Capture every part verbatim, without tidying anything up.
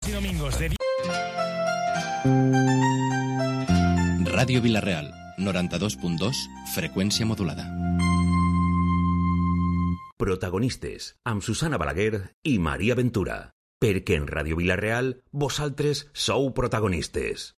y domingos de... Ràdio Vila-real, noranta-dos punt dos, freqüència modulada. Protagonistes, amb Susana Balaguer i Maria Ventura. Perquè en Ràdio Vila-real, vosaltres sou protagonistes.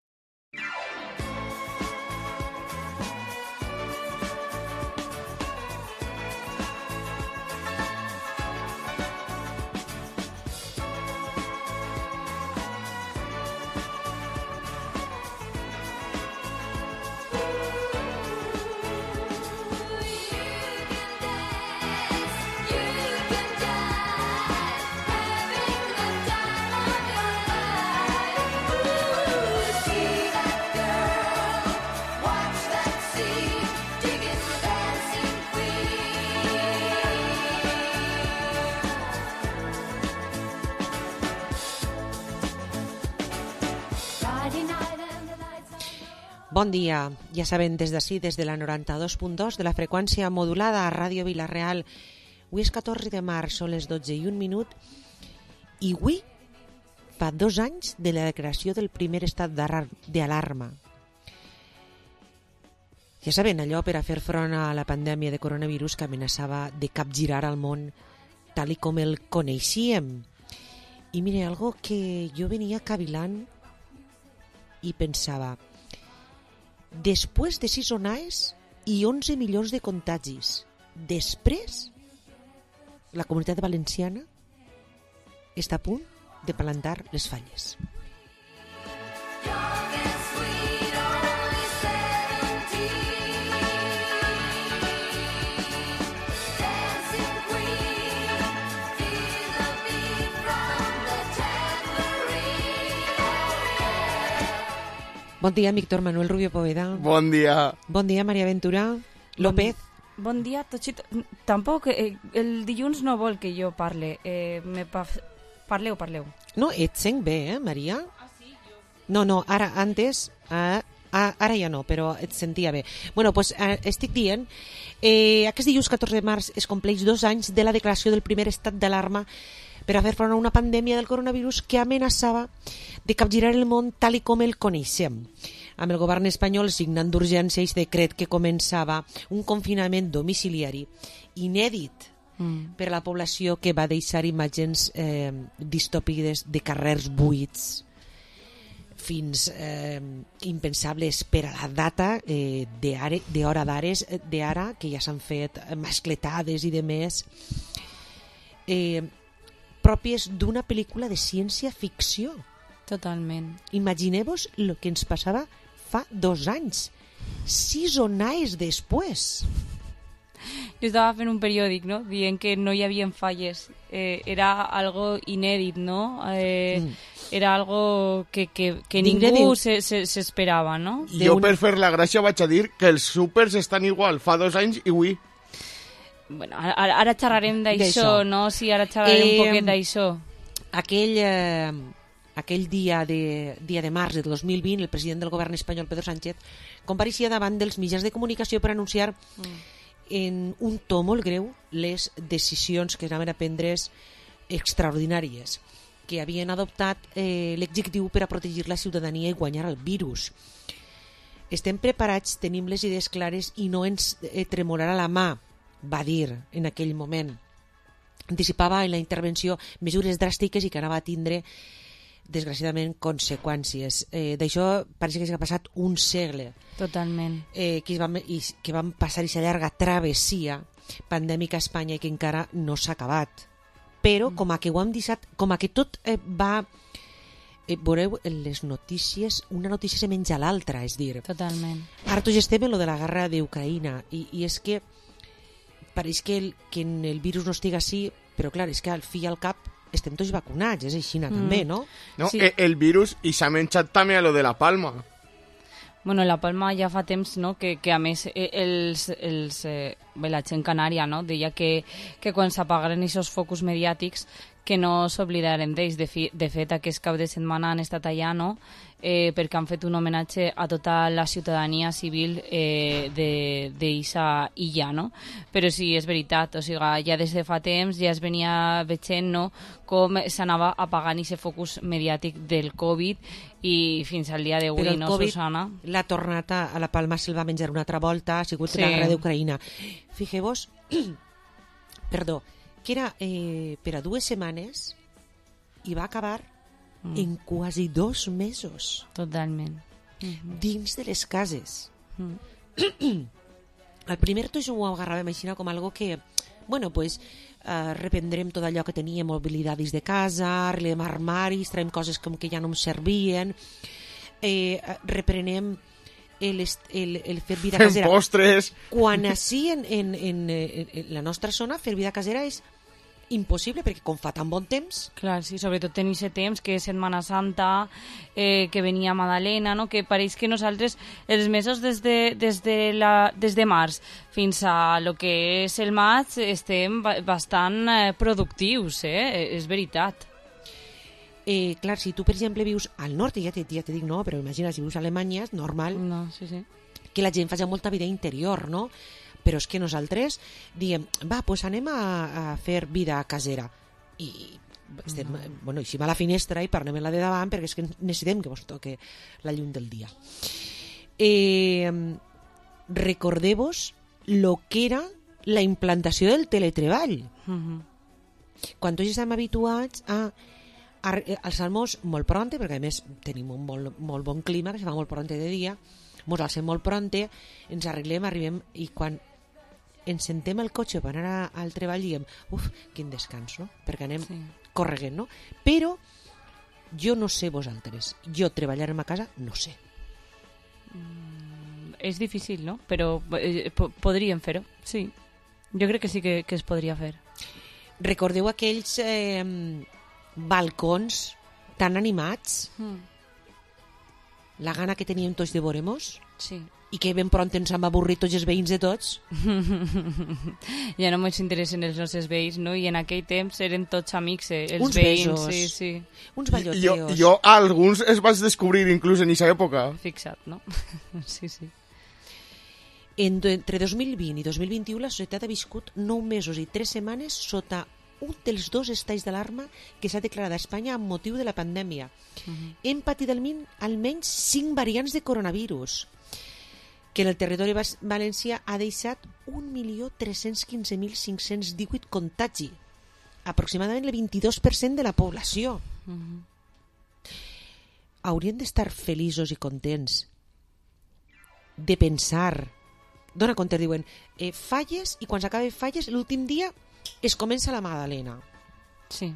Bon dia, ja saben, des d'ací, des de la noranta-dos punt dos de la freqüència modulada a Ràdio Vila-real. Avui és catorze de març, són les dotze i un minut, i avui fa dos anys de la declaració del primer estat d'alarma. Ja saben, allò per a fer front a la pandèmia de coronavirus que amenaçava de capgirar el món tal i com el coneixíem. I mire, algo que jo venia cavilant i pensava... Després de sis onades i onze milions de contagis, després, la Comunitat Valenciana està a punt de plantar les falles. Bon dia, Víctor Manuel Rubio Poveda. Bon dia. Bon dia, Maria Ventura. López. Bon, bon dia, Tochito. Tampoc, eh, el dilluns no vol que jo parle. Eh, me pa... Parleu, parleu. No, et sent bé, eh, Maria? Ah, sí, jo... No, no, ara, antes... Eh, ara ja no, però et sentia bé. Bueno, doncs eh, estic dient... Eh, aquest dilluns catorze de març es compleix dos anys de la declaració del primer estat d'alarma per a fer front a una pandèmia del coronavirus que amenaçava de capgirar el món tal i com el coneixem, amb el govern espanyol signant d'urgència aquest decret que començava un confinament domiciliari inèdit mm. per a la població, que va deixar imatges eh, distòpiques de carrers buits fins eh, impensables per a la data eh, d'hora d'ares d'ara, que ja s'han fet mascletades i de més, eh, pròpies d'una pel·lícula de ciència-ficció. Totalment. Imagineu-vos el que ens passava fa dos anys, sis onades després. Jo estava fent un periòdic, no?, dient que no hi havia falles. Eh, era algo inèdit, no? Eh, mm. Era algo que, que, que ningú s'esperava, no? Jo, per fer la gràcia, vaig a dir que els súpers estan igual fa dos anys i avui. Bueno, ara, ara xerrarem d'això, no? Sí, ara xerrarem eh, un poquet d'això. Aquell, eh, aquell dia de, dia de març de dos mil vint, el president del govern espanyol, Pedro Sánchez, compareixia davant dels mitjans de comunicació per anunciar mm. en un to molt greu les decisions que anaven a prendre's extraordinàries, que havien adoptat eh, l'executiu per a protegir la ciutadania i guanyar el virus. Estem preparats, tenim les idees clares i no ens eh, tremolarà la mà, va dir en aquell moment. Anticipava en la intervenció mesures dràstiques i que anava a tindre, desgraciadament, conseqüències. Eh, D'això pareix que s'ha passat un segle. Totalment. Eh, que, van, i, que van passar aquesta llarga travessia pandèmica a Espanya i que encara no s'ha acabat. Però mm. com a que ho hem deixat, com a que tot eh, va... Eh, veureu, les notícies, una notícia se menja l'altra, és dir... Totalment. Ara tots estem en lo de la guerra d'Ucraïna i, i és que pareix que el, que el virus no estigui així, però clar, és que al fi i al cap estem tots vacunats, és així, mm. també, no? No, sí. El virus, i s'ha menjat també a lo de la Palma. Bueno, la Palma ja fa temps, no?, que, que a més els, els, eh, la gent canària, no?, deia que, que quan s'apagaren aquests focus mediàtics que no s'oblidarem d'ells. De, fi, de fet, aquest cap de setmana han estat allà, no?, eh, perquè han fet un homenatge a tota la ciutadania civil eh, d'eixa illa, no? Però sí, és veritat, o sigui, ja des de fa temps ja es venia veient, no?, com s'anava apagant aquest focus mediàtic del Covid i fins al dia d'avui, no, COVID, Susana? l'ha tornat a, a la Palma, se'l va menjar una altra volta, ha sigut sí. la guerra d'Ucraïna. Fixeu-vos, perdó, que era eh, per a dues setmanes i va acabar mm. en quasi dos mesos. Totalment. Mm-hmm. Dins de les cases. Mm. Al primer tot ho agarràvem així com algo que, bueno, pues, uh, reprendrem tot allò que teníem, mobilitat dins de casa, arreglem armaris, traiem coses com que ja no ens servien, eh, reprenem el, el, el fer vida Fem casera. postres. Quan així en, en, en, en la nostra zona fer vida casera és impossible, perquè com fa tan bon temps... Clar, sí, sobretot en aquest temps, que és Setmana Santa, eh, que venia Madalena, no?, que pareix que nosaltres, els mesos des de, des de, la, des de març fins a lo que és el maig, estem bastant eh, productius, eh? És veritat. Eh, clar, si tu, per exemple, vius al nord, ja te, ja te dic no, però imagina, si vius a Alemanya, és normal no, sí, sí. que la gent faci molta vida interior, no? Però és que nosaltres diem, va, doncs anem a, a fer vida casera. I estem, mm. bueno, eixim a la finestra i parlem en la de davant perquè és que necessitem que vos toque la llum del dia. Eh, recordeu-vos lo que era la implantació del teletreball. Mm-hmm. Quan tots estem habituats a, a alçar-nos molt pronte, perquè a més tenim un molt, molt bon clima, que se fa molt pronte de dia, ens alcem molt pronte, ens arreglem, arribem, i quan ens sentem al cotxe per anar a, al treball diem, uf, quin descans, no? Perquè anem sí. correguent, no? Però jo no sé vosaltres, jo treballar a casa no sé. Mm, és difícil, no? Però eh, po podríem fer-ho, sí. Jo crec que sí que, que es podria fer. Recordeu aquells eh, balcons tan animats? Mm. La gana que teníem tots de veure-mos? Sí. I que ben pront ens hem avorrit tots els veïns de tots. Ja no ens interessen els nostres veïns, no? I en aquell temps eren tots amics, eh? Els uns veïns. Besos, sí, sí. uns balloteos. Jo, jo alguns els vaig descobrir inclús en aquesta època. Fixa't, no? Sí, sí. En, entre dos mil vint i dos mil vint-i-u la societat ha viscut nou mesos i tres setmanes sota un dels dos estats d'alarma que s'ha declarat a Espanya amb motiu de la pandèmia. Uh-huh. Hem patit almenys cinc variants de coronavirus, que en el territori valencià ha deixat un milió tres-cents quinze mil cinc-cents divuit contagi, aproximadament el vint-i-dos per cent de la població. Uh-huh. Haurien d'estar feliços i contents de pensar, dona compte, diuen eh, falles, i quan s'acaben falles l'últim dia es comença la Madalena. Sí.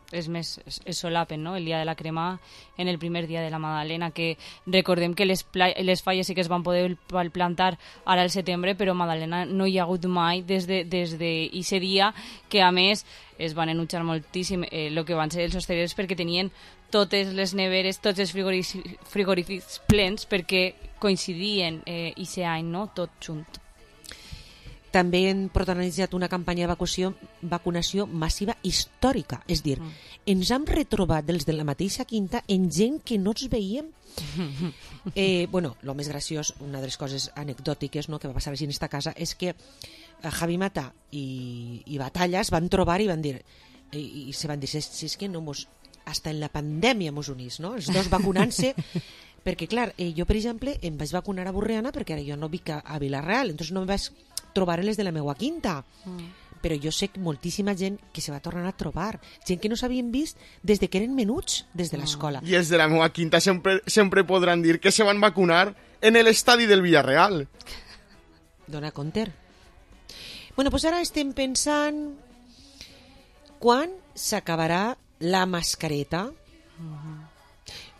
És més, es, es solapen, no?, el dia de la crema en el primer dia de la Madalena, que recordem que les, les falles sí que es van poder plantar ara al setembre, però Madalena no hi ha hagut mai des de, des de ese dia, que a més es van enutjar moltíssim el eh, que van ser els hostelers, perquè tenien totes les neveres, tots els frigorífics plens, perquè coincidien eh, ese any, no?, tot junt. També han protagonitzat una campanya de vacunació, vacunació massiva històrica. És dir, mm. ens hem retrobat dels de la mateixa quinta en gent que no ens veiem. eh, bueno, el més graciós, una de les coses anecdòtiques, no, que va passar així en esta casa, és que Javi Mata i, i Batalla es van trobar i van dir, i, i se van dir, si, si és que no mos, hasta en la pandèmia mos unís, no? Els dos vacunant-se, perquè clar, eh, jo per exemple em vaig vacunar a Borriana perquè ara jo no vic a, a Vila-real, entonces no em vaig trobar les de la meua quinta, mm. però jo sé moltíssima gent que se va tornar a trobar, gent que no s'havien vist des de que eren menuts des de l'escola. I els de la meua quinta sempre, sempre podran dir que se van vacunar en l'estadi del Villarreal. Dona compte. Bueno, doncs ara estem pensant quan s'acabarà la mascareta, mm-hmm.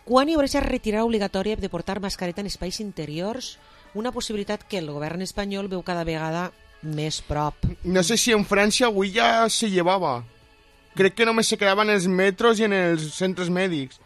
quan hi haurà aquesta retirada obligatòria de portar mascareta en espais interiors, una possibilitat que el govern espanyol veu cada vegada més prop. No sé si en França avui ja se llevava. Crec que només se quedava en els metros i en els centres mèdics.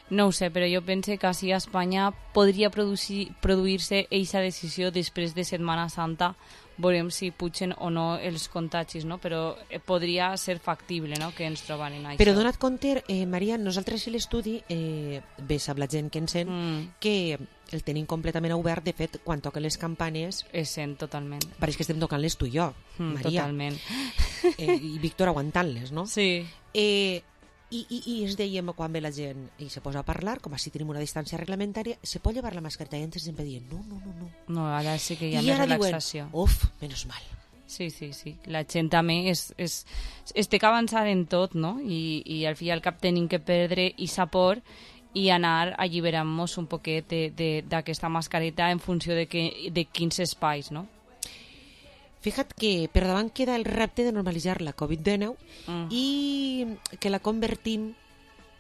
No ho sé, però jo pense que així a Espanya podria produir-se aquesta decisió després de Setmana Santa, veurem si pugen o no els contagis, no? Però podria ser factible, no?, que ens trobaren això. Però dona't compte, eh, Maria, nosaltres a l'estudi, eh, bé sap la gent que ens sent, mm. que el tenim completament obert. De fet, quan toquen les campanes... Es sent totalment. Pareix que estem tocant-les tu i jo, mm, Maria. Totalment. Eh, I Víctor aguantant-les, no? Sí. Eh, i, i, I ens dèiem, quan ve la gent i se posa a parlar, com així tenim una distància reglamentària, se pot llevar la mascareta, i antes sempre dient, no, no, no, no. No, ara sí que hi ha I més ara relaxació. Diuen, uf, menos mal. Sí, sí, sí. La gent també és, és, es té que avançar en tot, no? I, i al fi i al cap tenim que perdre i sapor i anar alliberant-nos un poquet d'aquesta mascareta en funció de, que, de quins espais, no? Fija't que per davant queda el repte de normalitzar la covid dinou mm. i que la convertim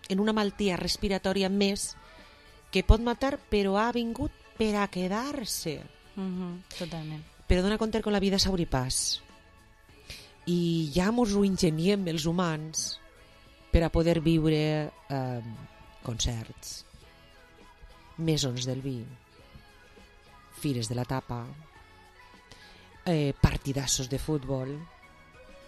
en una malaltia respiratòria més que pot matar, però ha vingut per a quedar-se. Mm-hmm, totalment. Però dona compte que la vida s'obri pas. I ja mos ho ingeniem els humans per a poder viure eh, concerts, mesons del vi, fires de la tapa, eh, partidassos de futbol,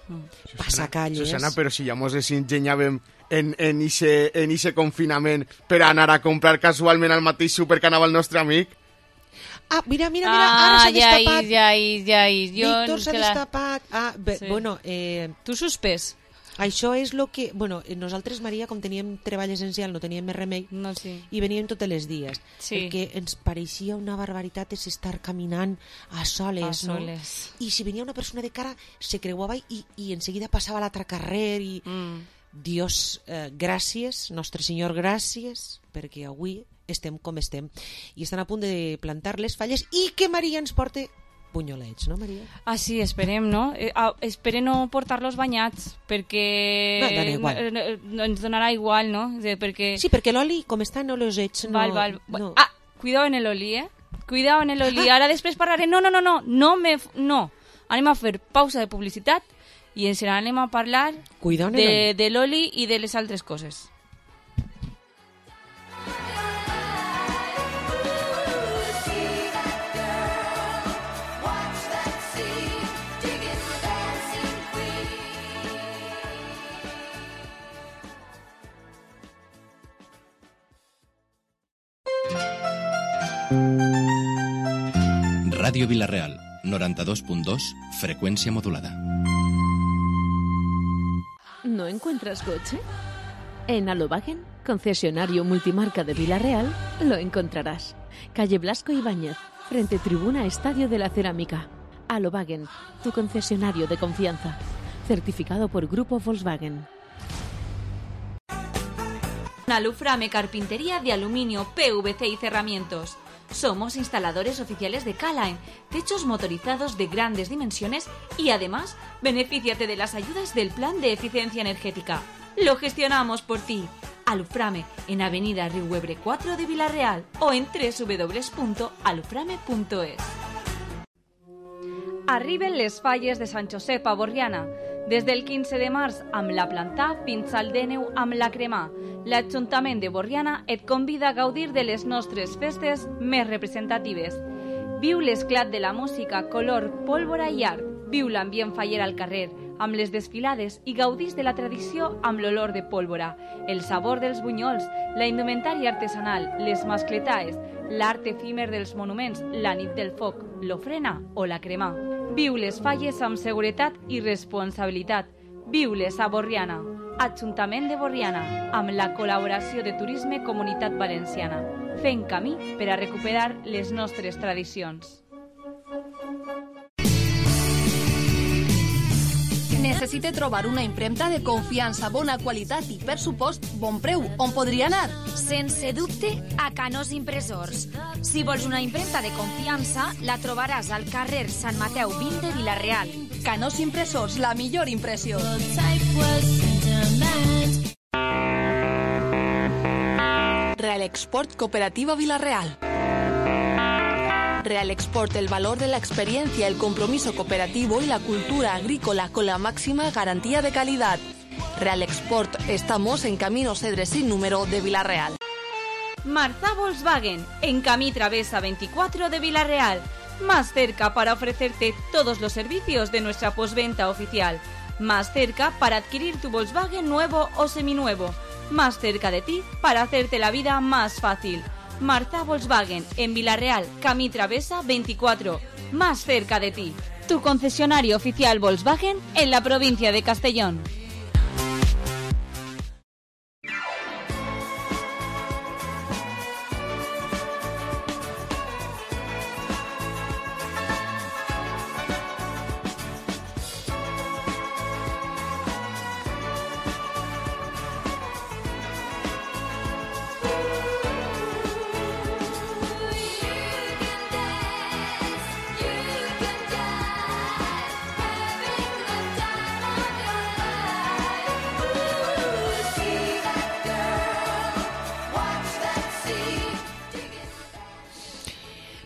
mm. passacalles... Susana, però si ja mos ingeniàvem en, en, ixe, en ixe confinament per anar a comprar casualment al mateix súper que anava el nostre amic. Ah, mira, mira, mira, ah, ara s'ha ja destapat. És, ja és, ja és. Jo Víctor s'ha la... destapat. Ah, bé, sí. bueno... Eh, tu suspès. Això és el que... Bueno, nosaltres, Maria, com teníem treball essencial, no teníem més remei, no, sí. i veníem tots els dies. Sí. El que ens pareixia una barbaritat és estar caminant a soles, a soles. No? I si venia una persona de cara, se creuava i, i en seguida passava a l'altre carrer i... Mm. Dios, eh, gràcies, Nostre Senyor, gràcies, perquè avui estem com estem. I estan a punt de plantar les falles i que Maria ens porte punyolets, no, Maria? Ah, sí, esperem, no? Eh, ah, espere no portar-los banyats, perquè no, no, igual. No, no, ens donarà igual, no? Perquè... Sí, perquè l'oli, com estan oleosets... No, val, val. No. Ah, cuidado en el oli, eh? Cuidado en el oli. Ah. Ara després parlaré... No, no, no, no, no me... No. Anem a fer pausa de publicitat i ens anem a parlar de, de l'oli i de les altres coses. Radio Vilareal, noranta dos punto dos, frecuencia modulada. ¿No encuentras coche? En Alobagen, concesionario multimarca de Vilareal, lo encontrarás. Calle Blasco Ibáñez, frente Tribuna Estadio de la Cerámica. Alobagen, tu concesionario de confianza. Certificado por Grupo Volkswagen. Aluframe Carpintería de Aluminio, P V C y Cerramientos. Somos instaladores oficiales de K-Line, techos motorizados de grandes dimensiones y además, benefíciate de las ayudas del Plan de Eficiencia Energética. Lo gestionamos por ti. Aluframe, en Avenida Riuebre cuatro de Vilareal o en doble u doble u doble u punto aluframe punto es. Arriben les falles de Sant Josep a Borriana. Des del quinze de març amb la Plantà fins al dènou amb la Cremà. L'Ajuntament de Borriana et convida a gaudir de les nostres festes més representatives. Viu l'esclat de la música, color, pólvora i art. Viu l'ambient faller al carrer, amb les desfilades i gaudís de la tradició amb l'olor de pólvora, el sabor dels bunyols, la indumentària artesanal, les mascletaes, l'art efímer dels monuments, la nit del foc, l'ofrena o la cremà. Viu les falles amb seguretat i responsabilitat. Viu-les a Borriana. Ajuntament de Borriana, amb la col·laboració de Turisme Comunitat Valenciana. Fent camí per a recuperar les nostres tradicions. Necessite trobar una impremta de confiança, bona qualitat i, per supost, bon preu. On podria anar? Sense dubte, a Canós Impressors. Si vols una impremta de confiança, la trobaràs al carrer Sant Mateu vint de Vila-real. Canós Impressors, la millor impressió. Real Export Cooperativa Vila-real. Real Export, el valor de la experiencia, el compromiso cooperativo y la cultura agrícola con la máxima garantía de calidad. Real Export, estamos en Camino Cedre sin número de Vila-real. Marzà Volkswagen, en camí Travessa veinticuatro de Vila-real. más cerca para ofrecerte todos los servicios de nuestra postventa oficial, más cerca para adquirir tu Volkswagen nuevo o seminuevo, más cerca de ti para hacerte la vida más fácil. Marza Volkswagen, en Vilareal, Camí Travesa veinticuatro, más cerca de ti. Tu concesionario oficial Volkswagen en la provincia de Castellón.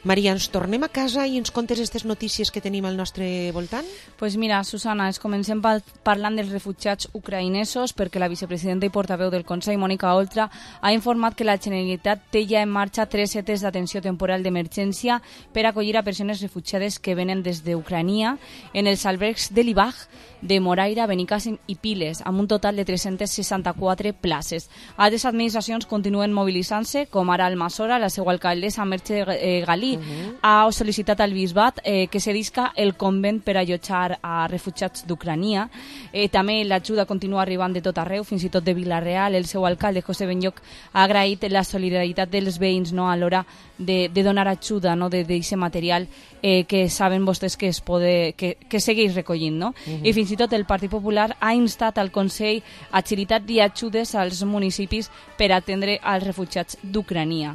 Maria, ens tornem a casa i ens contes aquestes notícies que tenim al nostre voltant? Pues mira, Susana, es comencem parlant dels refugiats ucraïnesos perquè la vicepresidenta i portaveu del Consell, Mònica Oltra, ha informat que la Generalitat té ja en marxa tres setes d'atenció temporal d'emergència per acollir a persones refugiades que venen des d'Ucrania en els albergs de l'Ibaj, de Moraira, Benicàssim i Piles, amb un total de tres-centes seixanta-quatre places. Altres administracions continuen mobilitzant-se, com ara Almassora, la seva alcaldessa Merche Galí, uh-huh. ha sol·licitat al bisbat eh, que cedisca el convent per allotjar a refugiats d'Ucrania. Eh, també l'ajuda continua arribant de tot arreu, fins i tot de Vila-real. El seu alcalde, José Benlloc, ha agraït la solidaritat dels veïns, no, a l'hora de, de donar ajuda, no, d'aquest material eh, que saben vostès que es pode, que, que segueix recollint. No? Uh-huh. I fins i tot el Partit Popular ha instat al Consell agilitat i ajudes als municipis per atendre als refugiats d'Ucrania.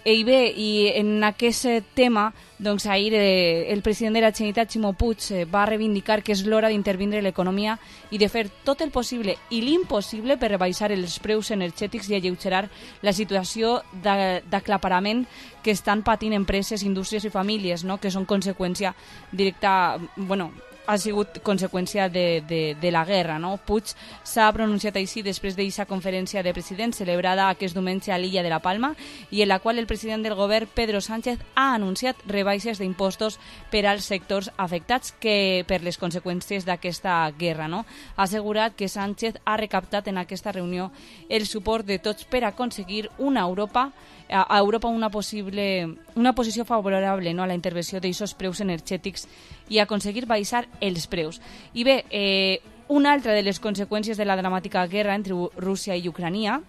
I bé, i en aquest tema, doncs ahir eh, el president de la Generalitat, Ximo Puig, eh, va reivindicar que és l'hora d'intervindre l'economia i de fer tot el possible i l'impossible per rebaixar els preus energètics i alleugerar la situació d'aclaparament que estan patint empreses, indústries i famílies, no? Que són conseqüència directa, bueno, ha sigut conseqüència de, de, de la guerra. No? Puig s'ha pronunciat així després d'aquesta conferència de presidents celebrada aquest diumenge a l'illa de la Palma i en la qual el president del govern, Pedro Sánchez, ha anunciat rebaixes d'impostos per als sectors afectats que per les conseqüències d'aquesta guerra. No? Ha assegurat que Sánchez ha recaptat en aquesta reunió el suport de tots per aconseguir una Europa a Europa una possible una posició favorable, no, a la intervenció d'aquests preus energètics i aconseguir baixar els preus. I bé, eh, una altra de les conseqüències de la dramàtica guerra entre Rússia i Ucrània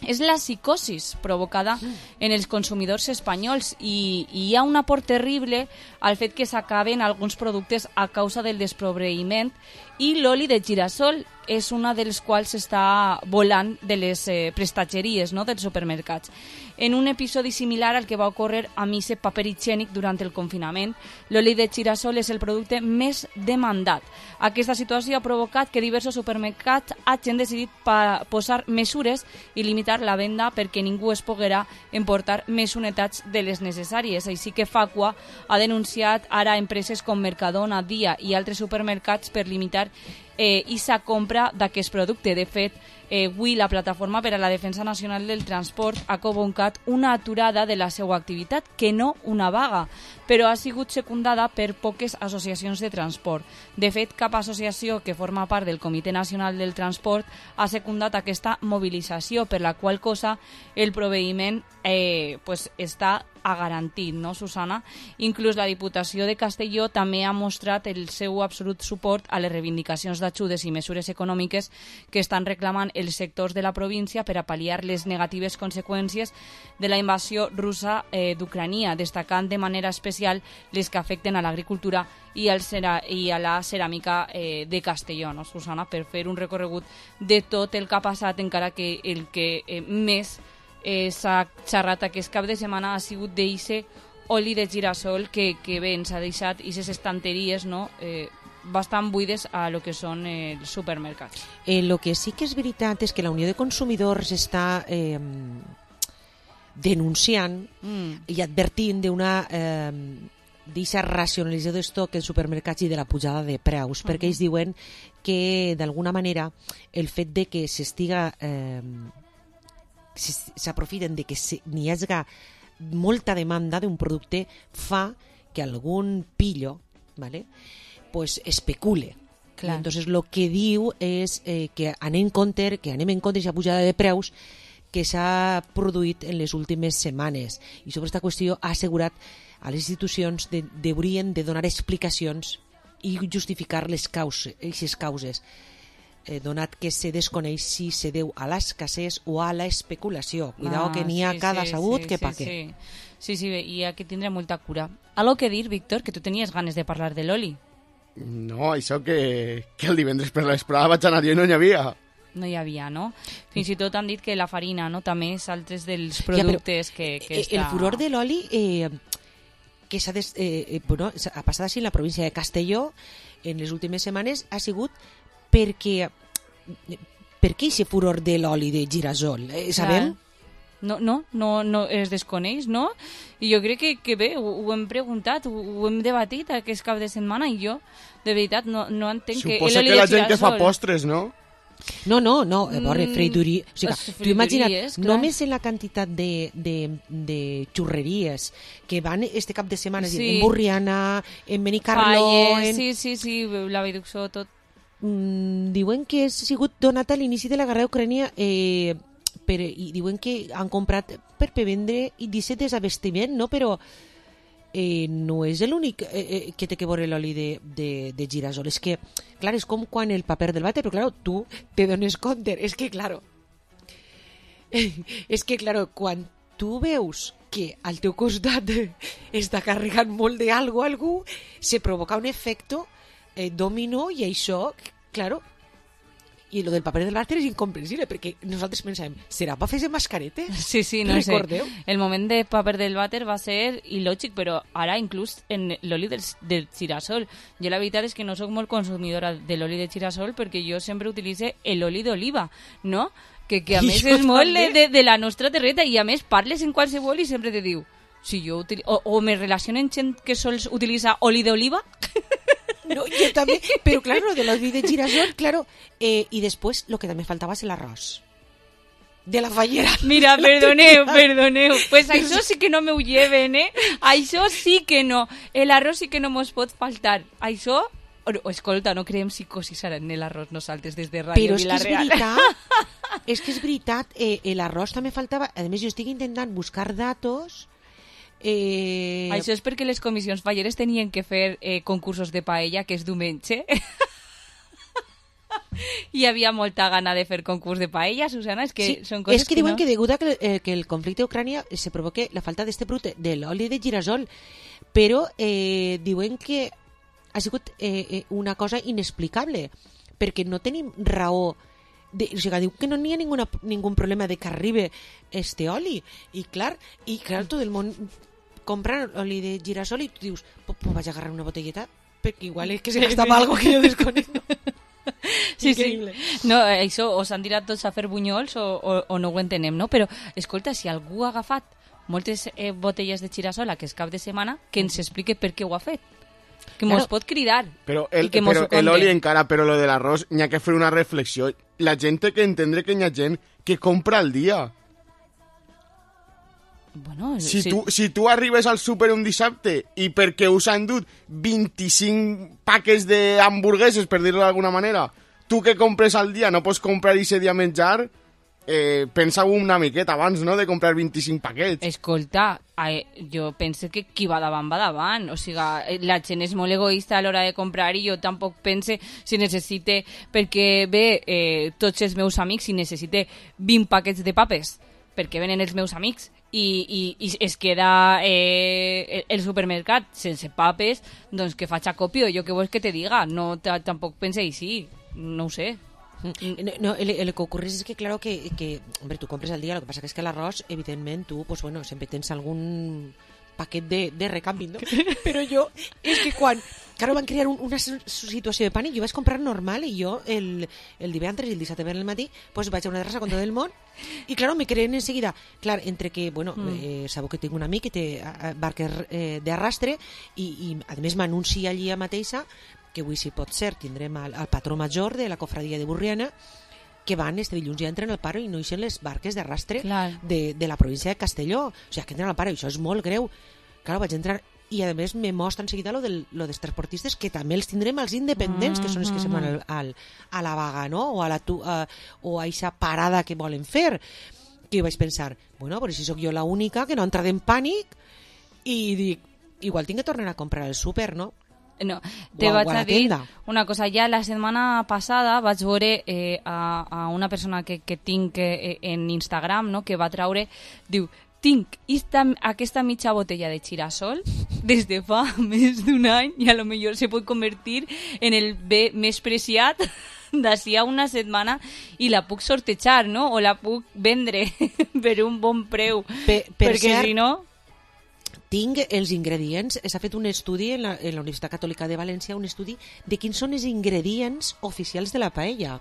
és la psicosis provocada en els consumidors espanyols i, i hi ha un aport terrible al fet que s'acaben alguns productes a causa del desproveïment i l'oli de girassol és una dels quals està volant de les eh, prestatgeries, no?, dels supermercats. En un episodi similar al que va ocórrer amb aquest paper higiènic durant el confinament, l'oli de girassol és el producte més demandat. Aquesta situació ha provocat que diversos supermercats hagin decidit pa posar mesures i limitar la venda perquè ningú es poguera emportar més unitats de les necessàries. Així que Facua ha denunciat ara empreses com Mercadona, Dia i altres supermercats per limitar eh, i sa compra d'aquest producte. De fet, eh, avui la Plataforma per a la Defensa Nacional del Transport ha convocat una aturada de la seva activitat, que no una vaga, però ha sigut secundada per poques associacions de transport. De fet, cap associació que forma part del Comitè Nacional del Transport ha secundat aquesta mobilització, per la qual cosa el proveïment eh, pues, està a garantit, no, Susana? Inclús la Diputació de Castelló també ha mostrat el seu absolut suport a les reivindicacions d'ajudes i mesures econòmiques que estan reclamant els sectors de la província per a pal·liar les negatives conseqüències de la invasió russa eh, d'Ucrània, destacant de manera especial les que afecten a l'agricultura i, al cera, i a la ceràmica eh, de Castelló, no, Susana? Per fer un recorregut de tot el que ha passat, encara que el que eh, més eh, s'ha xerrat aquest cap de setmana ha sigut d'eixe oli de girassol que, que bé, ens ha deixat aquestes estanteries, no?, eh, bastant buides a lo que són eh, els supermercats. Eh, lo que sí que és veritat és que la Unió de Consumidors està eh, denunciant mm. i advertint d'una eh, d'aquesta racionalització d'estoc en supermercats i de la pujada de preus, uh-huh. perquè ells diuen que d'alguna manera el fet de que s'estiga eh, s'aprofiten de que n'hi hagi molta demanda d'un producte fa que algún pillo, ¿vale? Pues especule. Clar. Entonces lo que diu és eh, que anem en compte, que anem en compte aquesta pujada de preus que s'ha produït en les últimes setmanes, i sobre aquesta qüestió ha assegurat a les institucions de, deurien de donar explicacions i justificar les causes, aquestes causes, eh, donat que se desconeix si se deu a l'escassez o a la especulació. Cuidao, ah, que n'hi ha sí, cada sí, sabut sí, que sí, pa què. Sí, sí, sí, i hi ha que tindre molta cura. Algo que dir, Víctor, que tu tenies ganes de parlar de l'oli. No, això que, que el divendres per l'esprada vaig anar jo i no n'hi havia. No hi havia, no? Fins i tot han dit que la farina, no? També és altres dels productes ja, que, que està... El furor de l'oli eh, que s'ha des, eh, bueno, ha passat així en la província de Castelló en les últimes setmanes ha sigut perquè per què aquest furor de l'oli de girasol? Eh, sabem? Clar. No, no, no, no es desconeix, no? I jo crec que, que bé, ho, ho hem preguntat, ho, ho hem debatit aquest cap de setmana i jo, de veritat, no, no entenc Suposa que... Suposa que la gent que fa postres, no? No, no, no, a veure, freiduria... O sigui, tu imagina't, clar. només en la quantitat de, de, de xurreries que van este cap de setmana, sí. en Burriana, en Benicarló... Falles, en... sí, sí, sí, la Viduxó, tot. Mm, diuen que ha sigut donat a l'inici de la guerra d'Ucrània... Eh, per, i diuen que han comprat per vendre i disset desabastiment, no? Però eh, no és l'únic eh, eh, que té que veure l'oli de, de, de girasol. És que, clar, és com quan el paper del vàter, però clar, tu te dones compte. És que, clar, és que, clar, quan tu veus que al teu costat està carregant molt d'algo algú, se provoca un efecte eh, dominó i això, clar, i lo del paper del vàter és incomprensible, perquè nosaltres pensàvem, serà per fer-se mascaretes? Sí, sí, no Recordeu? sé. El moment de paper del vàter va ser il·lògic, però ara inclús en l'oli del, del girasol. Jo la veritat és que no sóc molt consumidora de l'oli de girasol perquè jo sempre utilitze l'oli d'oliva, no? Que, que a més és molt de, de, de la nostra terreta i a més parles en qualsevol i sempre te diu si jo util... o, o me relacionen gent que sols utilitza oli d'oliva. No, yo también, pero claro, de l'oli de girasol, claro, eh, y después lo que también faltaba es el arroz de la fallera. Mira, perdoneu, perdoneu, pues això sí que no me ho lleven, eh? Això sí que no, el arroz sí que no mos pot faltar, això... O, escolta, no creem psicosis ara en l'arròs nosaltres des de Ràdio Vilareal. Però és que és veritat, és que és veritat, eh, l'arròs també faltava, a més jo estic intentant buscar datos... Eh... Això és perquè les comissions falleres tenien que fer eh, concursos de paella, que és diumenge. Hi havia molta gana de fer concurs de paella, Susana, és que sí, són coses és que, que diuen no... que degut a que, eh, que el conflicte d'Ucrània se provoque la falta d'este producte de l'oli de girasol, però eh, diuen que ha sigut eh, eh, una cosa inexplicable, perquè no tenim raó. De, o sigui, diu que no n'hi ha ninguna, ningú problema de que arribi este oli. I clar, i clar, tot el món comprar oli de girasol i tu dius, pues, pues vaig a agarrar una botelleta perquè igual és que se gastava algo que jo desconec. Sí, increïble. Sí. No, això, o s'han tirat tots a fer bunyols o, o, o no ho entenem, no? Però, escolta, si algú ha agafat moltes eh, botelles de girasol aquest cap de setmana, que ens explique per què ho ha fet. Que mos claro. pot cridar. Però el, però l'oli encara, però lo de l'arròs, n'hi ha que fer una reflexió. La gent té que entendre que n'hi ha gent que compra al dia. Bueno, si, si... Tu, si tu arribes al súper un dissabte i perquè us han dut vint-i-cinc paquets d'hamburgueses, per dir-ho d'alguna manera, tu que compres al dia no pots comprar i ese dia menjar, eh, pensa una miqueta abans, no?, de comprar vint-i-cinc paquets. Escolta, eh, jo penso que qui va davant va davant, o sigui, la gent és molt egoista a l'hora de comprar i jo tampoc pense si necessite, perquè bé, eh, tots els meus amics, si necessite vint paquets de papes, perquè venen els meus amics, i, i, i es queda eh, el supermercat sense papes, doncs que faig acopio, jo què vols que te diga? No, tampoc pense així, no ho sé. No, no, el, el que ocurre és que, claro, que, que hombre, tu compres al dia, lo que pasa que es que l'arròs, evidentment, tu, pues bueno, sempre tens algun paquet de, de recanvi, no? Però jo, és que quan, claro, van crear un, una situació de pànic, jo vaig comprar normal i jo el, el divendres i el dissabte per el matí, pues vaig a una terrassa con tot el món i, claro, me creen enseguida. Clar, entre que, bueno, mm. eh, sabeu que tinc un amic que té barques eh, d'arrastre i, i, a més, m'anuncia allí a mateixa que avui, si pot ser, tindrem el, el patró major de la cofradia de Burriana, que van este dilluns ja entren al paro i no eixen les barques d'arrastre de, de la província de Castelló. O sigui, que entren al paro i això és molt greu. Clar, vaig entrar i a més me mostra enseguida lo, del, lo dels transportistes, que també els tindrem als independents, que són els que se'n van al, al, a la vaga, no? O a la tu, a, o a eixa parada que volen fer. Que jo vaig pensar, bueno, però si sóc jo la única que no ha entrat en pànic, i dic, igual tinc que tornar a comprar el súper, no? No, te o, vaig o a, a dir una cosa. Ja la setmana passada vaig veure eh, a, a una persona que, que tinc eh, en Instagram, no?, que va traure, diu, tinc esta, aquesta mitja botella de girasol des de fa més d'un any i a lo millor se pot convertir en el bé més preciat d'ací a una setmana i la puc sortejar, no? O la puc vendre per un bon preu. Per, per perquè cert, si no... tinc els ingredients, s'ha fet un estudi en la, en la Universitat Catòlica de València, un estudi de quins són els ingredients oficials de la paella.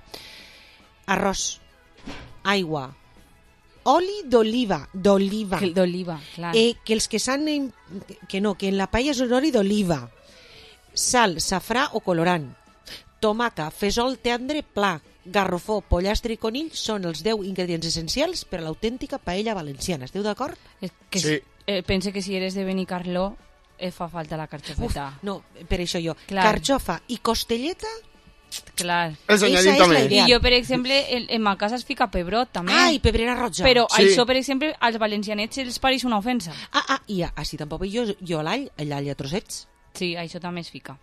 Arròs, aigua, oli d'oliva, d'oliva. D'oliva, clar. Eh, que els que s'han... Que no, que en la paella és un oli d'oliva. Sal, safrà o colorant. Tomaca, fesol tendre pla, garrofó, pollastre i conill són els deu ingredients essencials per a l'autèntica paella valenciana. Esteu d'acord? Que sí. Eh, pense que si eres de Benicarló eh, fa falta la carxofeta. Uf, no, per això jo. Clar. Carxofa i costelleta. Clar. El senyorit també. I jo, per exemple, en, en ma casa es fica pebrot, també. Ah, i pebrera roja. Però sí. això, per exemple, als valencianets els pareix una ofensa. Ah, ah, i així tampoc jo, jo l'all, l'all a trossets. Sí, això també es fica.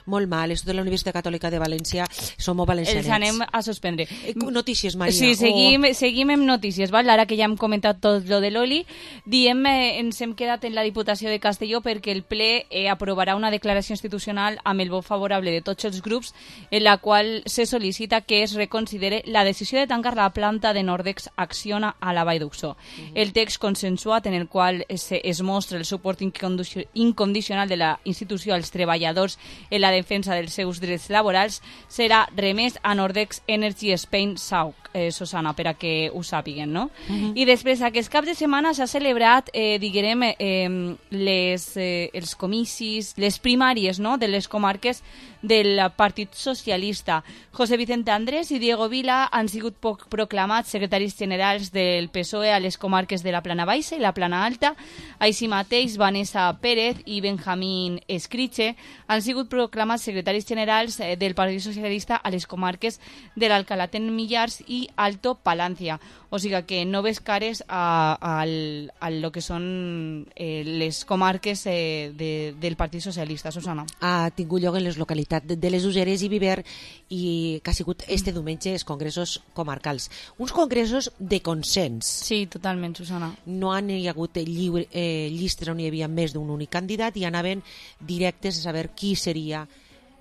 Molt mal, esto de la Universitat Catòlica de València, som valencianets. Els anem a suspendre. Notícies, Maria. Sí, seguim, oh. seguim amb notícies, val? Ara que ja hem comentat tot lo de l'oli, diem, eh, ens hem quedat en la Diputació de Castelló perquè el ple eh, aprovarà una declaració institucional amb el vot favorable de tots els grups en la qual se sol·licita que es reconsidere la decisió de tancar la planta de Nordex Acciona a la Vall d'Uxó. Uh-huh. El text consensuat en el qual es, es mostra el suport incondicional de la institució als treballadors en la defensa dels seus drets laborals serà remès a Nordex Energy Spain S A U C, eh, Susana, per a que ho sàpiguen, no? Uh-huh. I després, aquest cap de setmana s'ha celebrat, eh, diguem, eh, les, eh, els comicis, les primàries, no?, de les comarques del Partit Socialista. José Vicente Andrés i Diego Vila han sigut poc proclamats secretaris generals del P S O E a les comarques de la Plana Baixa i la Plana Alta. Així mateix, Vanessa Pérez i Benjamín Escriche han sigut proclamats secretaris generals del Partit Socialista a les comarques de l'Alcalat en Millars i Alto Palancia. O sigui que noves cares a, a, a lo que són eh, les comarques eh, de, del Partit Socialista, Susana. Ha tingut lloc en les localitats de, de les Useres i Viver i que ha sigut este diumenge els congressos comarcals. Uns congressos de consens. Sí, totalment, Susana. No han hi hagut lliure, eh, llistes on hi havia més d'un únic candidat i anaven directes a saber qui seria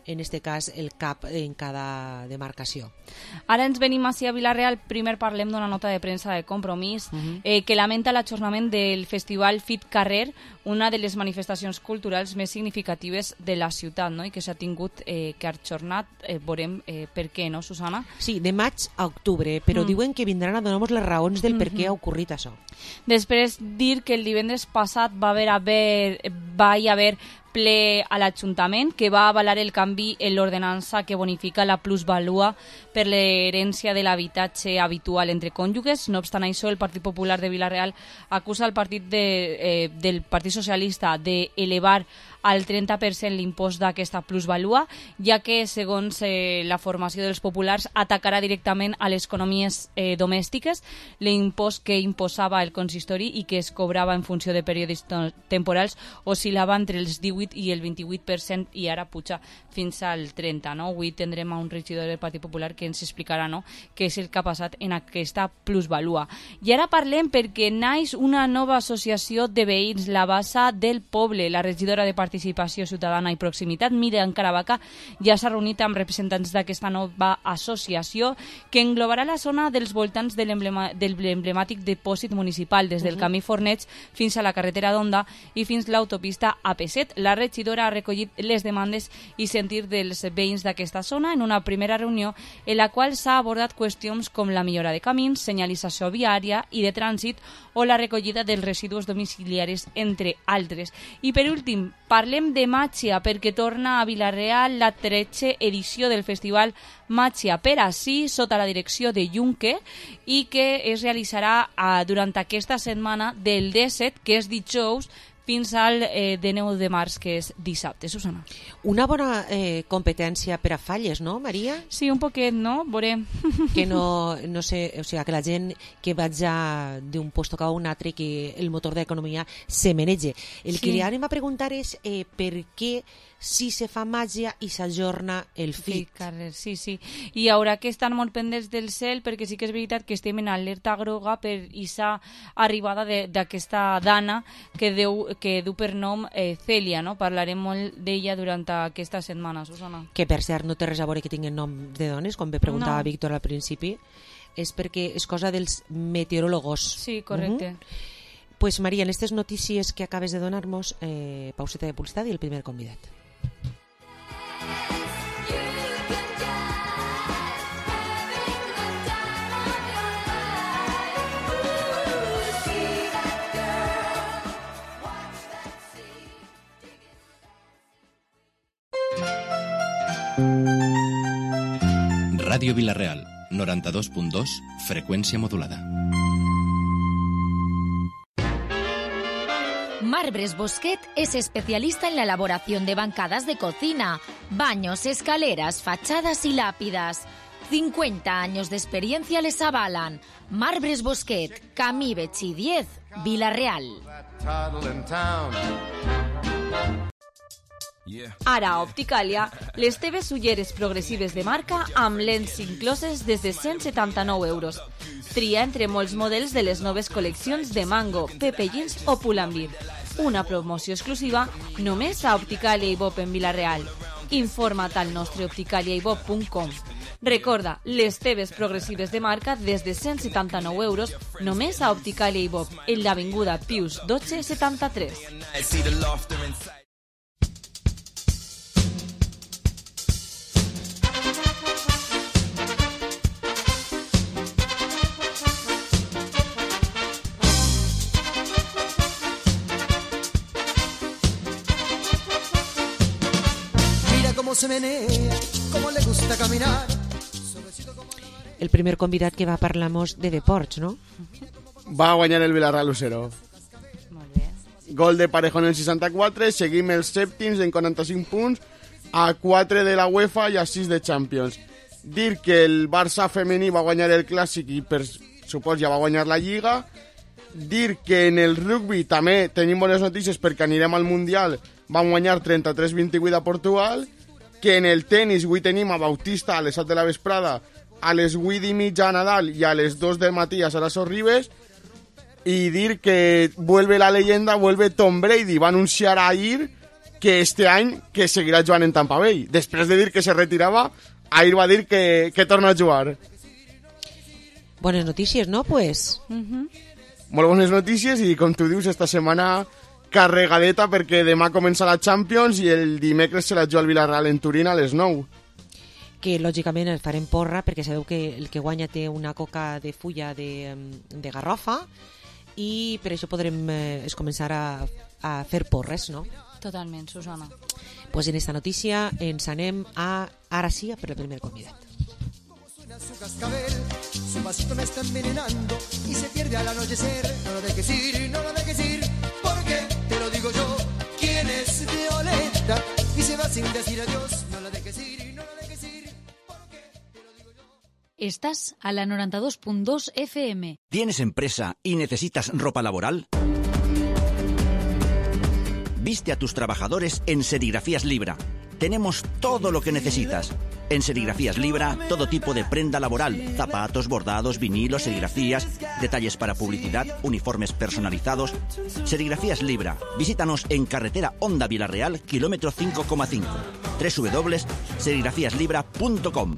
en este cas el cap en cada demarcació. Ara ens venim ací a Vila-real. Primer parlem d'una nota de premsa de Compromís uh-huh. eh, que lamenta l'ajornament del festival Fit Carrer, una de les manifestacions culturals més significatives de la ciutat, no?, i que s'ha tingut eh, que ajornat. Eh, veurem eh, per què, no, Susana? Sí, de maig a octubre, però mm. diuen que vindran a donar-nos les raons del mm-hmm. per què ha ocorrit això. Després, dir que el divendres passat va haver, haver, va hi haver ple a l'Ajuntament que va avalar el canvi en l'ordenança que bonifica la plusvalua per l'herència de l'habitatge habitual entre cònjuges. No obstant això, el Partit Popular de Vila-real acusa el partit de, eh, del Partit Socialista d'elevar al trenta per cent l'impost d'aquesta plusvalua, ja que, segons eh, la formació dels populars, atacarà directament a les economies eh, domèstiques l'impost que imposava el consistori i que es cobrava en funció de períodes temporals oscil·lava entre els divuit i el vint-i-vuit per cent i ara puja fins al trenta, no? Avui tindrem a un regidor del Partit Popular que ens explicarà, no?, què és el que ha passat en aquesta plusvalua. I ara parlem perquè naix una nova associació de veïns, la Bassa del Poble. La regidora de Participació Ciutadana i Proximitat, Míriam Caravaca, ja s'ha reunit amb representants d'aquesta nova associació que englobarà la zona dels voltants de l'emblema, del emblemàtic dipòsit municipal, des del camí Fornets fins a la carretera d'Onda i fins l'autopista A P set. La regidora ha recollit les demandes i sentir dels veïns d'aquesta zona en una primera reunió en la qual s'ha abordat qüestions com la millora de camins, senyalització viària i de trànsit o la recollida dels residus domiciliaris, entre altres. I per últim, parlem de Màgia, perquè torna a Vila-real la tretze edició del festival Màgia per ací, sota la direcció de Junque, i que es realitzarà uh, durant aquesta setmana del disset, que és dijous, fins al eh, dinou de març, que és dissabte, Susana. Una bona eh, competència per a falles, no, Maria? Sí, un poquet, no? Veurem. Que no, no sé, o sigui, que la gent que vaja d'un lloc a un altre, que el motor d'economia se menege. El sí. que li anem a preguntar és eh, per què si se fa màgia i s'ajorna el fit. Sí, sí, sí. I hi haurà que estar molt pendents del cel, perquè sí que és veritat que estem en alerta groga per aquesta arribada d'aquesta dana que, deu, que du per nom eh, Cèlia, no? Parlarem molt d'ella durant aquesta setmana, Susana. Que per cert no té res a veure que tinguin nom de dones, com bé preguntava no. Víctor al principi, és perquè és cosa dels meteoròlegos. Sí, correcte. Uh-huh. Pues Maria, en aquestes notícies que acabes de donar-nos, eh, pauseta de publicitat i el primer convidat. Ràdio Vila-real, noranta-dos punt dos, freqüència modulada. Marbres Bosquet es especialista en la elaboración de bancadas de cocina, baños, escaleras, fachadas y lápidas. cincuenta años de experiencia les avalan. Marbres Bosquet, Camí Betxí diez, Vila-real. Ara a Opticàlia, les teves ulleres progressives de marca amb lents incloses des de cent setanta-nou euros. Tria entre molts models de les noves col·leccions de Mango, Pepe Jeans o Pull&Bear. Una promoció exclusiva només a Opticàlia i Bob en Vila-real. Informa't al nostre opticàlia i bob punt com. Recorda, les teves progressives de marca des de cent setanta-nou euros només a Opticàlia i Bob, en l'avinguda Pius dotze setanta-tres. Se menea, como le gusta caminar. El primer convidat que va parlar-nos de deports, no? Va guanyar el Villarreal u zero. Molt bé. Gol de Parejón en seixanta-quatre, seguim els sèptims en quaranta-cinc punts, a quatre de la UEFA i a sis de Champions. Dir que el Barça femení va guanyar el Clàssic i per supòs ja va guanyar la Lliga. Dir que en el rugby també tenim bones notícies perquè anirem al Mundial, van guanyar trenta-tres vint-i-vuit a Portugal. Que en el tenis avui tenim a Bautista a les set de la vesprada, a les vuit i mitja a Nadal i a les dos del matí a Sara Sorribes, i dir que vuelve la leyenda, vuelve Tom Brady. Va anunciar ahir que este any que seguirà jugant en Tampa Bay. Després de dir que se retirava, ahir va dir que, que torna a jugar. Bones notícies, no? Pues... Uh-huh. Molt bones notícies i, com tu dius, esta setmana... carregadeta perquè demà comença la Champions i el dimecres se la juga al Villarreal en Turín a les nou. Que lògicament el farem porra perquè sabeu que el que guanya té una coca de fulla de, de garrofa i per això podrem eh, es començar a, a fer porres, no? Totalment, Susana. Pues en esta notícia ens anem a ara sí per el primer convidat. Su cascabel, su vasito me está envenenando y se pierde al anochecer. No lo dejes ir, no lo dejes ir, porque te lo digo yo. ¿Quién es Violeta? Y se va sin decir adiós. No lo dejes ir, no lo dejes ir, porque te lo digo yo. Estás a la noventa y dos punto dos F M. ¿Tienes empresa y necesitas ropa laboral? Viste a tus trabajadores en Serigrafías Libra. Tenemos todo lo que necesitas. En Serigrafías Libra, todo tipo de prenda laboral, zapatos, bordados, vinilos, serigrafías, detalles para publicidad, uniformes personalizados. Serigrafías Libra. Visítanos en carretera Honda Vila-real, kilómetro cinco coma cinco. doble u doble u doble u punt serigrafías libra punt com.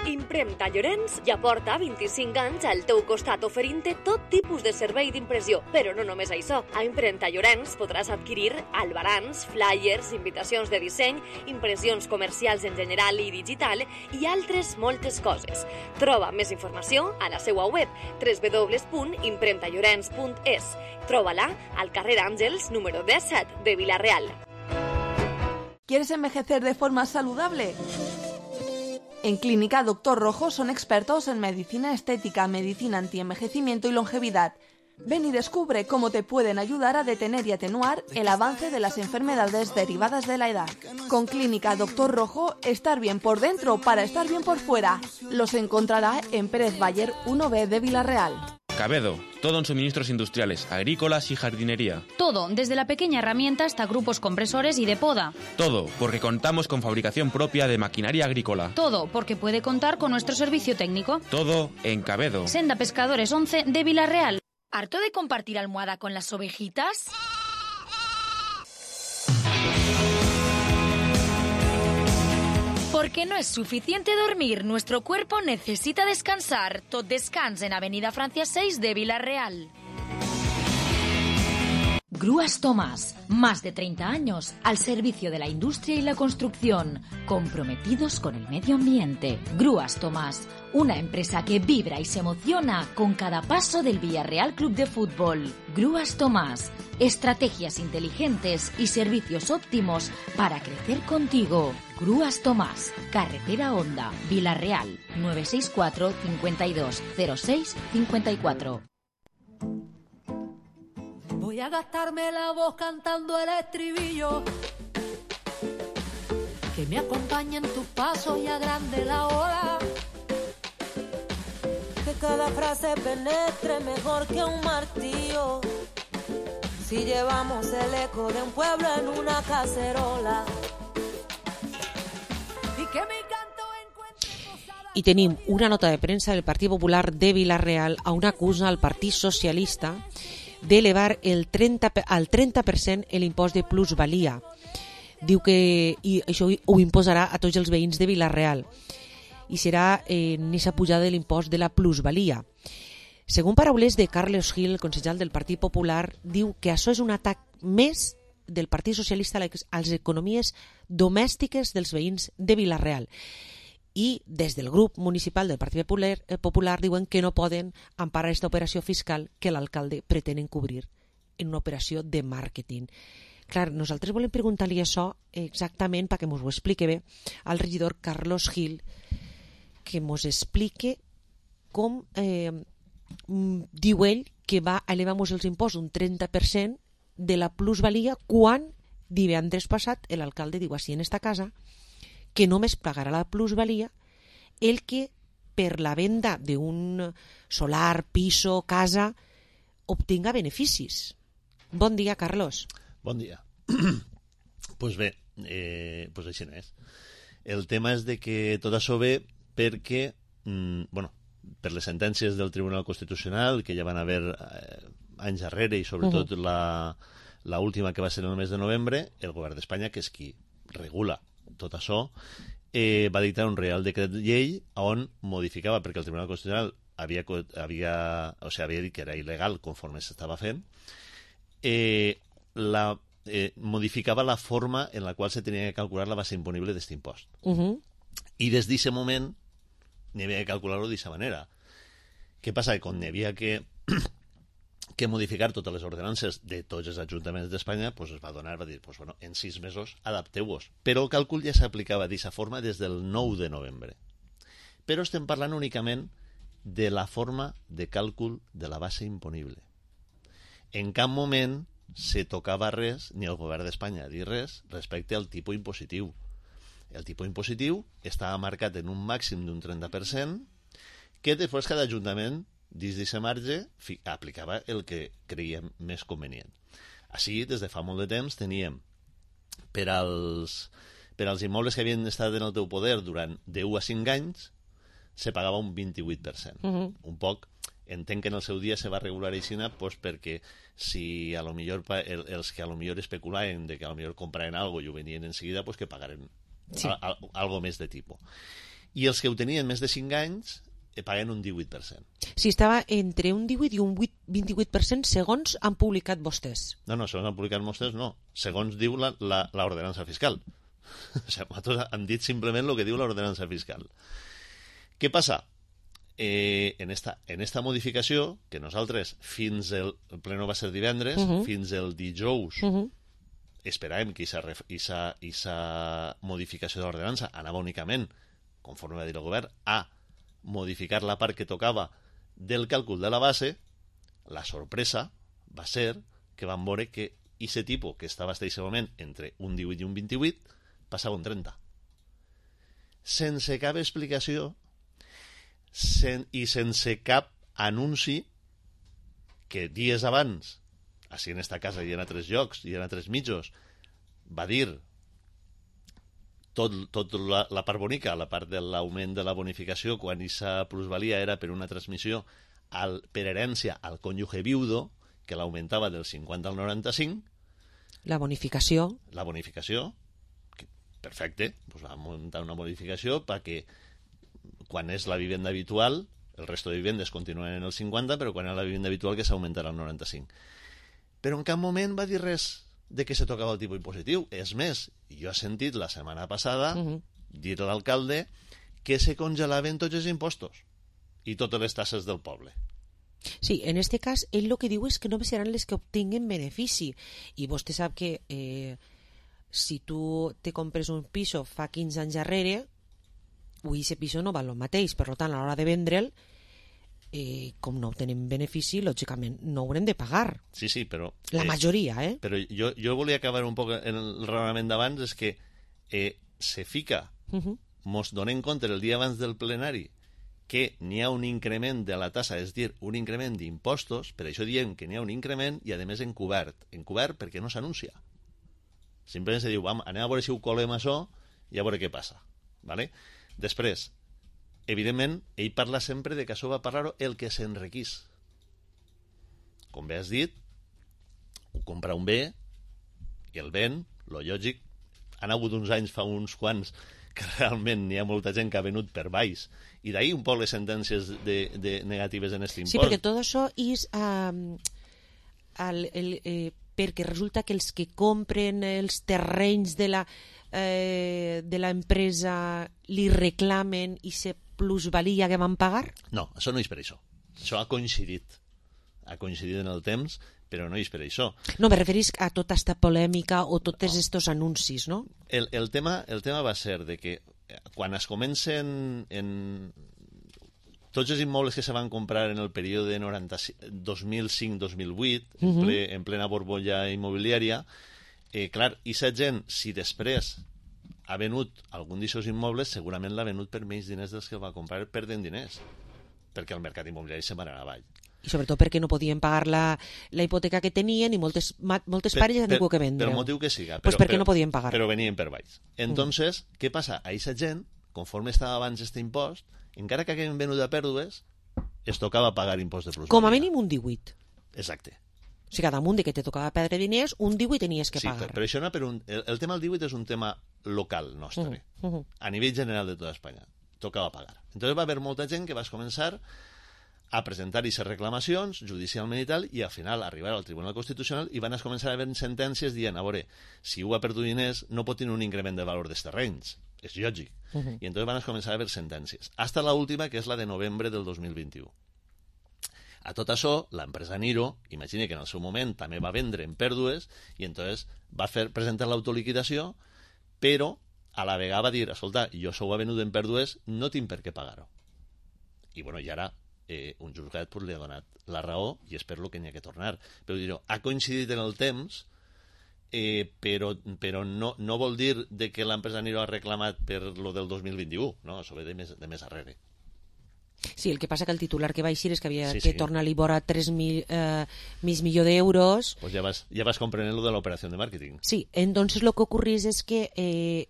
Impremta Llorenç ja porta vint-i-cinc anys al teu costat oferint-te tot tipus de servei d'impressió. Però no només això. A Impremta Llorenç podràs adquirir albarans, flyers, invitacions de disseny, impressions comercials en general i digital i altres moltes coses. Troba més informació a la seva web doble u doble u doble u punt impremta llorenç punt es. Troba-la al carrer Àngels número disset de Vila-real. ¿Quieres envejecer de forma saludable? En Clínica Doctor Rojo son expertos en medicina estética, medicina antienvejecimiento y longevidad. Ven y descubre cómo te pueden ayudar a detener y atenuar el avance de las enfermedades derivadas de la edad. Con Clínica Doctor Rojo, estar bien por dentro para estar bien por fuera. Los encontrará en Pérez Bayer uno B de Villarreal. Cabedo, todo en suministros industriales, agrícolas y jardinería. Todo, desde la pequeña herramienta hasta grupos compresores y de poda. Todo, porque contamos con fabricación propia de maquinaria agrícola. Todo, porque puede contar con nuestro servicio técnico. Todo en Cabedo. Senda Pescadores once de Villarreal. ¿Harto de compartir almohada con las ovejitas? Porque no es suficiente dormir, nuestro cuerpo necesita descansar. Tot Descans en Avenida Francia seis de Villarreal. Grúas Tomás, más de treinta años al servicio de la industria y la construcción, comprometidos con el medio ambiente. Grúas Tomás, una empresa que vibra y se emociona con cada paso del Villarreal Club de Fútbol. Grúas Tomás, estrategias inteligentes y servicios óptimos para crecer contigo. Grúas Tomás, Carretera Honda, Villarreal, nueve seis cuatro, cincuenta y dos, cero seis, cincuenta y cuatro. Voy a gastarme la voz cantando el estribillo, que me acompañen tus pasos y agrande la ola, que cada frase penetre mejor que un martillo, si llevamos el eco de un pueblo en una cacerola. Y que mi canto encuentre... I tenim una nota de premsa del Partit Popular de Villarreal on acusa al Partit Socialista d'elevar el trenta, al trenta per cent l'impost de plusvalia. Diu que i això ho imposarà a tots els veïns de Villarreal i serà eh, en aquesta pujada de l'impost de la plusvalia. Segons paraules de Carlos Gil, concejal del Partit Popular, diu que això és un atac més del Partit Socialista a les economies domèstiques dels veïns de Villarreal. I des del grup municipal del Partit Popular, eh, Popular diuen que no poden emparar aquesta operació fiscal que l'alcalde pretén encobrir en una operació de màrqueting. Clar, nosaltres volem preguntar-li això exactament perquè ens ho explique bé al regidor Carlos Gil, que ens explique com eh, diu ell que va elevar els impostos un trenta per cent de la plusvalia quan divendres passat l'alcalde diu així en esta casa que només pagarà la plusvalia el que per la venda d'un solar, piso, casa obtinga beneficis. Bon dia, Carlos. Bon dia. Pues bé, eh, pues així no és. El tema és de que tot això ve perquè, mm, bueno, per les sentències del Tribunal Constitucional, que ja van haver eh, anys darrere, i sobretot uh -huh. la, la última que va ser en el mes de novembre, el govern d'Espanya, que és qui regula tot això, eh, va dictar un Real Decret Llei on modificava, perquè el Tribunal Constitucional havia, havia, o sigui, havia dit que era il·legal conforme s'estava fent, eh, la, eh, modificava la forma en la qual se tenia que calcular la base imponible d'aquest impost. Uh -huh. I des d'aquest moment n'hi havia que calcular-ho d'aquesta manera. Què passa? Que quan n'hi havia que que modificar totes les ordenances de tots els ajuntaments d'Espanya, pues es va donar, va dir, pues bueno, en sis mesos adapteu-vos. Però el càlcul ja s'aplicava d'aquesta forma des del nou de novembre. Però estem parlant únicament de la forma de càlcul de la base imponible. En cap moment se tocava res, ni el govern d'Espanya dir res, respecte al tipus impositiu. El tipus impositiu estava marcat en un màxim d'un trenta per cent, que després cada ajuntament dins d'aquest marge aplicava el que creiem més convenient. Així, des de fa molt de temps, teníem per als, per als immobles que havien estat en el teu poder durant de u a cinc anys, se pagava un vint-i-vuit per cent. Uh-huh. Un poc, entenc que en el seu dia se va regular aixina pues, perquè si a lo millor el, els que a lo millor especulaven de que a lo millor compraven algo i ho venien en seguida, pues que pagaren sí. a, a, algo més de tipus. I els que ho tenien més de cinc anys paguen un divuit per cent. Si estava entre un divuit i un vint-i-vuit per cent segons han publicat vostès. No, no, segons han publicat vostès no. Segons diu l'ordenança fiscal. O sigui, nosaltres hem dit simplement el que diu l'ordenança fiscal. Què passa? Eh, en, esta, en esta modificació, que nosaltres fins el, el pleno va ser divendres, uh -huh. fins el dijous, uh -huh. esperàvem que aquesta modificació de l'ordenança anava únicament, conforme va dir el govern, a modificar la part que tocava del càlcul de la base, la sorpresa va ser que van veure que aquest tipus que estava en aquest moment entre un divuit i un vint-i-vuit passava un trenta. Sense cap explicació sen, i sense cap anunci que dies abans, així en esta casa i en altres llocs i en altres mitjos, va dir tot, tot la, la part bonica, la part de l'augment de la bonificació, quan aquesta plusvalia era per una transmissió al, per herència al cònjuge viudo, que l'augmentava del cinquanta al noranta-cinc. La bonificació. La bonificació, que, perfecte, doncs va muntar una bonificació perquè quan és la vivenda habitual, el resto de vivendes continuen en el cinquanta, però quan és la vivenda habitual que s'augmentarà al noranta-cinc. Però en cap moment va dir res de que se tocava el tipus impositiu. És més, jo he sentit la setmana passada uh -huh. dir a l'alcalde que se congelaven tots els impostos i totes les tasses del poble. Sí, en este cas, ell el que diu és que només seran les que obtinguen benefici. I vostè sap que eh, si tu te compres un piso fa quinze anys darrere, avui aquest piso no val el mateix, per tant, a l'hora de vendre'l, eh, com no obtenem benefici, lògicament no haurem de pagar. Sí, sí, però... La és, majoria, eh? Però jo, jo volia acabar un poc en el raonament d'abans, és que eh, se fica, uh -huh. mos donem compte el dia abans del plenari, que n'hi ha un increment de la tassa, és a dir, un increment d'impostos, per això diem que n'hi ha un increment, i a més encobert. Encobert perquè no s'anuncia. Simplement se diu, vam, anem a veure si ho colem això i a veure què passa. ¿Vale? Després, evidentment, ell parla sempre de que això va parlar el que s'enriquís. Com bé has dit, ho compra un bé i el ven, lo lògic. Han hagut uns anys, fa uns quants, que realment n'hi ha molta gent que ha venut per baix, i d'ahir un poc les sentències de, de negatives en aquest impost. Sí, perquè tot això és um, el, el, eh, perquè resulta que els que compren els terrenys de la eh, de l'empresa li reclamen i se plusvalia que van pagar? No, això no és per això. Això ha coincidit. Ha coincidit en el temps, però no és per això. No, me referís a tota esta polèmica o tots aquests no. anuncis, no? El, el, tema, el tema va ser de que quan es comencen en tots els immobles que se van comprar en el període dos mil cinc dos mil vuit, uh -huh. en, ple, en plena borbolla immobiliària, eh, clar, i aquesta gent, si després ha venut algun d'aquests immobles, segurament l'ha venut per menys diners dels que el va comprar perdent diners, perquè el mercat immobiliari se va anar avall. I sobretot perquè no podien pagar la, la hipoteca que tenien i moltes, moltes per, parelles han tingut que vendre. Per motiu que siga. Però, pues perquè però, no podien pagar. Però venien per baix. Entonces, mm. què passa? A aquesta gent, conforme estava abans este impost, encara que haguem venut a pèrdues, es tocava pagar impost de plusvalia. Com a mínim un divuit. Exacte. O sigui, cada munt de que te tocava perdre diners, un divuit tenies que sí, pagar. Sí, però això no per un... El, el tema del divuit és un tema local nostre. Uh -huh. Uh -huh. A nivell general de tota Espanya. Tocava pagar. Entonces va haver molta gent que va començar a presentar aquestes reclamacions judicialment i tal, i al final arribar al Tribunal Constitucional i van a començar a haver sentències dient, a veure, si ho ha perdut diners no pot tenir un increment de valor dels terrenys. És lògic. Uh -huh. I entonces van a començar a haver sentències. Hasta la última, que és la de novembre del dos mil vint-i-u. A tot això, l'empresa Niro, imagina que en el seu moment també va vendre en pèrdues, i entonces va fer presentar l'autoliquidació, però a la vegada va dir, escolta, jo això ho ha venut en pèrdues, no tinc per què pagar-ho. I bueno, i ara eh, un jutjat pues, li ha donat la raó, i és per lo que n'hi ha que tornar. Però dir, ha coincidit en el temps, eh, però, però no, no vol dir de que l'empresa Niro ha reclamat per lo del dos mil vint-i-u, no? Això ve de més, de més arrere. Sí, el que passa que el titular que va eixir és que havia sí, que sí. tornar a Libora tres mil eh, mig milió d'euros. Pues ja vas, ja vas comprender lo de l'operació de màrqueting. Sí, entonces lo que ocurrís es que eh,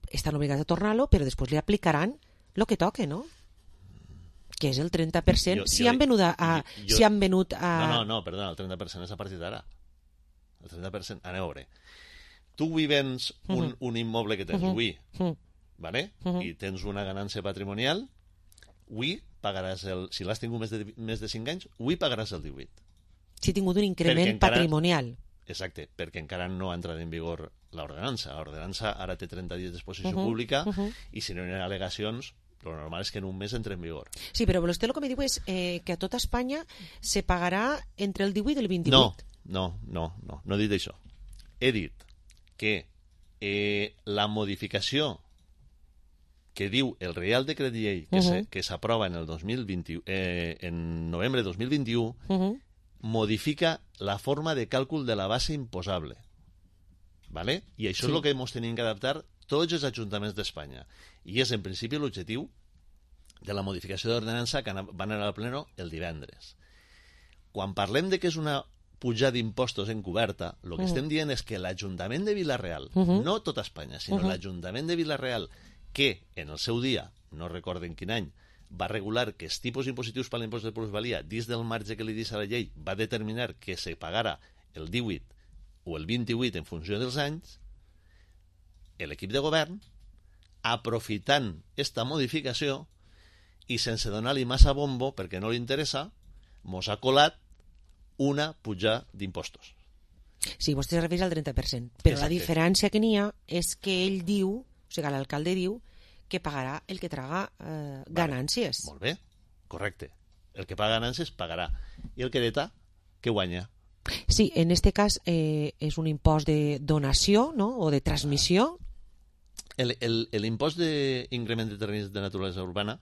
estan obligats a tornar-lo, però després li aplicaran lo que toque, ¿no? Que és el trenta per cent. Jo, si, jo, han venut a, jo, jo, si han venut a... No, no, no, perdona, el trenta per cent és a partir d'ara. El trenta per cent, anem a veure. Tu avui vens un, uh -huh. un immoble que tens avui, uh -huh. ¿vale? Uh -huh. I tens una ganància patrimonial, avui pagaràs el... Si l'has tingut més de, més de cinc anys, avui pagaràs el divuit. Si ha tingut un increment encara, patrimonial. Exacte, perquè encara no ha entrat en vigor l'ordenança. L'ordenança ara té trenta dies d'exposició uh -huh. pública uh -huh. i si no hi ha al·legacions, lo normal és que en un mes entre en vigor. Sí, però vostè el que me diu és eh, que a tota Espanya se pagarà entre el divuit i el vint-i-vuit. No, no, no, no, no he dit això. He dit que eh, la modificació que diu el Reial Decret Llei que, uh -huh. que s'aprova en el dos mil vint, eh, en novembre de dos mil vint-i-u, uh -huh. modifica la forma de càlcul de la base imposable. ¿Vale? I això sí. És el que ens tenim que adaptar tots els ajuntaments d'Espanya. I és, en principi, l'objectiu de la modificació d'ordenança que van anar al pleno el divendres. Quan parlem de que és una pujada d'impostos encoberta, el que uh-huh. estem dient és que l'Ajuntament de Vila-real, uh-huh. no tota Espanya, sinó uh-huh. l'Ajuntament de Vila-real, que en el seu dia, no recorden quin any, va regular que els tipus impositius per l'impost de plusvalia, dins del marge que li deixa la llei, va determinar que se pagara el divuit o el vint-i-vuit en funció dels anys, l'equip de govern, aprofitant esta modificació i sense donar-li massa bombo, perquè no li interessa, mos ha colat una pujada d'impostos. Sí, vostè es refereix al trenta per cent, però Exacte. La diferència que n'hi ha és que ell diu, o sigui, l'alcalde diu, que pagarà el que traga eh, ganàncies. Vale. Molt bé, correcte. El que paga ganàncies pagarà. I el que hereta, que guanya. Sí, en este cas eh, és un impost de donació, no?, o de transmissió. L'impost d'increment de terrenys de naturalesa urbana,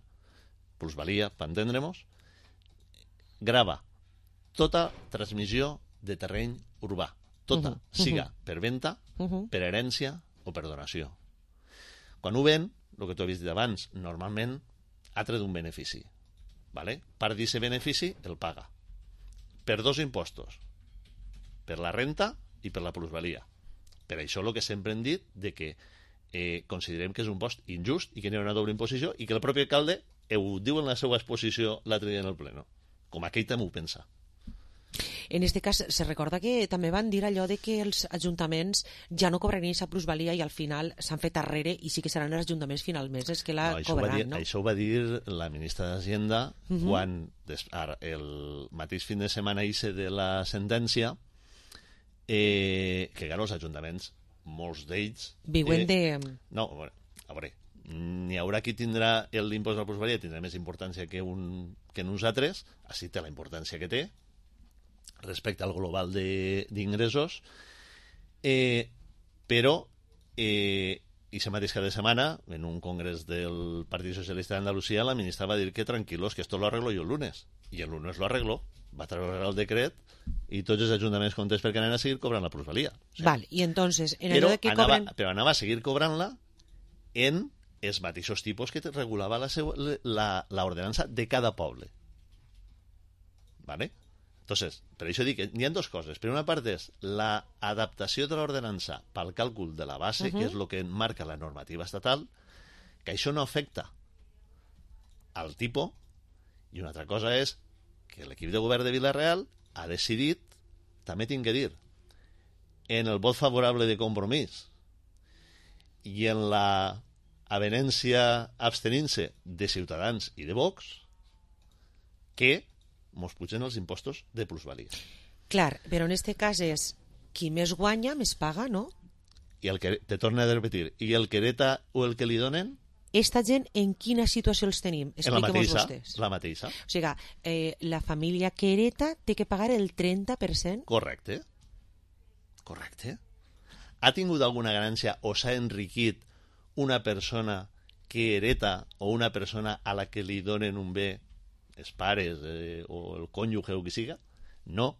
plusvalia, per entendre-nos, grava tota transmissió de terreny urbà. Tota, uh-huh. siga uh-huh. per venda, uh-huh. per herència o per donació. Quan ho ven, el que tu havies dit abans, normalment ha tret un benefici. ¿Vale? Part d'aquest benefici el paga. Per dos impostos. Per la renta i per la plusvalia. Per això el que sempre hem dit de que eh, considerem que és un impost injust i que n'hi ha una doble imposició i que el propi alcalde ho diu en la seva exposició l'altre dia en el pleno. Com aquell també ho pensa. En aquest cas, se recorda que també van dir allò de que els ajuntaments ja no cobrarien aquesta plusvalia i al final s'han fet arrere i sí que seran els ajuntaments finalment els que la no, cobraran, dir, no? Això ho va dir la ministra d'Hacienda uh-huh. quan des, ara, el mateix fin de setmana hice de la sentència eh, que, clar, els ajuntaments, molts d'ells... Viuen eh, de... No, a veure, a veure n'hi haurà qui tindrà l'impost de la plusvalia, tindrà més importància que, un, que nosaltres, així té la importància que té, respecte al global d'ingressos, eh, però eh, i se mateix cada setmana en un congrés del Partit Socialista d'Andalusia la ministra va dir que tranquilos, que esto lo arreglo yo el lunes, i el lunes lo arregló, va treure el decret i tots els ajuntaments contents perquè anaven a seguir cobrant la plusvalia. O sigui, Val, i entonces en però, allò de que anava, cobren... però anava a seguir cobrant-la en els mateixos tipus que regulava la, seu, la, la ordenança de cada poble. ¿Vale? Entonces, per això dic que hi ha dues coses. Per una part és l'adaptació de l'ordenança pel càlcul de la base, uh-huh. que és el que marca la normativa estatal, que això no afecta al tipus, i una altra cosa és que l'equip de govern de Vila-real ha decidit, també tinc que dir, en el vot favorable de Compromís i en la avenència abstenint-se de Ciutadans i de Vox, que mos pugen els impostos de plusvalia. Clar, però en aquest cas és qui més guanya, més paga, no? I el que, te torno a repetir, i el que hereta o el que li donen... Esta gent, en quina situació els tenim? Expliquem-nos vostès. La mateixa. O sigui, eh, la família que hereta té que pagar el trenta per cent? Correcte. Correcte. Ha tingut alguna ganància o s'ha enriquit una persona que hereta o una persona a la que li donen un bé, els pares eh, o el cònjuge o qui siga? No.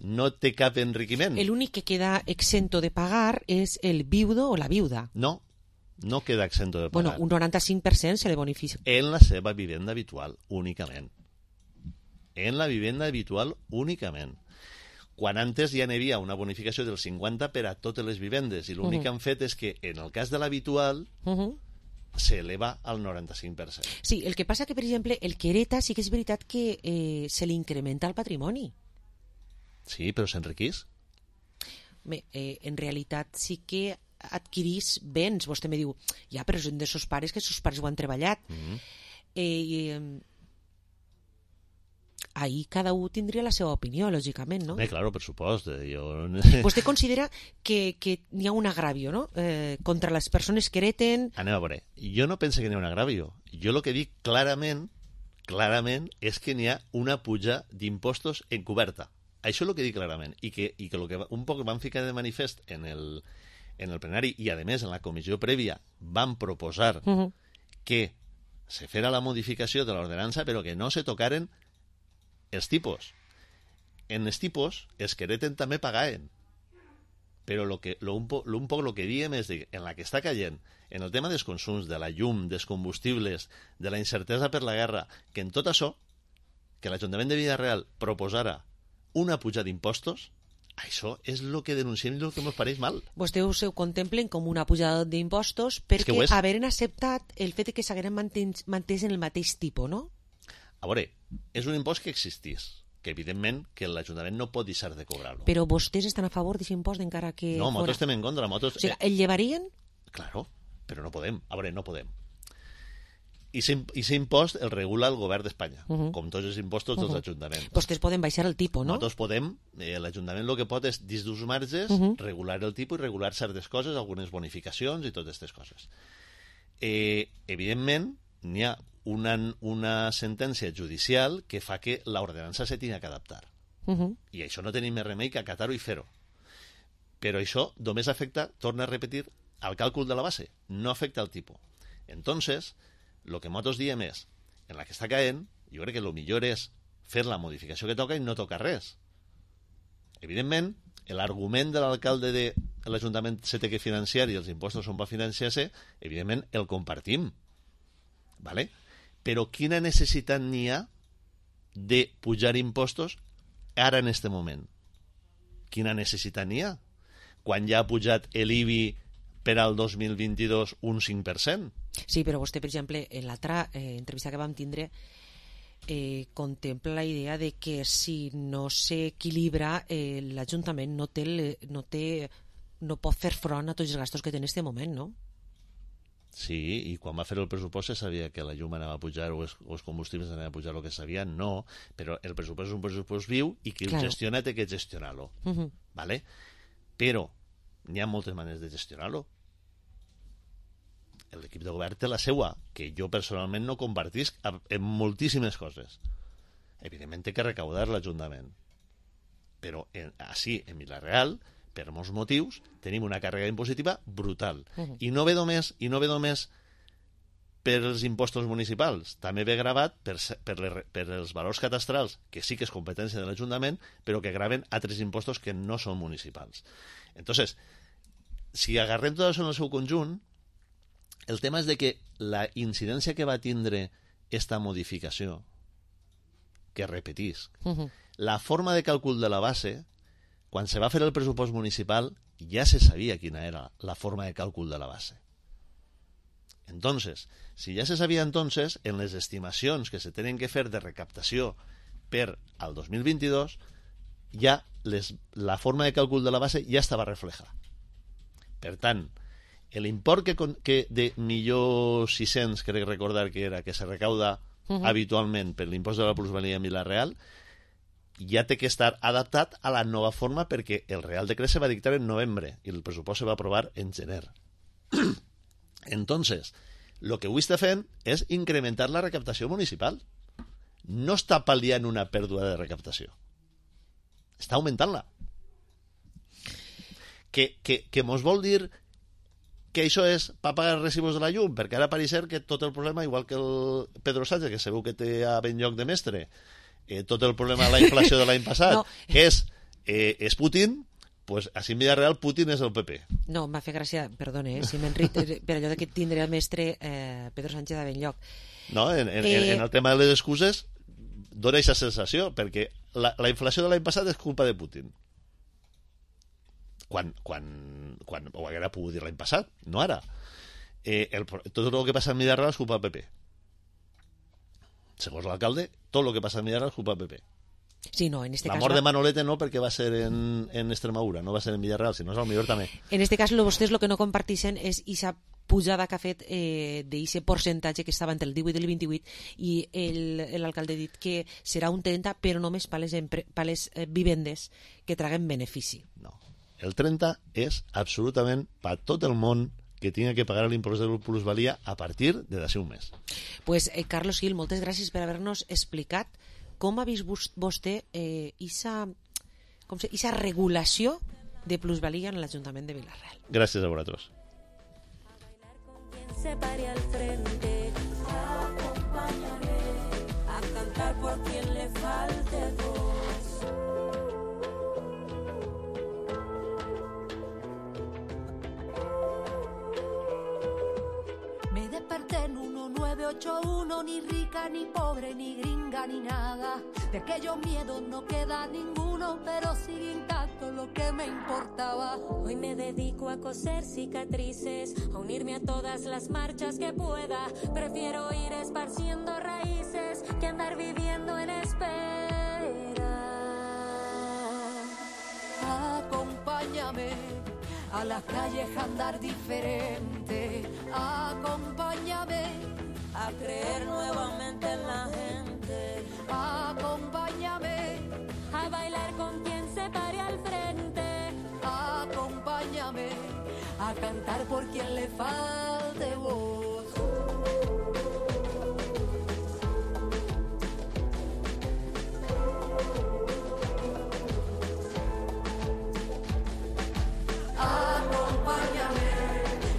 No té cap enriquiment. L'únic que queda exento de pagar és el viudo o la viuda. No, no queda exento de pagar. Bueno, un noranta-cinc per cent se le bonificia. En la seva vivenda habitual, únicament. En la vivenda habitual, únicament. Quan antes ja n'hi havia una bonificació del cinquanta per a totes les vivendes, i l'únic uh-huh. que han fet és que en el cas de l'habitual uh-huh. s'eleva al noranta-cinc per cent. Sí, el que passa que, per exemple, el que hereta sí que és veritat que eh, se li incrementa el patrimoni. Sí, però s'enriquís. Bé, eh, en realitat sí que adquirís béns. Vostè me diu, ja, però són de sos pares que sos pares ho han treballat. Mm-hmm. Eh, eh, ahí cada un tindria la seva opinió, lògicament, no? Bé, claro, per supost. Jo... Vostè considera que, que n'hi ha un agravio, no?, eh, contra les persones que hereten... Anem a veure. Jo no penso que n'hi ha un agravio. Jo el que dic clarament, clarament, és que n'hi ha una puja d'impostos encoberta. Això és el que dic clarament. I que, i que, lo que un poc van ficar de manifest en el, en el plenari i, a més, en la comissió prèvia van proposar uh-huh. que se fera la modificació de l'ordenança però que no se tocaren els tipus. en els tipus, els que hereten també pagaven. Però lo que, lo un, po, lo un poc el que diem és que en la que està caient, en el tema dels consums, de la llum, dels combustibles, de la incertesa per la guerra, que en tot això, que l'Ajuntament de Vila-real proposara una puja d'impostos, això és el que denunciem i el que ens pareix mal. Vostès ho contemplen com una pujada d'impostos perquè haveren acceptat el fet que s'hagueren mantès en el mateix tipus, no? A veure, és un impost que existís, que evidentment que l'Ajuntament no pot deixar de cobrar-lo. Però vostès estan a favor d'aquest impost encara que... No, nosaltres estem en contra. Nosaltres... O sigui, el llevarien? Claro, però no podem. A veure, no podem. I aquest impost el regula el govern d'Espanya, uh -huh. com tots els impostos dels uh -huh. ajuntaments. Vostès poden baixar el tipus, no? Nosaltres podem, eh, l'Ajuntament el que pot és, dins d'uns marges, uh -huh. regular el tipus i regular certes coses, algunes bonificacions i totes aquestes coses. Eh, evidentment, n'hi ha una, una sentència judicial que fa que l'ordenança se tingui que adaptar. Uh -huh. I això no tenim més remei que acatar-ho i fer-ho. Però això només afecta, torna a repetir, al càlcul de la base, no afecta al tipus. Entonces, el que nosaltres diem és, en la que està caent, jo crec que el millor és fer la modificació que toca i no tocar res. Evidentment, l'argument de l'alcalde de l'Ajuntament se té que financiar i els impostos són per financiar-se, evidentment el compartim. ¿Vale? Però quina necessitat n'hi ha de pujar impostos ara en este moment? Quina necessitat n'hi ha? Quan ja ha pujat l'I B I per al dos mil vint-i-dos un cinc per cent? Sí, però vostè, per exemple, en l'altra eh, entrevista que vam tindre eh, contempla la idea de que si no s'equilibra eh, l'Ajuntament no, té, no, té, no pot fer front a tots els gastos que té en aquest moment, no? Sí, i quan va fer el pressupost se sabia que la llum anava a pujar o els, o els combustibles anaven a pujar el que sabia, no, però el pressupost és un pressupost viu i qui claro. el gestiona té que gestionar-lo. Uh -huh. ¿Vale? Però n'hi ha moltes maneres de gestionar-lo. L'equip de govern té la seua, que jo personalment no compartisc en moltíssimes coses. Evidentment té que recaudar l'Ajuntament. Però en, així, en Vila-real, per molts motius, tenim una càrrega impositiva brutal. Uh-huh. I no ve només, i no ve només per els impostos municipals, també ve gravat per, per, les, per els valors catastrals, que sí que és competència de l'Ajuntament, però que graven altres impostos que no són municipals. Entonces, si agarrem tot això en el seu conjunt, el tema és de que la incidència que va tindre esta modificació, que repetisc, uh-huh. la forma de càlcul de la base, quan se va fer el pressupost municipal, ja se sabia quina era la forma de càlcul de la base. Entonces, si ja se sabia entonces, en les estimacions que se tenen que fer de recaptació per al dos mil vint-i-dos, ja les, la forma de càlcul de la base ja estava reflejada. Per tant, l'import que, que de millor sis-cents, crec recordar que era, que se recauda uh-huh. habitualment per l'impost de la plusvalia en Vila-real, ja té que estar adaptat a la nova forma perquè el Real Decret se va dictar en novembre i el pressupost se va aprovar en gener. Entonces, lo que avui està fent és incrementar la recaptació municipal. No està pal·liant una pèrdua de recaptació. Està augmentant-la. Que, que, que mos vol dir que això és per pagar els recibos de la llum, perquè ara pareix ser que tot el problema, igual que el Pedro Sánchez, que sabeu que té a ben lloc de mestre, eh, tot el problema de la inflació de l'any passat, no. és, eh, és Putin, pues així en Vila-real Putin és el P P. No, m'ha fet gràcia, perdone, eh, si m'enric per allò de que tindré el mestre eh, Pedro Sánchez a ben lloc. No, en, en, eh... en el tema de les excuses dona aquesta sensació, perquè la, la inflació de l'any passat és culpa de Putin. Quan, quan, quan ho haguera pogut dir l'any passat, no ara. Eh, el, tot el que passa en Vila-real és culpa del P P. Segons l'alcalde, tot el que passa en Vila-real és culpa del P P. Sí, no, en este la cas mort va... de Manolete no, perquè va ser en, en Extremadura, no va ser en Villarreal, si no és al millor també. En este cas, vostès el que no comparteixen és aquesta pujada que ha fet eh, d'aquest percentatge que estava entre el divuit i el vint-i-vuit i l'alcalde ha dit que serà un trenta, però només per les, per les eh, vivendes que traguen benefici. No, el trenta és absolutament per tot el món que tingui que pagar l'impost de plusvalia a partir de d'ací un mes. Pues, eh, Carlos Gil, moltes gràcies per haver-nos explicat com ha vist vostè eh, esa, com se, esa regulació de plusvalia en l'Ajuntament de Vila-real. Gràcies a vosaltres. Se pare al frente, acompañaré a cantar por quien le falte voz. nueve ocho uno, ni rica, ni pobre, ni gringa, ni nada. De aquellos miedos no queda ninguno, pero sigue intacto lo que me importaba. Hoy me dedico a coser cicatrices, a unirme a todas las marchas que pueda. Prefiero ir esparciendo raíces que andar viviendo en espera. Acompáñame a las calles a andar diferente. Acompáñame a creer nuevamente en la gente. Acompáñame a bailar con quien se pare al frente. Acompáñame a cantar por quien le falte voz. Acompáñame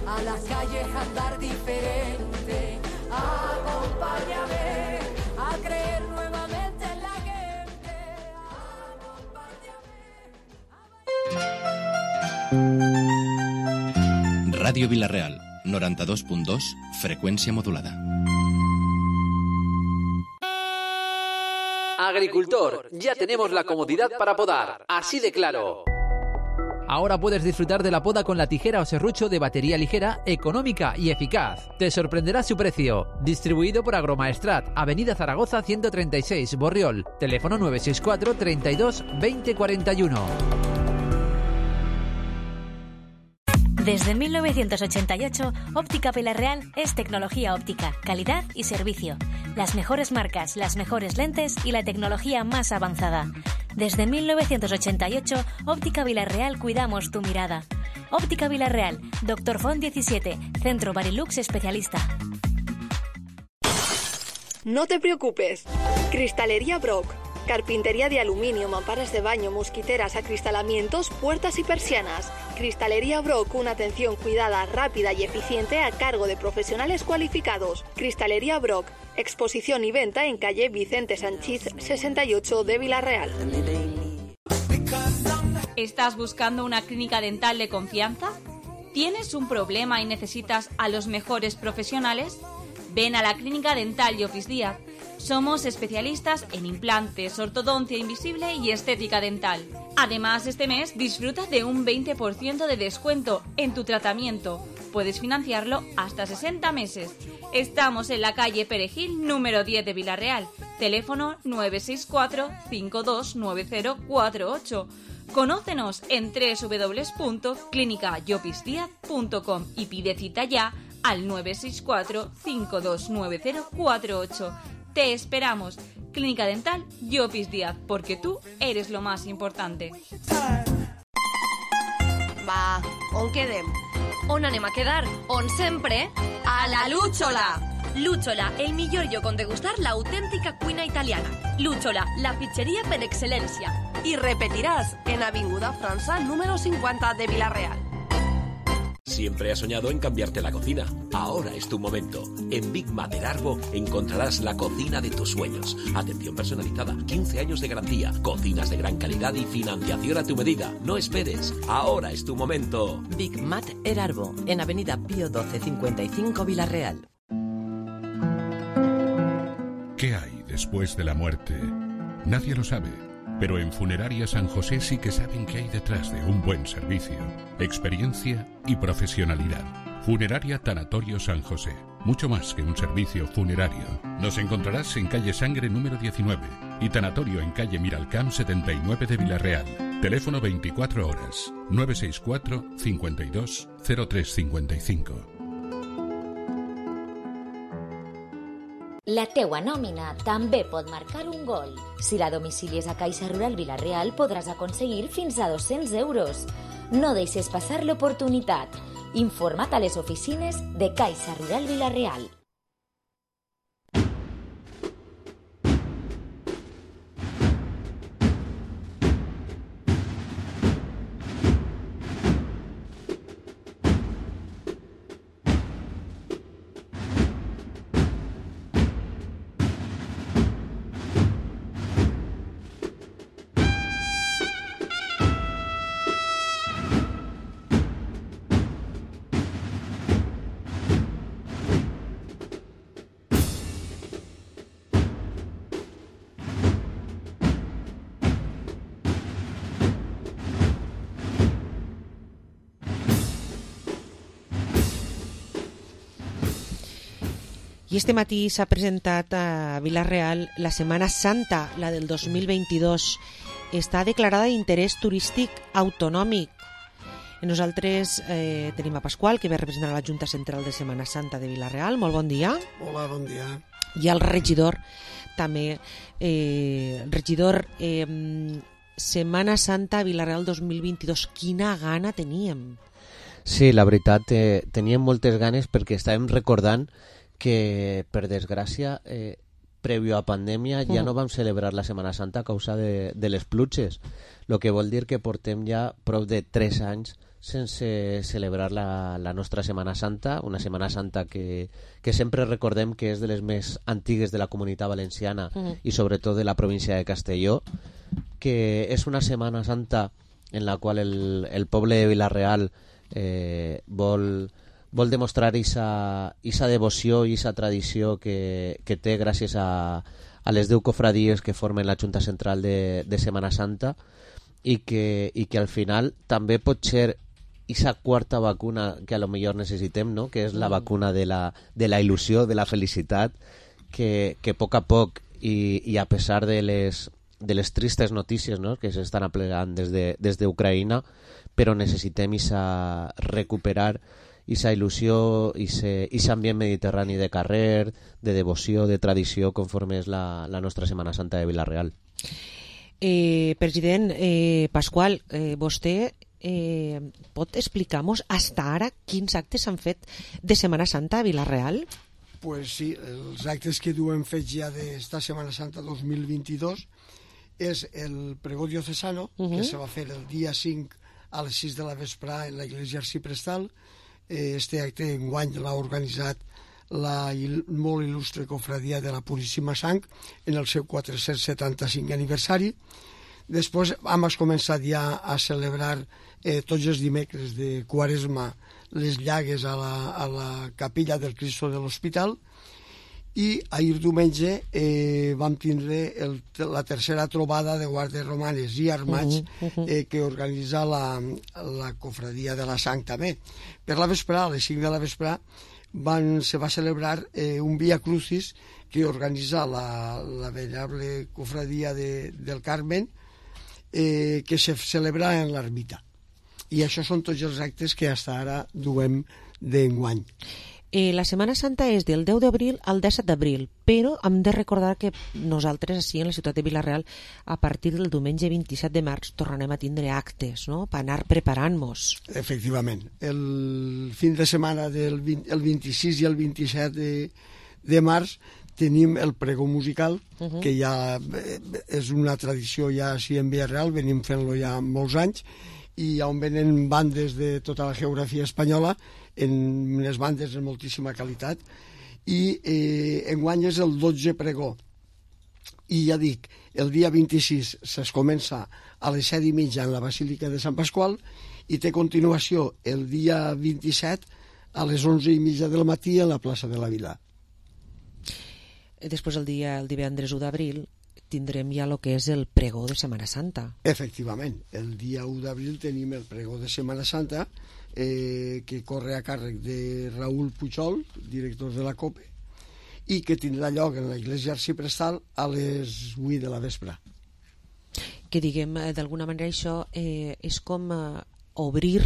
a las calles a andar diferente. Acompáñame a creer nuevamente en la gente. Acompáñame. Radio Vilareal, noventa y dos punto dos, frecuencia modulada. Agricultor, ya tenemos la comodidad para podar, así de claro. Ahora puedes disfrutar de la poda con la tijera o serrucho de batería ligera, económica y eficaz. Te sorprenderá su precio. Distribuido por Agromaestrat, Avenida Zaragoza ciento treinta y seis, Borriol. Teléfono nueve seis cuatro, treinta y dos, veinte cuarenta y uno. Desde mil novecientos ochenta y ocho, Óptica Vilareal es tecnología óptica, calidad y servicio. Las mejores marcas, las mejores lentes y la tecnología más avanzada. Desde mil novecientos ochenta y ocho, Óptica Vilareal cuidamos tu mirada. Óptica Vilareal, Doctor Font diecisiete, Centro Barilux Especialista. No te preocupes. Cristalería Brock. Carpintería de aluminio, mamparas de baño, mosquiteras, acristalamientos, puertas y persianas. Cristalería Brock, una atención cuidada, rápida y eficiente a cargo de profesionales cualificados. Cristalería Brock, exposición y venta en calle Vicente Sanchís sesenta y ocho de Vilareal. ¿Estás buscando una clínica dental de confianza? ¿Tienes un problema y necesitas a los mejores profesionales? Ven a la Clínica Dental Llopis Díaz. Somos especialistas en implantes, ortodoncia invisible y estética dental. Además, este mes disfruta de un veinte por ciento de descuento en tu tratamiento. Puedes financiarlo hasta sesenta meses. Estamos en la calle Perejil, número diez de Vilareal. Teléfono nueve seis cuatro, cinco dos nueve cero cuatro ocho. Conócenos en doble u doble u doble u punto clínica llopis díaz punto com y pide cita ya al nueve seis cuatro, cinco dos nueve cero cuatro ocho. Te esperamos. Clínica Dental Llopis Díaz, porque tú eres lo más importante. Va, on quedem? On anem a quedar? On sempre? A la Lúchola! Lúchola, el millor lloc on degustar l'autèntica cuina italiana. Lúchola, la pizzeria per excel·lència. Y repetirás en Avinguda França, número cincuenta de Vilareal. Siempre has soñado en cambiarte la cocina. Ahora es tu momento. En Big Mater Arbo encontrarás la cocina de tus sueños. Atención personalizada, quince años de garantía, cocinas de gran calidad y financiación a tu medida. No esperes. Ahora es tu momento. Big Mater Arbo, en Avenida Pío doce cincuenta y cinco, Vilareal. ¿Qué hay después de la muerte? Nadie lo sabe. Pero en Funeraria San José sí que saben qué hay detrás de un buen servicio, experiencia y profesionalidad. Funeraria Tanatorio San José, mucho más que un servicio funerario. Nos encontrarás en calle Sangre número diecinueve y Tanatorio en calle Miralcamp setenta y nueve de Vilareal. Teléfono veinticuatro horas, nueve seis cuatro, cincuenta y dos, cero tres cincuenta y cinco. La teua nòmina també pot marcar un gol. Si la domicilies a Caixa Rural Vilareal podràs aconseguir fins a dos-cents euros. No deixes passar l'oportunitat. Informa't a les oficines de Caixa Rural Vilareal. I este matí s'ha presentat a Vila-real la Setmana Santa, la del dos mil vint-i-dos. Està declarada d'interès turístic autonòmic. Nosaltres eh, tenim a Pasqual, que ve a representar la Junta Central de Setmana Santa de Vila-real. Molt bon dia. Hola, bon dia. I el regidor, també. Eh, regidor, eh, Setmana Santa Vila-real dos mil vint-i-dos. Quina gana teníem. Sí, la veritat, eh, teníem moltes ganes perquè estàvem recordant que, per desgràcia, eh, prèvio a pandèmia ja no vam celebrar la Setmana Santa a causa de, de les pluges, el que vol dir que portem ja prop de tres anys sense celebrar la, la nostra Setmana Santa, una Setmana Santa que, que sempre recordem que és de les més antigues de la Comunitat Valenciana uh-huh. i sobretot de la província de Castelló, que és una Setmana Santa en la qual el, el poble de Vila-real eh, vol... vol demostrar aquesta devoció i aquesta tradició que, que té gràcies a, a les deu cofradies que formen la Junta Central de, de Setmana Santa i que, i que al final també pot ser aquesta quarta vacuna que a lo millor necessitem, no? Que és la vacuna de la, de la il·lusió, de la felicitat, que, que a poc a poc i, i a pesar de les, de les tristes notícies, no? Que s'estan aplegant des de, des d'Ucraïna, però necessitem isa, recuperar aquesta il·lusió, aquest ambient mediterrani de carrer, de devoció, de tradició, conforme és la, la nostra Setmana Santa de Vila-real. Eh, president eh, Pasqual, eh, vostè eh, pot explicar-nos fins ara quins actes s'han fet de Setmana Santa a Vila-real? Pues sí, els actes que duem fets ja d'esta Setmana Santa dos mil vint-i-dos és el pregó diocesano, uh-huh. que se va fer el dia cinc a les sis de la vesprà en l'església arciprestal. Este acte enguany l'ha organitzat la il molt il·lustre cofradia de la Puríssima Sang en el seu quatre-cents setanta-cinc aniversari. Després hem començat ja a celebrar eh, tots els dimecres de Quaresma les llagues a la, a la capella del Cristo de l'Hospital, i ahir diumenge eh, vam tindre el, la tercera trobada de guàrdies romanes i armats uh -huh. eh, que organitza la, la cofradia de la Sang també. Per la vesprà, a les cinc de la vesprà, van, se va celebrar eh, un Via Crucis que organitza la, la venerable cofradia de, del Carmen, eh, que se celebra en l'ermita. I això són tots els actes que fins ara duem d'enguany. Eh, la Setmana Santa és del deu d'abril al disset d'abril, però hem de recordar que nosaltres, així en la ciutat de Vila-real, a partir del diumenge vint-i-set de març tornarem a tindre actes, no?, per anar preparant-nos. Efectivament. El fin de setmana del vint, el vint-i-sis i el vint-i-set de, de març tenim el pregó musical, uh-huh. que ja és una tradició ja així en Vila-real, venim fent-lo ja molts anys, i on venen bandes de tota la geografia espanyola, en les bandes de moltíssima qualitat, i eh, enguany és el dotze pregó. I ja dic, el dia vint-i-sis es comença a les set i mitja en la Basílica de Sant Pasqual i té continuació el dia vint-i-set a les onze i mitja del matí a la plaça de la Vila. Després el dia, el divendres u d'abril, tindrem ja el que és el pregó de Setmana Santa. Efectivament, el dia u d'abril tenim el pregó de Setmana Santa, eh, que corre a càrrec de Raül Pujol, director de la COPE, i que tindrà lloc en l'església arciprestal a les vuit de la vespre. Que diguem, d'alguna manera això eh, és com eh, obrir,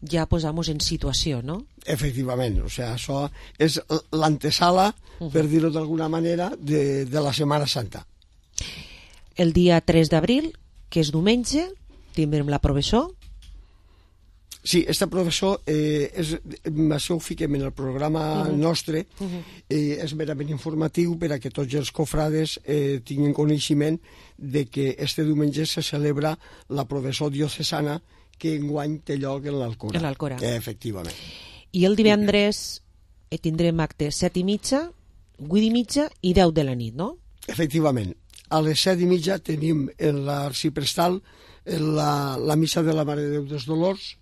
ja posar-nos en situació, no? Efectivament, o sigui, això és l'antesala, uh-huh. per dir-ho d'alguna manera, de, de la Setmana Santa. El dia tres d'abril, que és diumenge, tindrem la professó. Sí, aquesta professó, eh, és, això ho fiquem en el programa uh-huh. nostre, uh-huh. eh, és merament informatiu per a que tots els cofrades eh, tinguin coneixement de que este diumenge se celebra la professó diocesana que enguany té lloc en l'Alcora. En l'Alcora. Eh, efectivament. I el divendres eh, tindrem actes set i mitja, vuit i mitja i deu de la nit, no? Efectivament. A les set i mitja tenim en l'arciprestal la, la missa de la Mare de Déu dels Dolors,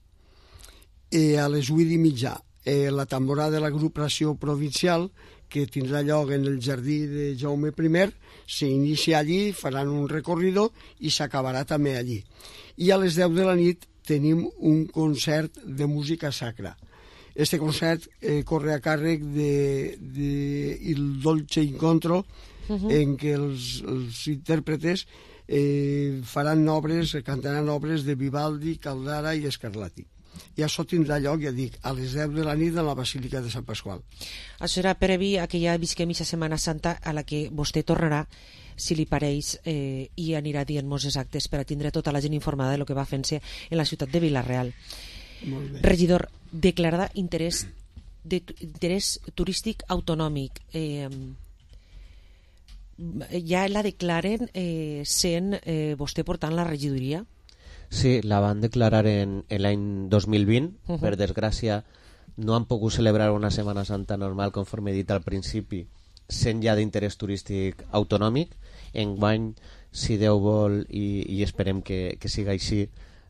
eh, a les vuit i mitja eh, la tamborada de l'agrupació provincial, que tindrà lloc en el jardí de Jaume primer, s'inicia allí, faran un recorrido i s'acabarà també allí. I a les deu de la nit tenim un concert de música sacra. Este concert eh, corre a càrrec de, de Il Dolce Incontro, uh-huh. en què els, els intèrpretes eh, faran obres, cantaran obres de Vivaldi, Caldara i Scarlatti. I això tindrà lloc, ja dic, a les deu de la nit a la Basílica de Sant Pasqual. Això serà previ a que ja visquem aquesta Setmana Santa, a la que vostè tornarà, si li pareix, eh, i anirà dient-nos exactes per a tindre tota la gent informada de lo que va fent-se en la ciutat de Vila-real. Regidor, declarada interès, de, interès turístic autonòmic. Eh, ja la declaren eh, sent eh, vostè portant la regidoria? Sí, la van declarar en, en l'any dos mil vint. Uh-huh. Per desgràcia, no han pogut celebrar una Setmana Santa normal, conforme he dit al principi, sent ja d'interès turístic autonòmic. Enguany, si Déu vol, i, i esperem que, que siga així,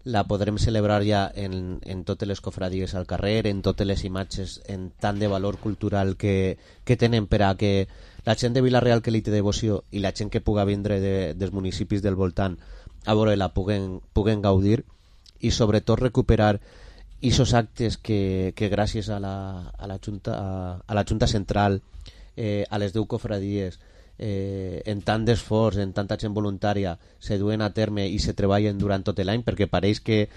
la podrem celebrar ja en, en totes les cofradies al carrer, en totes les imatges en tant de valor cultural que, que tenen, per a que la gent de Vila-real que li té devoció i la gent que puga vindre de, dels municipis del voltant a veure-la puguen, puguen gaudir, i sobretot recuperar aquests actes que, que gràcies a la, a la, Junta, a, a la Junta Central, eh, a les deu cofradies, eh, en tant d'esforç, en tanta gent voluntària, se duen a terme i se treballen durant tot l'any, perquè pareix que,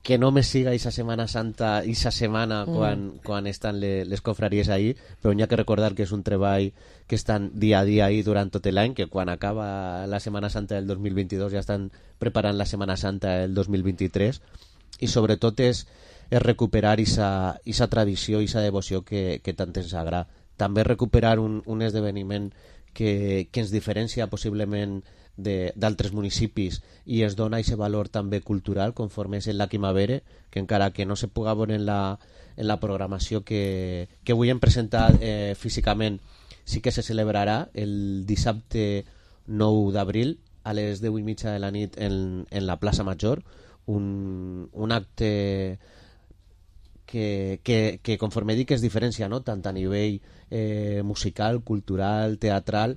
que només siga aquesta Setmana Santa, aquesta setmana mm. quan, quan estan les, les cofraries ahí, però hi ha que recordar que és un treball que estan dia a dia ahí durant tot l'any, que quan acaba la Setmana Santa del dos mil vint-i-dos ja estan preparant la Setmana Santa del dos mil vint-i-tres, i sobretot és, és recuperar aquesta tradició i aquesta devoció que, que tant ens agrada. També recuperar un, un esdeveniment que, que ens diferencia possiblement d'altres municipis i es dona aquest valor també cultural, conforme és la Quimavere, que encara que no se puga veure en la, en la programació que, que avui hem presentat eh, físicament, sí que se celebrarà el dissabte nou d'abril a les deu i mitja de la nit en, en la plaça Major, un, un acte que, que, que conforme dic es diferencia, no? Tant a nivell eh, musical, cultural, teatral,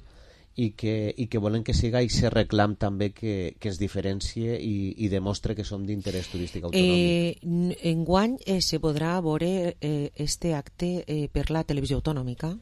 i que, i que volen que siga i se reclam també que, que es diferencie i, i demostre que som d'interès turístic autonòmic. Eh, enguany eh, se podrà veure eh, este acte eh, per la televisió autonòmica?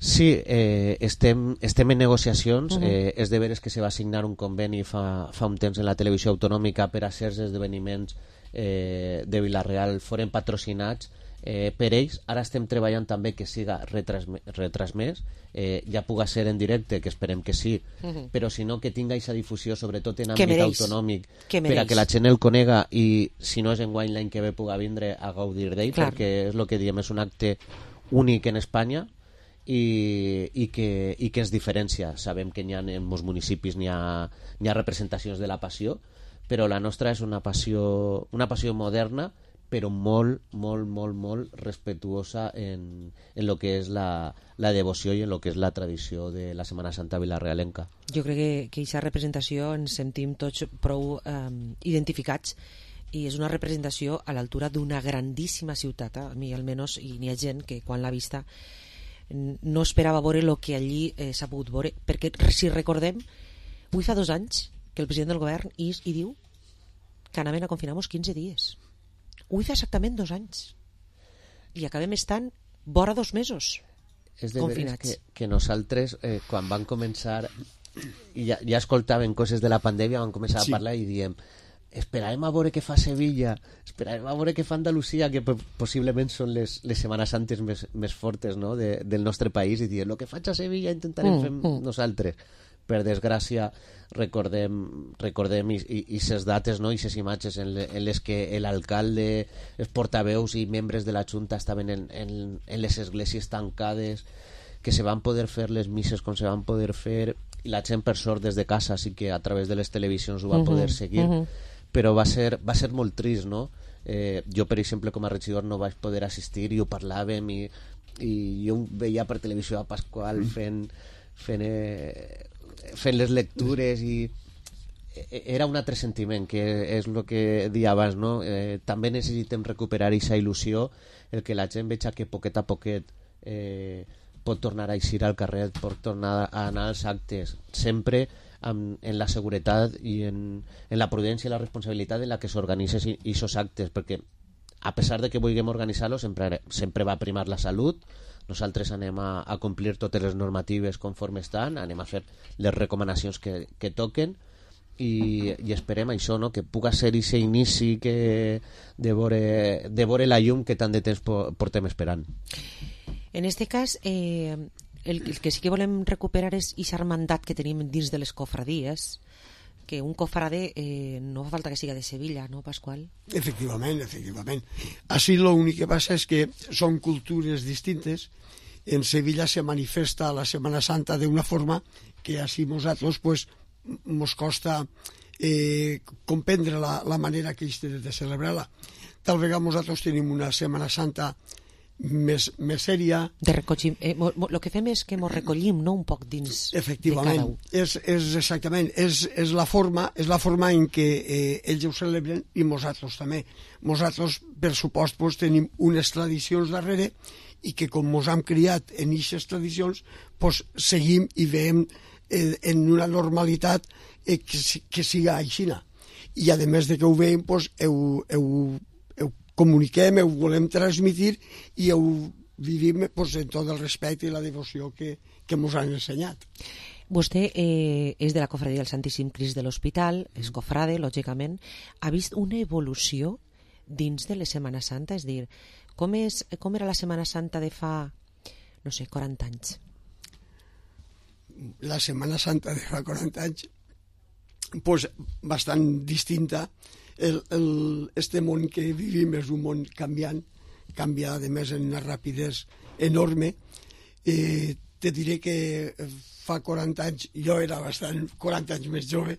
Sí, eh, estem, estem en negociacions. Uh-huh. eh, és de veres que se va signar un conveni fa, fa un temps en la televisió autonòmica per a certs esdeveniments eh, de Vila-real foren patrocinats eh, per ells. Ara estem treballant també que siga retransmès, retransmès eh, ja puga ser en directe, que esperem que sí, uh-huh. però si no, que tinga aquesta difusió sobretot en àmbit autonòmic, per a que la gent el conega i si no és enguany l'any que ve puga vindre a gaudir d'ell, perquè és el que diem, és un acte únic en Espanya i, i, que, i que es diferencia. Sabem que n'hi ha en molts municipis n'hi ha, n'hi ha representacions de la passió, però la nostra és una passió, una passió moderna, però molt, molt, molt, molt respectuosa en, en lo que és la, la devoció i en lo que és la tradició de la Setmana Santa vilarrealenca. Jo crec que que aquesta representació ens sentim tots prou eh, identificats, i és una representació a l'altura d'una grandíssima ciutat. A mi almenys, i n'hi ha gent que quan l'ha vista no esperava veure el que allí eh, s'ha pogut veure, perquè si recordem, avui fa dos anys que el president del govern is i diu que anaven a confinar-nos quinze dies. Avui fa exactament dos anys i acabem estant vora dos mesos és de confinats. Que, que nosaltres eh, quan van començar i ja, ja escoltàvem coses de la pandèmia, van començar sí. a parlar i diem esperarem a veure què fa Sevilla, esperarem a veure què fa Andalusia, que possiblement són les, les Setmanes Santes més, més fortes, no? de, del nostre país, i diem el que faig a Sevilla intentarem mm, fer mm. nosaltres. Per desgràcia recordem, recordem i, i, i ses dates, no? I ses imatges en, le, en les que l'alcalde, els portaveus i membres de la Junta estaven en, en, en les esglésies tancades, que se van poder fer les misses com se van poder fer, i la gent per sort des de casa sí que a través de les televisions ho va uh-huh, poder seguir, uh-huh. però va ser, va ser molt trist, no? Eh, jo per exemple com a regidor no vaig poder assistir i ho parlàvem i, i jo veia per televisió a Pasqual fent fent eh, fent les lectures i era un altre sentiment, que és el que deia abans, no? Eh, també necessitem recuperar aquesta il·lusió, el que la gent veja que poquet a poquet eh, pot tornar a eixir al carrer, pot tornar a anar als actes, sempre amb, en la seguretat i en, en la prudència i la responsabilitat en la que s'organitzen aquests actes, perquè a pesar de que vulguem organitzar-lo, sempre, sempre va primar la salut. Nosaltres anem a, a complir totes les normatives conforme estan, anem a fer les recomanacions que, que toquen i, i esperem això, no? Que puga ser aquest inici que de veure, de veure la llum que tant de temps portem esperant. En este cas, eh, el, el que sí que volem recuperar és aquest mandat que tenim dins de les cofradies, que un cofrade eh, no fa falta que siga de Sevilla, ¿no, Pascual? Efectivament, efectivament. Així l'únic que passa és que són cultures distintes. En Sevilla se manifesta la Setmana Santa d'una forma que així nosaltres pues, mos costa eh, comprendre la, la manera que ells tenen de celebrar-la. Tal vegada nosaltres tenim una Setmana Santa més, més sèria. De recollim, eh, mo, mo, lo que fem és que ens recollim, no, un poc dins efectivament, de cada un. És, és exactament, és, és, la forma, és la forma en què eh, ells ho celebren i nosaltres també. Nosaltres, per supost, pues, tenim unes tradicions darrere i que com ens hem criat en aquestes tradicions, pues, seguim i veiem eh, en una normalitat eh, que, que siga aixina. I a més de que ho veiem, pues, heu, heu comuniquem, ho volem transmitir i ho vivim pues, en tot el respecte i la devoció que, que ens han ensenyat. Vostè eh, és de la cofradia del Santíssim Crist de l'Hospital, és cofrade, lògicament. Ha vist una evolució dins de la Setmana Santa? És dir, com, és, com era la Setmana Santa de fa, no sé, quaranta anys? La Setmana Santa de fa quaranta anys, pues, bastant distinta. El, el, este món que vivim és un món canviant, canvia a més en una rapidesa enorme. Eh, te diré que fa quaranta anys, jo era bastant quaranta anys més jove,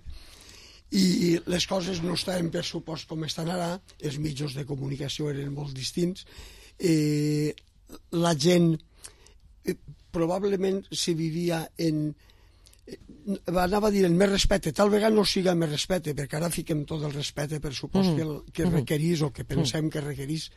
i les coses no estaven per supost com estan ara, els mitjans de comunicació eren molt distints, eh, la gent eh, probablement se vivia en... anava a dir el més respecte, tal vegada no siga més respecte, perquè ara fiquem tot el respecte per supost mm. que, el, que requerís o que pensem mm. que requerís,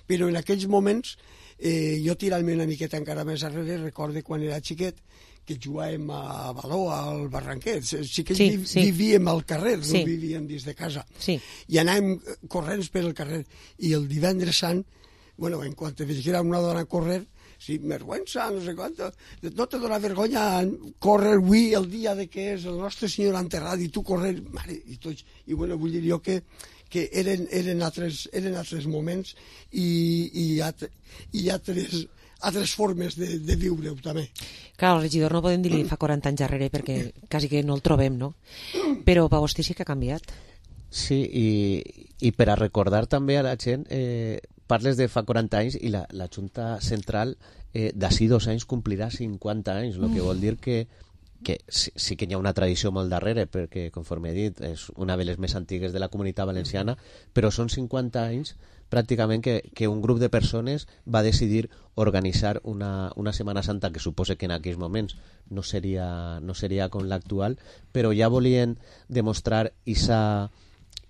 però en aquells moments eh, jo tirant-me una miqueta encara més arrere recorde quan era xiquet que jugàvem a baló al Barranquet, sí que sí, vi, sí. vivíem al carrer, sí. no vivíem dins de casa sí. i anàvem corrents per el carrer i el divendres sant, bueno, en quan te veig una dona a correr sí, vergüenza, no sé quant, no te dona vergonya córrer avui el dia de que és el nostre senyor enterrat i tu correr, mare, i tots, i bueno, vull dir jo que, que eren, eren, altres, eren altres moments i, i, altre, i altres, altres formes de, de viure-ho també. Clar, el regidor no podem dir-li fa quaranta anys darrere perquè quasi que no el trobem, no? Però per vostè sí que ha canviat. Sí, i, i per a recordar també a la gent... Eh, parles de fa quaranta anys i la, la Junta Central eh, d'ací dos anys complirà cinquanta anys, el que vol dir que, que sí, sí que hi ha una tradició molt darrere, perquè, conforme he dit, és una de les més antigues de la Comunitat Valenciana, però són cinquanta anys pràcticament que, que un grup de persones va decidir organitzar una, una Setmana Santa que suposa que en aquells moments no seria, no seria com l'actual, però ja volien demostrar esa...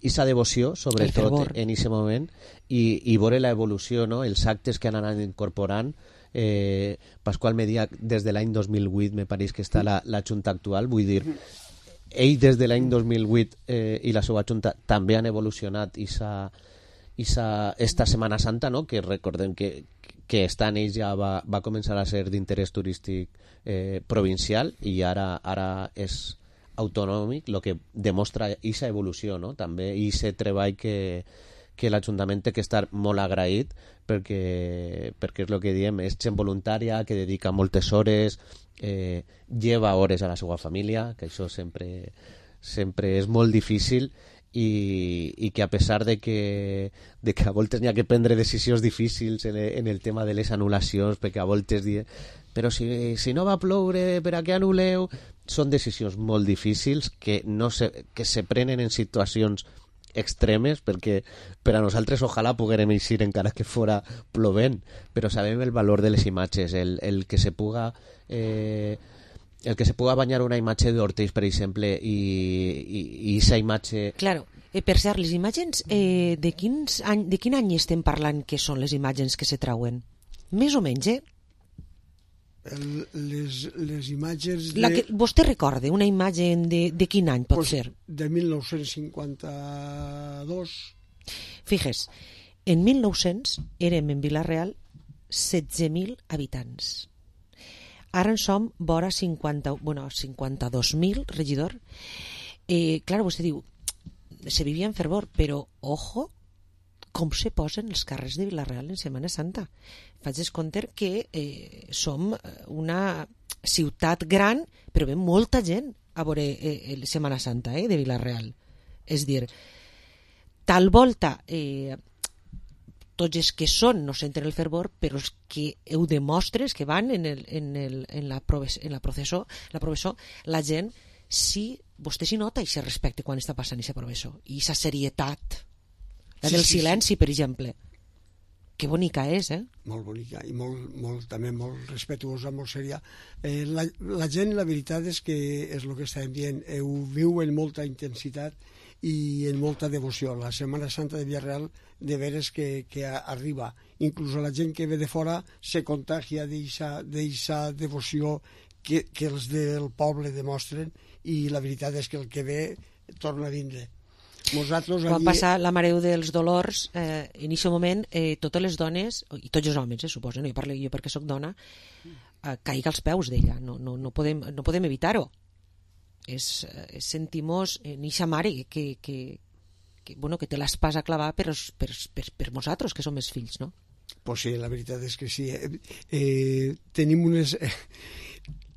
i sa devoció, sobretot en aquest moment, i, i veure l'evolució, no? Els actes que han anat incorporant. Eh, Pasqual Medià, des de l'any dos mil vuit, me pareix que està la, la Junta actual, vull dir, ell des de l'any dos mil vuit eh, i la seva Junta també han evolucionat i sa, i sa, esta Setmana Santa, no? Que recordem que, que estant ells ja va, va començar a ser d'interès turístic eh, provincial i ara, ara és autonòmic, el que demostra aquesta evolució, no? També aquest treball que, que l'Ajuntament té que estar molt agraït perquè, perquè és el que diem, és gent voluntària que dedica moltes hores, eh, lleva hores a la seva família, que això sempre, sempre és molt difícil i, i que a pesar de que, de que a voltes n'hi ha que prendre decisions difícils en, en el tema de les anul·lacions, perquè a voltes diem però si, si no va ploure, per a què anul·leu? Són decisions molt difícils que, no se, que se prenen en situacions extremes, perquè per a nosaltres ojalà poguérem eixir encara que fora plovent, però sabem el valor de les imatges, el, el que se puga eh, el que se puga banyar una imatge d'Hortells, per exemple, i aquesta imatge... Claro, eh, per cert, les imatges, eh, de, quins any, de quin any estem parlant que són les imatges que se trauen? Més o menys, eh? El, les, les imatges de... La que vostè recorda, una imatge de, de quin any pot pues ser? De mil nou-cents cinquanta-dos. Fixes, En mil nou-cents érem en Vila-real setze mil habitants. Ara en som vora cinquanta, bueno, cinquanta-dos mil, regidor. Eh, clar, vostè diu, se vivia en fervor, però, ojo, com se posen els carrers de Vila-real en Setmana Santa. Faig descompte que eh, som una ciutat gran, però ve molta gent a veure eh, Setmana Santa eh, de Vila-real. És dir, tal volta eh, tots els que són no senten el fervor, però els que ho demostres que van en, el, en, el, en la, proves, en la processó, la processó, la gent sí, vostè s'hi nota i se respecta quan està passant aquesta processó, i aquesta serietat, la del sí, silenci, sí, sí. per exemple. Que bonica és, eh? Molt bonica i molt, molt, també molt respetuosa, molt seria. Eh, la, la gent, la veritat és que és el que estàvem dient, eh, ho viu en molta intensitat i en molta devoció. La Setmana Santa de Vila-real de veres que, que arriba. Inclús la gent que ve de fora se contagia d'aquesta devoció que, que els del poble demostren, i la veritat és que el que ve torna a vindre. Nosaltres Quan allí... passa la Mareu dels Dolors, eh, en aquest moment eh, totes les dones, i tots els homes, eh, suposo, no? jo parlo jo perquè sóc dona, eh, caiga als peus d'ella, no, no, no, podem, no podem evitar-ho. És, és sentimos en eixa mare que, que, que, bueno, que té l'espasa a clavar per, per, per, per nosaltres, que som els fills, no? Pues sí, la veritat és que sí. Eh, eh, tenim unes... Eh,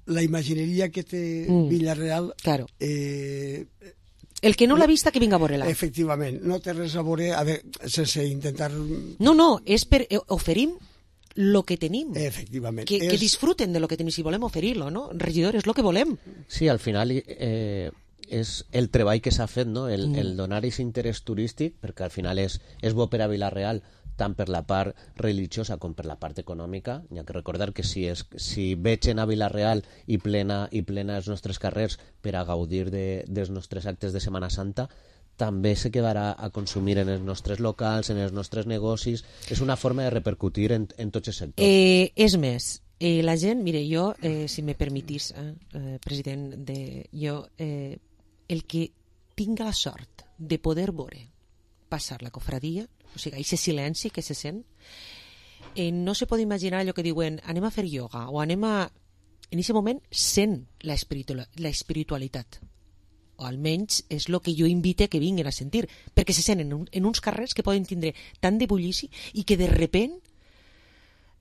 la imagineria que té mm. Vila-real... Claro. Eh, El que no l'ha vista, que vinga a veure-la. Efectivament, no té res a veure, a veure, sense intentar... No, no, és per... oferim lo que tenim. Efectivament. Que, és... que disfruten de lo que tenim, si volem oferir-lo, no? Regidor, és lo que volem. Sí, al final eh, és el treball que s'ha fet, no? El, mm. el donar aquest interès turístic, perquè al final és, és bo per a Vila-real, tant per la part religiosa com per la part econòmica. Hi ha que recordar que si, és, si vegen a Vila-real i plena, i plena els nostres carrers per a gaudir de, dels nostres actes de Setmana Santa, també se quedarà a consumir en els nostres locals, en els nostres negocis. És una forma de repercutir en, en tots els sectors. Eh, és més, eh, la gent, mire, jo, eh, si me permitís, eh, eh, president, de, jo, eh, el que tinga la sort de poder veure passar la cofradia, o sigui, aquest silenci que se sent, eh, no se pot imaginar allò que diuen anem a fer ioga o anem a... En aquest moment sent la, espiritu la espiritualitat, o almenys és el que jo invite que vinguin a sentir, perquè se senten en, un, en uns carrers que poden tindre tant de bullici i que de repent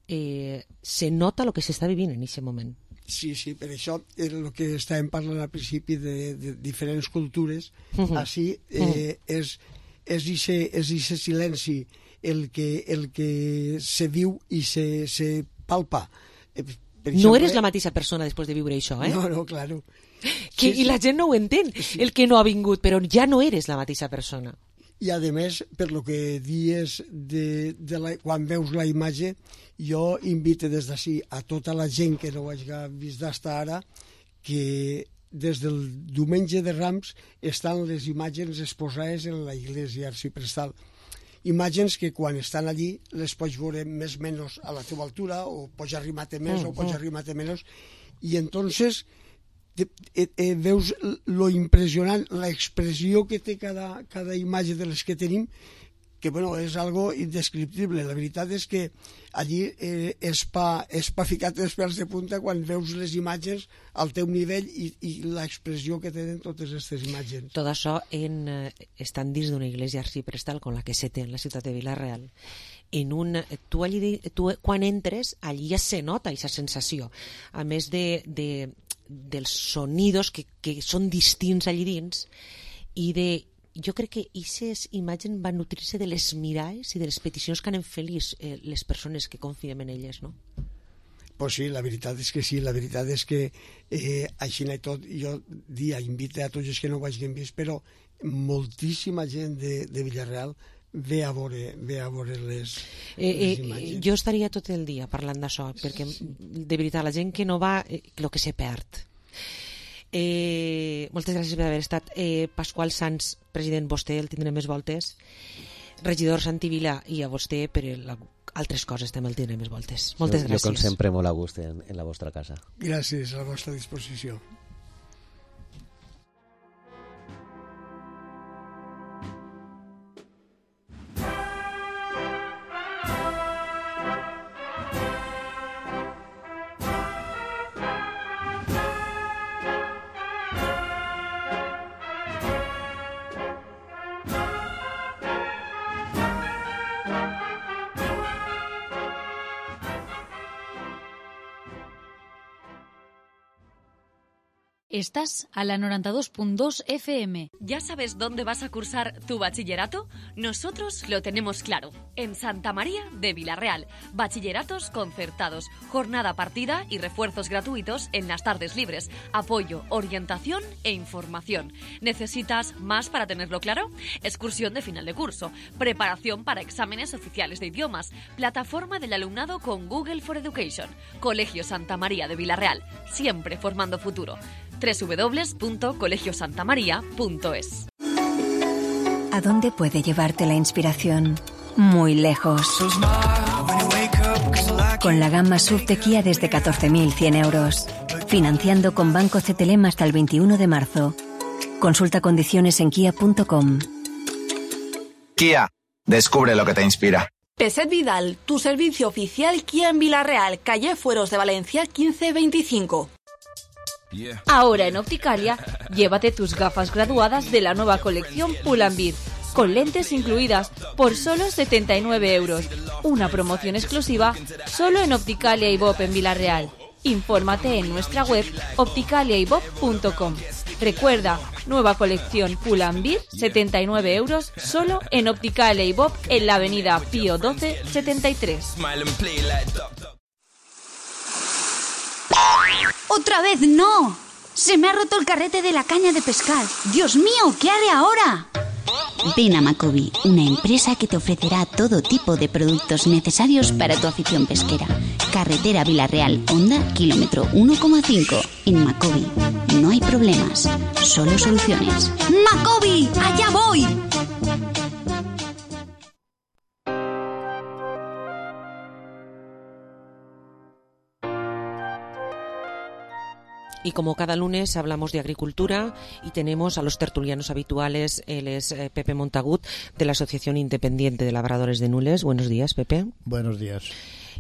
eh, se nota el que s'està vivint en aquest moment. Sí, sí, per això era el que estàvem parlant al principi de, de diferents cultures. Uh -huh. Així eh, uh -huh. és és aquest silenci el que, el que se viu i se, se palpa. Eh, per exemple, no eres la mateixa persona després de viure això, eh? No, no, claro. Que, sí, I la gent no ho entén, sí. El que no ha vingut, però ja no eres la mateixa persona. I a més, per lo que dies de, de la, quan veus la imatge, jo invito des d'ací a tota la gent que no ho hagi vist d'estar ara que des del diumenge de Rams estan les imatges exposades en la iglesia arciprestal. Imatges que quan estan allí les pots veure més o menys a la teva altura, o pots arribar-te més mm, o pots mm. arribar-te menys, i entonces te, eh, eh, veus lo impressionant, la expressió que té cada, cada imatge de les que tenim, que bueno, és algo indescriptible. La veritat és que allí eh, és, pa, és pa ficar-te els pèls de punta quan veus les imatges al teu nivell i, i l'expressió que tenen totes aquestes imatges. Tot això en, eh, estan dins d'una iglesia arciprestal com la que se té en la ciutat de Vila-real. En un, tu, allí, tu quan entres, allí ja se nota aquesta sensació. A més de, de, dels sonidos que, que són distints allí dins, i de jo crec que aquestes imatges van nutrir-se de les mirades i de les peticions que han fet les, eh, les persones que confiem en elles, no? Pues sí, la veritat és que sí, la veritat és que eh, així i tot, jo dia invite a tots els que no ho hagin vist, però moltíssima gent de, de Vila-real ve a veure, ve a veure les, eh, les eh, imatges. Jo estaria tot el dia parlant d'això, perquè de veritat la gent que no va, eh, el que se perd. Eh, moltes gràcies per haver estat. eh, Pasqual Sans, president, vostè el tindrem més voltes. Regidor Santi Vila, i a vostè per la, altres coses també el tindrem més voltes. Moltes jo, gràcies. Jo com sempre molt a gust en, en la vostra casa. Gràcies, a la vostra disposició. Estás a la noventa y dos punto dos F M. ¿Ya sabes dónde vas a cursar tu bachillerato? Nosotros lo tenemos claro. En Santa María de Vilarreal. Bachilleratos concertados, jornada partida y refuerzos gratuitos en las tardes libres. Apoyo, orientación e información. ¿Necesitas más para tenerlo claro? Excursión de final de curso. Preparación para exámenes oficiales de idiomas. Plataforma del alumnado con Google for Education. Colegio Santa María de Vilarreal. Siempre formando futuro. doble u doble u doble u punto colegio santa maría punto es. ¿A dónde puede llevarte la inspiración? Muy lejos. Con la gama S U V de Kia desde catorce mil cien euros. Financiando con Banco C T L M hasta el veintiuno de marzo. Consulta condiciones en kia punto com. Kia, descubre lo que te inspira. Peset Vidal, tu servicio oficial Kia en Vilarreal, calle Fueros de Valencia quince veinticinco. Ahora en Opticalia, llévate tus gafas graduadas de la nueva colección Pull&Bear, con lentes incluidas por solo setenta y nueve euros. Una promoción exclusiva solo en Opticalia y Bob en Vilarreal. Infórmate en nuestra web opticalia y bob punto com. Recuerda, nueva colección Pull&Bear, setenta y nueve euros, solo en Opticalia y Bob en la avenida Pío doce setenta y tres. ¡Otra vez no! ¡Se me ha roto el carrete de la caña de pescar! ¡Dios mío! ¿Qué haré ahora? Ven a Macobi, una empresa que te ofrecerá todo tipo de productos necesarios para tu afición pesquera. Carretera Vilarreal, Honda, kilómetro uno coma cinco. En Macobi no hay problemas, solo soluciones. ¡Macobi! ¡Allá voy! Y como cada lunes hablamos de agricultura y tenemos a los tertulianos habituales. Él es eh, Pepe Montagut, de la Asociación Independiente de Labradores de Nules. Buenos días, Pepe. Buenos días.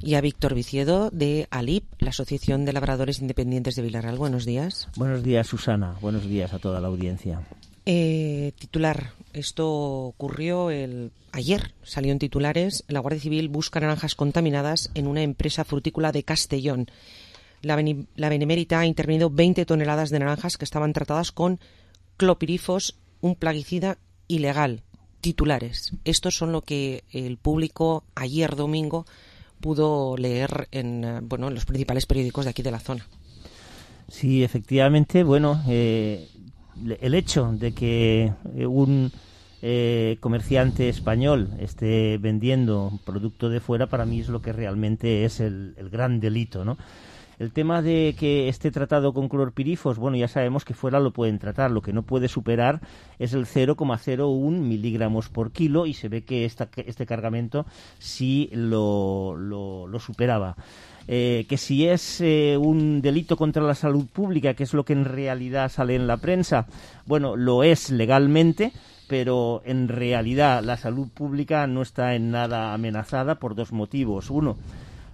Y a Víctor Viciedo, de ALIP, la Asociación de Labradores Independientes de Vilarreal. Buenos días. Buenos días, Susana. Buenos días a toda la audiencia. Eh, titular. Esto ocurrió el ayer. Salió en titulares. La Guardia Civil busca naranjas contaminadas en una empresa frutícola de Castellón. La, Beni- la Benemérita ha intervenido veinte toneladas de naranjas que estaban tratadas con clopirifos, un plaguicida ilegal. Titulares. Estos son lo que el público ayer domingo pudo leer en, bueno, en los principales periódicos de aquí de la zona. Sí, efectivamente, bueno, eh, el hecho de que un eh, comerciante español esté vendiendo producto de fuera, para mí es lo que realmente es el, el gran delito, ¿no? El tema de que esté tratado con clorpirifos, bueno, ya sabemos que fuera lo pueden tratar. Lo que no puede superar es el cero coma cero uno miligramos por kilo, y se ve que esta, este cargamento sí lo, lo, lo superaba. Eh, que si es eh, un delito contra la salud pública, que es lo que en realidad sale en la prensa, bueno, lo es legalmente, pero en realidad la salud pública no está en nada amenazada por dos motivos. Uno,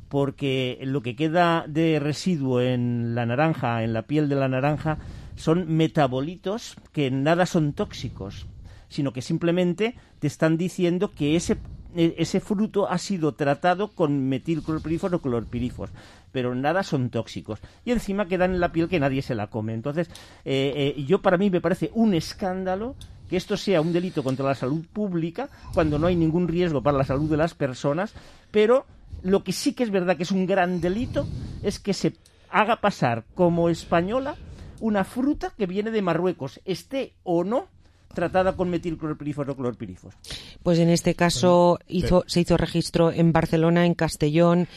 porque lo que queda de residuo en la naranja, en la piel de la naranja, son metabolitos que nada son tóxicos, sino que simplemente te están diciendo que ese, ese fruto ha sido tratado con metilclorpirifos o clorpirifos, pero nada son tóxicos. Y encima quedan en la piel que nadie se la come. Entonces, eh, eh, yo para mí me parece un escándalo que esto sea un delito contra la salud pública cuando no hay ningún riesgo para la salud de las personas, pero lo que sí que es verdad que es un gran delito es que se haga pasar como española una fruta que viene de Marruecos, esté o no tratada con metilclorpirifos o clorpirifos. Pues en este caso hizo, se hizo registro en Barcelona, en Castellón,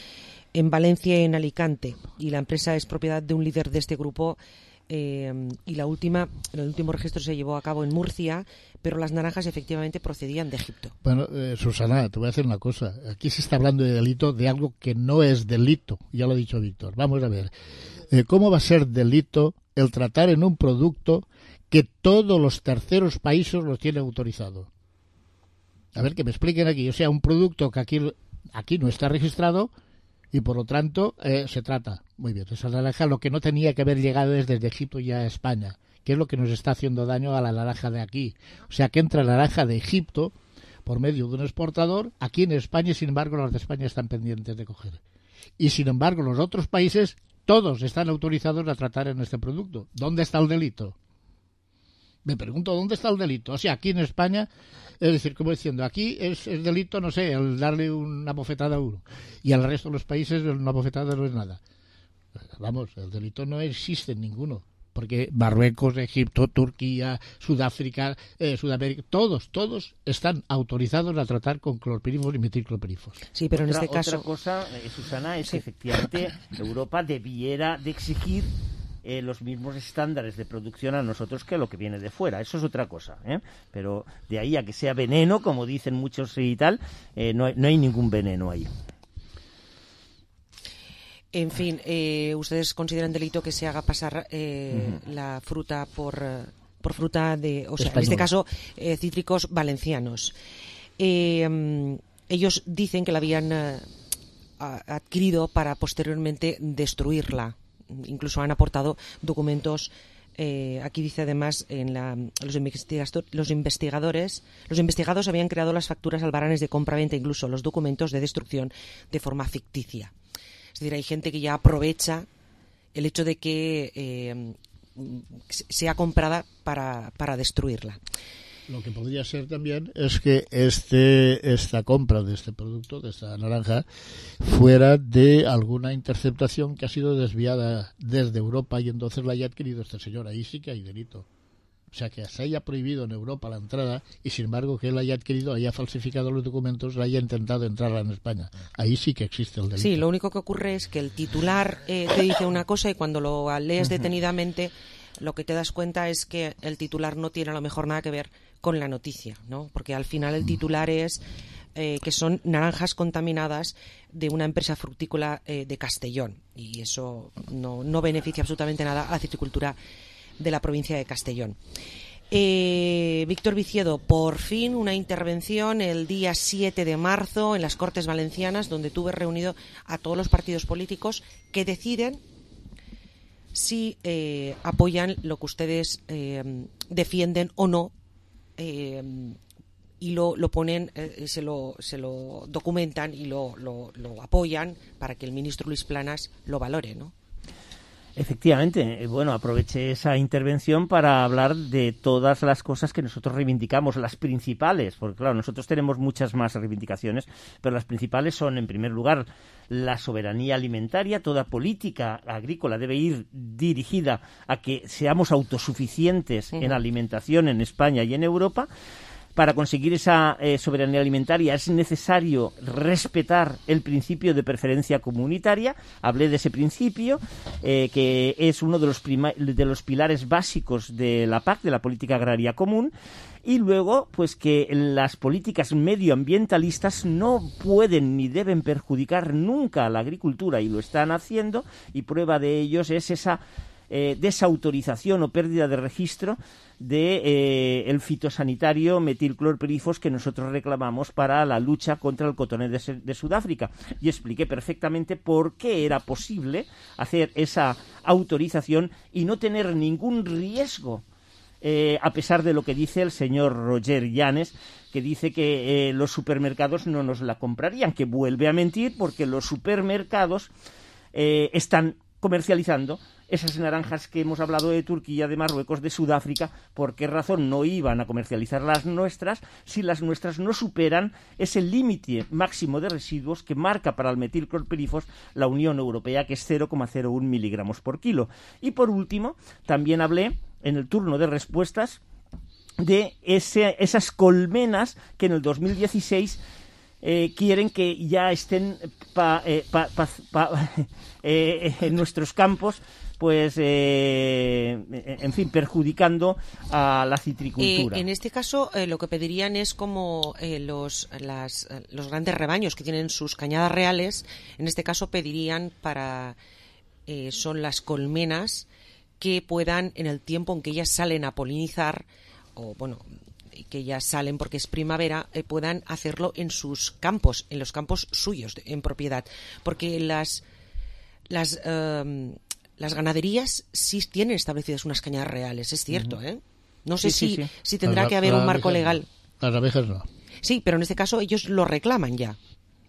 en Valencia y en Alicante. Y la empresa es propiedad de un líder de este grupo. Eh, y la última, el último registro se llevó a cabo en Murcia, pero las naranjas efectivamente procedían de Egipto. Bueno, eh, Susana, te voy a decir una cosa. Aquí se está hablando de delito de algo que no es delito. Ya lo ha dicho Víctor. Vamos a ver. Eh, ¿Cómo va a ser delito el tratar en un producto que todos los terceros países los tienen autorizado? A ver, que me expliquen aquí. O sea, un producto que aquí, aquí no está registrado y por lo tanto eh, se trata. Muy bien, esa naranja lo que no tenía que haber llegado es desde Egipto ya a España, que es lo que nos está haciendo daño a la naranja de aquí. O sea, que entra naranja de Egipto por medio de un exportador aquí en España, y sin embargo los de España están pendientes de coger. Y sin embargo los otros países todos están autorizados a tratar en este producto. ¿Dónde está el delito? Me pregunto, ¿dónde está el delito? O sea, aquí en España, es decir, como diciendo, aquí es, es delito, no sé, el darle una bofetada a uno. Y al resto de los países una bofetada no es nada. Vamos, el delito no existe en ninguno. Porque Marruecos, Egipto, Turquía, Sudáfrica, eh, Sudamérica, todos, todos están autorizados a tratar con clorpirifos y metilclorpirifos. Sí, pero en otra, este caso... Otra cosa, eh, Susana, es sí. que efectivamente Europa debiera de exigir eh, los mismos estándares de producción a nosotros que lo que viene de fuera. Eso es otra cosa, ¿eh? Pero de ahí a que sea veneno, como dicen muchos y tal, eh, no, hay, no hay ningún veneno ahí. En fin, eh, ¿ustedes consideran delito que se haga pasar eh, uh-huh. la fruta por, por fruta de, o sea, Española. En este caso, eh, cítricos valencianos? Eh, um, ellos dicen que la habían uh, adquirido para posteriormente destruirla. Incluso han aportado documentos. Eh, aquí dice además en la, los, investigador, los investigadores, los investigados habían creado las facturas albaranes de compra-venta, incluso los documentos de destrucción de forma ficticia. Es decir, hay gente que ya aprovecha el hecho de que eh, sea comprada para, para destruirla. Lo que podría ser también es que este esta compra de este producto, de esta naranja, fuera de alguna interceptación que ha sido desviada desde Europa y entonces la haya adquirido este señor. Ahí sí que hay delito. O sea, que se haya prohibido en Europa la entrada y, sin embargo, que él haya adquirido, haya falsificado los documentos, haya intentado entrarla en España. Ahí sí que existe el delito. Sí, lo único que ocurre es que el titular eh, te dice una cosa y cuando lo lees detenidamente, lo que te das cuenta es que el titular no tiene a lo mejor nada que ver con la noticia, ¿no? Porque al final el titular es eh, que son naranjas contaminadas de una empresa fructícola eh, de Castellón y eso no, no beneficia absolutamente nada a la citricultura de la provincia de Castellón. Eh, Víctor Viciedo, por fin una intervención el día siete de marzo en las Cortes Valencianas, donde tuve reunido a todos los partidos políticos que deciden si eh, apoyan lo que ustedes eh, defienden o no, eh, y lo, lo ponen, eh, se, lo, se lo documentan y lo, lo, lo apoyan para que el ministro Luis Planas lo valore, ¿no? Efectivamente, bueno, aproveché esa intervención para hablar de todas las cosas que nosotros reivindicamos, las principales, porque claro, nosotros tenemos muchas más reivindicaciones, pero las principales son, en primer lugar, la soberanía alimentaria. Toda política agrícola debe ir dirigida a que seamos autosuficientes uh-huh. en alimentación en España y en Europa. Para conseguir esa eh, soberanía alimentaria es necesario respetar el principio de preferencia comunitaria. Hablé de ese principio, eh, que es uno de los, prima- de los pilares básicos de la P A C, de la Política Agraria Común. Y luego, pues que las políticas medioambientalistas no pueden ni deben perjudicar nunca a la agricultura, y lo están haciendo, y prueba de ellos es esa eh, desautorización o pérdida de registro de eh, el fitosanitario metilclorpirifos que nosotros reclamamos para la lucha contra el cotonés de, de Sudáfrica, y expliqué perfectamente por qué era posible hacer esa autorización y no tener ningún riesgo, eh, a pesar de lo que dice el señor Roger Llanes, que dice que eh, los supermercados no nos la comprarían, que vuelve a mentir, porque los supermercados eh, están comercializando esas naranjas que hemos hablado de Turquía, de Marruecos, de Sudáfrica. ¿Por qué razón no iban a comercializar las nuestras si las nuestras no superan ese límite máximo de residuos que marca para el metilclorpirifos la Unión Europea, que es cero coma cero uno miligramos por kilo? Y por último, también hablé en el turno de respuestas de ese, esas colmenas que en el dos mil dieciséis Eh, quieren que ya estén pa, eh, pa, pa, pa, eh, en nuestros campos, pues, eh, en fin, perjudicando a la citricultura. Eh, en este caso, eh, lo que pedirían es como eh, los, las, los grandes rebaños que tienen sus cañadas reales, en este caso pedirían para, eh, son las colmenas que puedan, en el tiempo en que ellas salen a polinizar, o bueno, que ya salen porque es primavera, eh, puedan hacerlo en sus campos, en los campos suyos, de, en propiedad. Porque las las eh, las ganaderías sí tienen establecidas unas cañadas reales, es cierto, ¿eh? No sé sí, si, sí, sí. si tendrá las, que haber un marco legal. No. Las abejas no. Sí, pero en este caso ellos lo reclaman ya.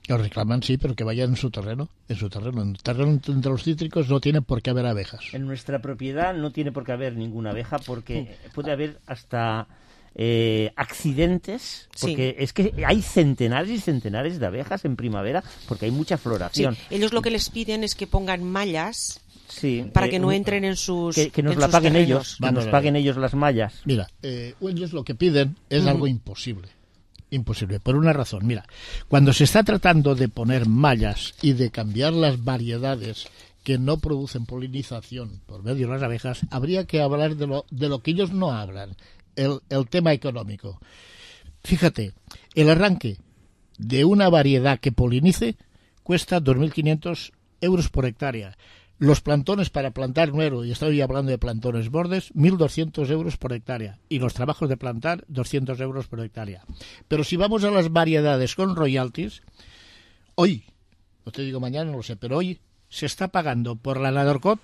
Lo reclaman, sí, pero que vayan en su terreno. En su terreno. En el terreno de los cítricos no tiene por qué haber abejas. En nuestra propiedad no tiene por qué haber ninguna abeja porque puede haber hasta eh, accidentes. Porque sí. es que hay centenares y centenares de abejas en primavera porque hay mucha floración. Sí. Ellos lo que les piden es que pongan mallas. Sí, para eh, que no entren en sus que, que nos en la sus paguen terrenos. ellos, que nos paguen ellos las mallas. Mira, eh, ellos lo que piden es uh-huh. algo imposible. Imposible, por una razón. Mira, cuando se está tratando de poner mallas y de cambiar las variedades que no producen polinización por medio de las abejas, habría que hablar de lo, de lo que ellos no hablan, el, el tema económico. Fíjate, el arranque de una variedad que polinice cuesta dos mil quinientos euros por hectárea. Los plantones para plantar nuevo, y estoy hablando de plantones bordes, mil doscientos euros por hectárea. Y los trabajos de plantar, doscientos euros por hectárea. Pero si vamos a las variedades con royalties, hoy, no te digo mañana, no lo sé, pero hoy se está pagando por la Nadorcot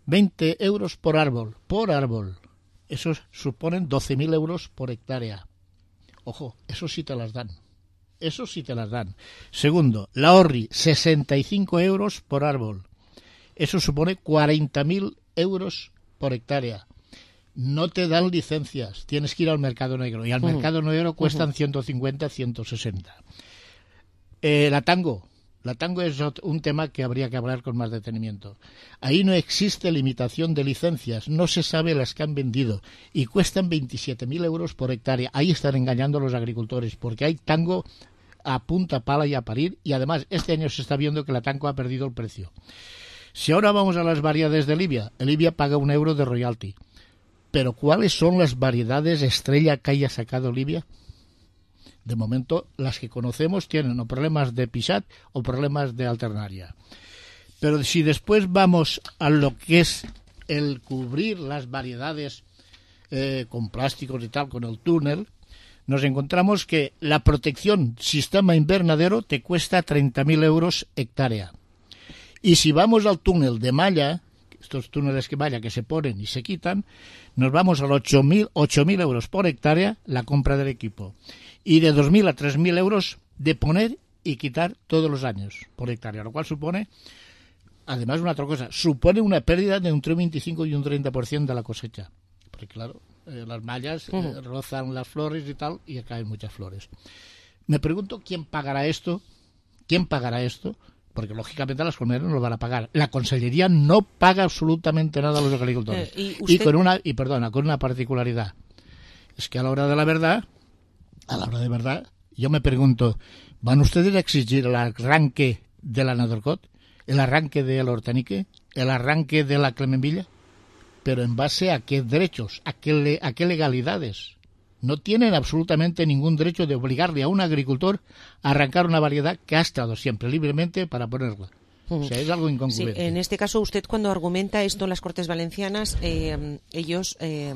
veinte euros por árbol. Por árbol. Esos suponen doce mil euros por hectárea. Ojo, eso sí te las dan. Eso sí te las dan. Segundo, la Orri, sesenta y cinco euros por árbol. Eso supone cuarenta mil euros por hectárea. No te dan licencias, tienes que ir al mercado negro. Y al uh-huh. mercado negro cuestan uh-huh. ciento cincuenta, ciento sesenta. Eh, la tango. La tango es un tema que habría que hablar con más detenimiento. Ahí no existe limitación de licencias, no se sabe las que han vendido y cuestan veintisiete mil euros por hectárea. Ahí están engañando a los agricultores porque hay tango a punta pala y a parir y además este año se está viendo que la tango ha perdido el precio. Si ahora vamos a las variedades de Libia, Libia paga un euro de royalty. Pero ¿cuáles son las variedades estrella que haya sacado Libia? De momento, las que conocemos tienen o problemas de pisat o problemas de alternaria. Pero si después vamos a lo que es el cubrir las variedades eh, con plásticos y tal, con el túnel, nos encontramos que la protección sistema invernadero te cuesta treinta mil euros hectárea. Y si vamos al túnel de malla, estos túneles de malla que se ponen y se quitan, nos vamos a los ocho mil euros por hectárea la compra del equipo. Y de dos mil a tres mil euros de poner y quitar todos los años por hectárea, lo cual supone, además una otra cosa, supone una pérdida de entre un veinticinco y un treinta por ciento de la cosecha. Porque claro, eh, las mallas uh-huh. eh, rozan las flores y tal, y caen muchas flores. Me pregunto quién pagará esto, quién pagará esto, porque lógicamente las colmenas no lo van a pagar. La Consellería no paga absolutamente nada a los agricultores. Eh, ¿y, usted... y con una y perdona, con una particularidad. Es que a la hora de la verdad, a la hora de verdad, yo me pregunto, ¿van ustedes a exigir el arranque de la Nadorcot, el arranque del Hortenique, el arranque de la Clemenvilla? Pero ¿en base a qué derechos, a qué, le, a qué legalidades? No tienen absolutamente ningún derecho de obligarle a un agricultor a arrancar una variedad que ha estado siempre libremente para ponerla. Uh-huh. O sea, es algo incongruente. Sí, en este caso, usted cuando argumenta esto en las Cortes Valencianas, eh, ellos, eh,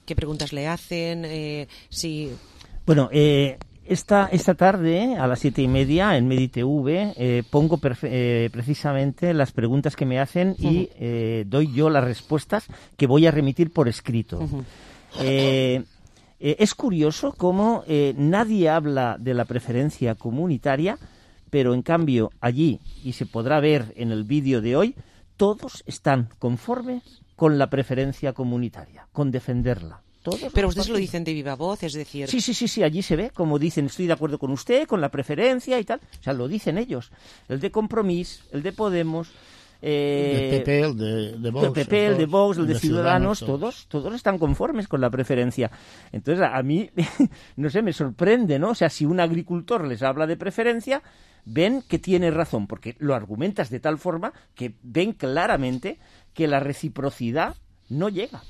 ¿qué preguntas le hacen? Eh, si... Bueno, eh, esta, esta tarde, a las siete y media, en MediTV, eh, pongo perfe- eh, precisamente las preguntas que me hacen y uh-huh. eh, doy yo las respuestas que voy a remitir por escrito. Uh-huh. Eh, Eh, es curioso cómo eh, nadie habla de la preferencia comunitaria, pero en cambio allí, y se podrá ver en el vídeo de hoy, todos están conformes con la preferencia comunitaria, con defenderla. Todos pero ustedes lo dicen de viva voz, es decir... Sí, sí, sí, sí, allí se ve, como dicen, estoy de acuerdo con usted, con la preferencia y tal. O sea, lo dicen ellos. El de Compromís, el de Podemos... Eh, el P P, el de, de Vox, el P P, el de Vox, el de, de Ciudadanos, Ciudadanos, todos, todos están conformes con la preferencia. Entonces, a, a mí, no sé, me sorprende, ¿no? O sea, si un agricultor les habla de preferencia, ven que tiene razón, porque lo argumentas de tal forma que ven claramente que la reciprocidad no llega.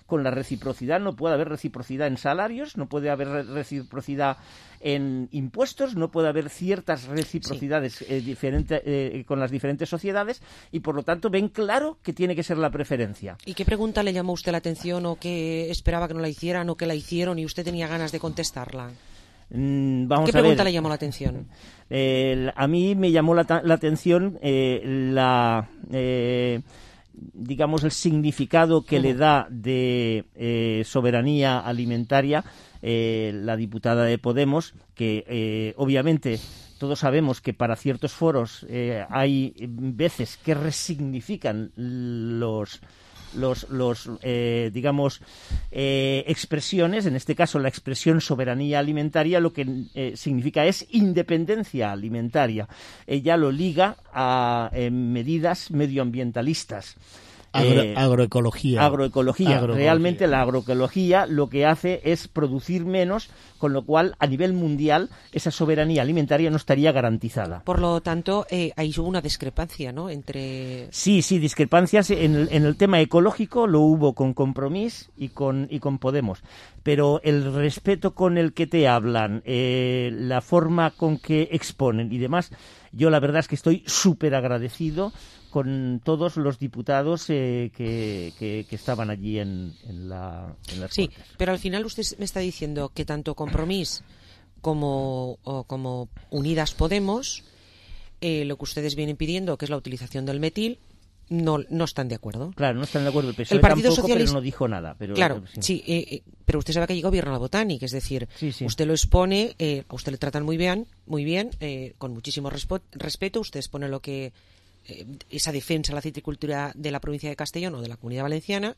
Con la reciprocidad no puede haber reciprocidad en salarios, no puede haber reciprocidad en impuestos, no puede haber ciertas reciprocidades sí. eh, diferente, eh, con las diferentes sociedades y por lo tanto ven claro que tiene que ser la preferencia. ¿Y qué pregunta le llamó usted la atención o qué esperaba que no la hicieran o que la hicieron y usted tenía ganas de contestarla? Mm, vamos ¿Qué a pregunta ver. le llamó la atención? Eh, a mí me llamó la, la atención eh, la... Eh, digamos, el significado que uh-huh. le da de eh, soberanía alimentaria eh, la diputada de Podemos, que eh, obviamente todos sabemos que para ciertos foros eh, hay veces que resignifican los... los, los eh, digamos, eh, expresiones, en este caso la expresión soberanía alimentaria, lo que eh, significa es independencia alimentaria. Ella lo liga a eh, medidas medioambientalistas. Agro, eh, agroecología. agroecología. Agroecología. Realmente la agroecología lo que hace es producir menos, con lo cual a nivel mundial esa soberanía alimentaria no estaría garantizada. Por lo tanto, eh, ahí hubo una discrepancia, ¿no? Entre... Sí, sí, discrepancias en el, en el tema ecológico lo hubo con Compromís y con, y con Podemos, pero el respeto con el que te hablan, eh, la forma con que exponen y demás, yo la verdad es que estoy súper agradecido con todos los diputados eh, que, que, que estaban allí en, en, la, en las Sí, Cortes. pero al final usted me está diciendo que tanto Compromís como, o como Unidas Podemos, eh, lo que ustedes vienen pidiendo, que es la utilización del metil, no, no están de acuerdo. Claro, no están de acuerdo. El P S O E el Partido tampoco, Socialista pero no dijo nada. Pero, claro, sí, sí eh, eh, pero usted sabe que allí gobierna la Botánica, es decir, sí, sí. usted lo expone, eh, a usted le tratan muy bien, muy bien, eh, con muchísimo respo- respeto, usted expone lo que eh, esa defensa de la citricultura de la provincia de Castellón o de la Comunidad Valenciana,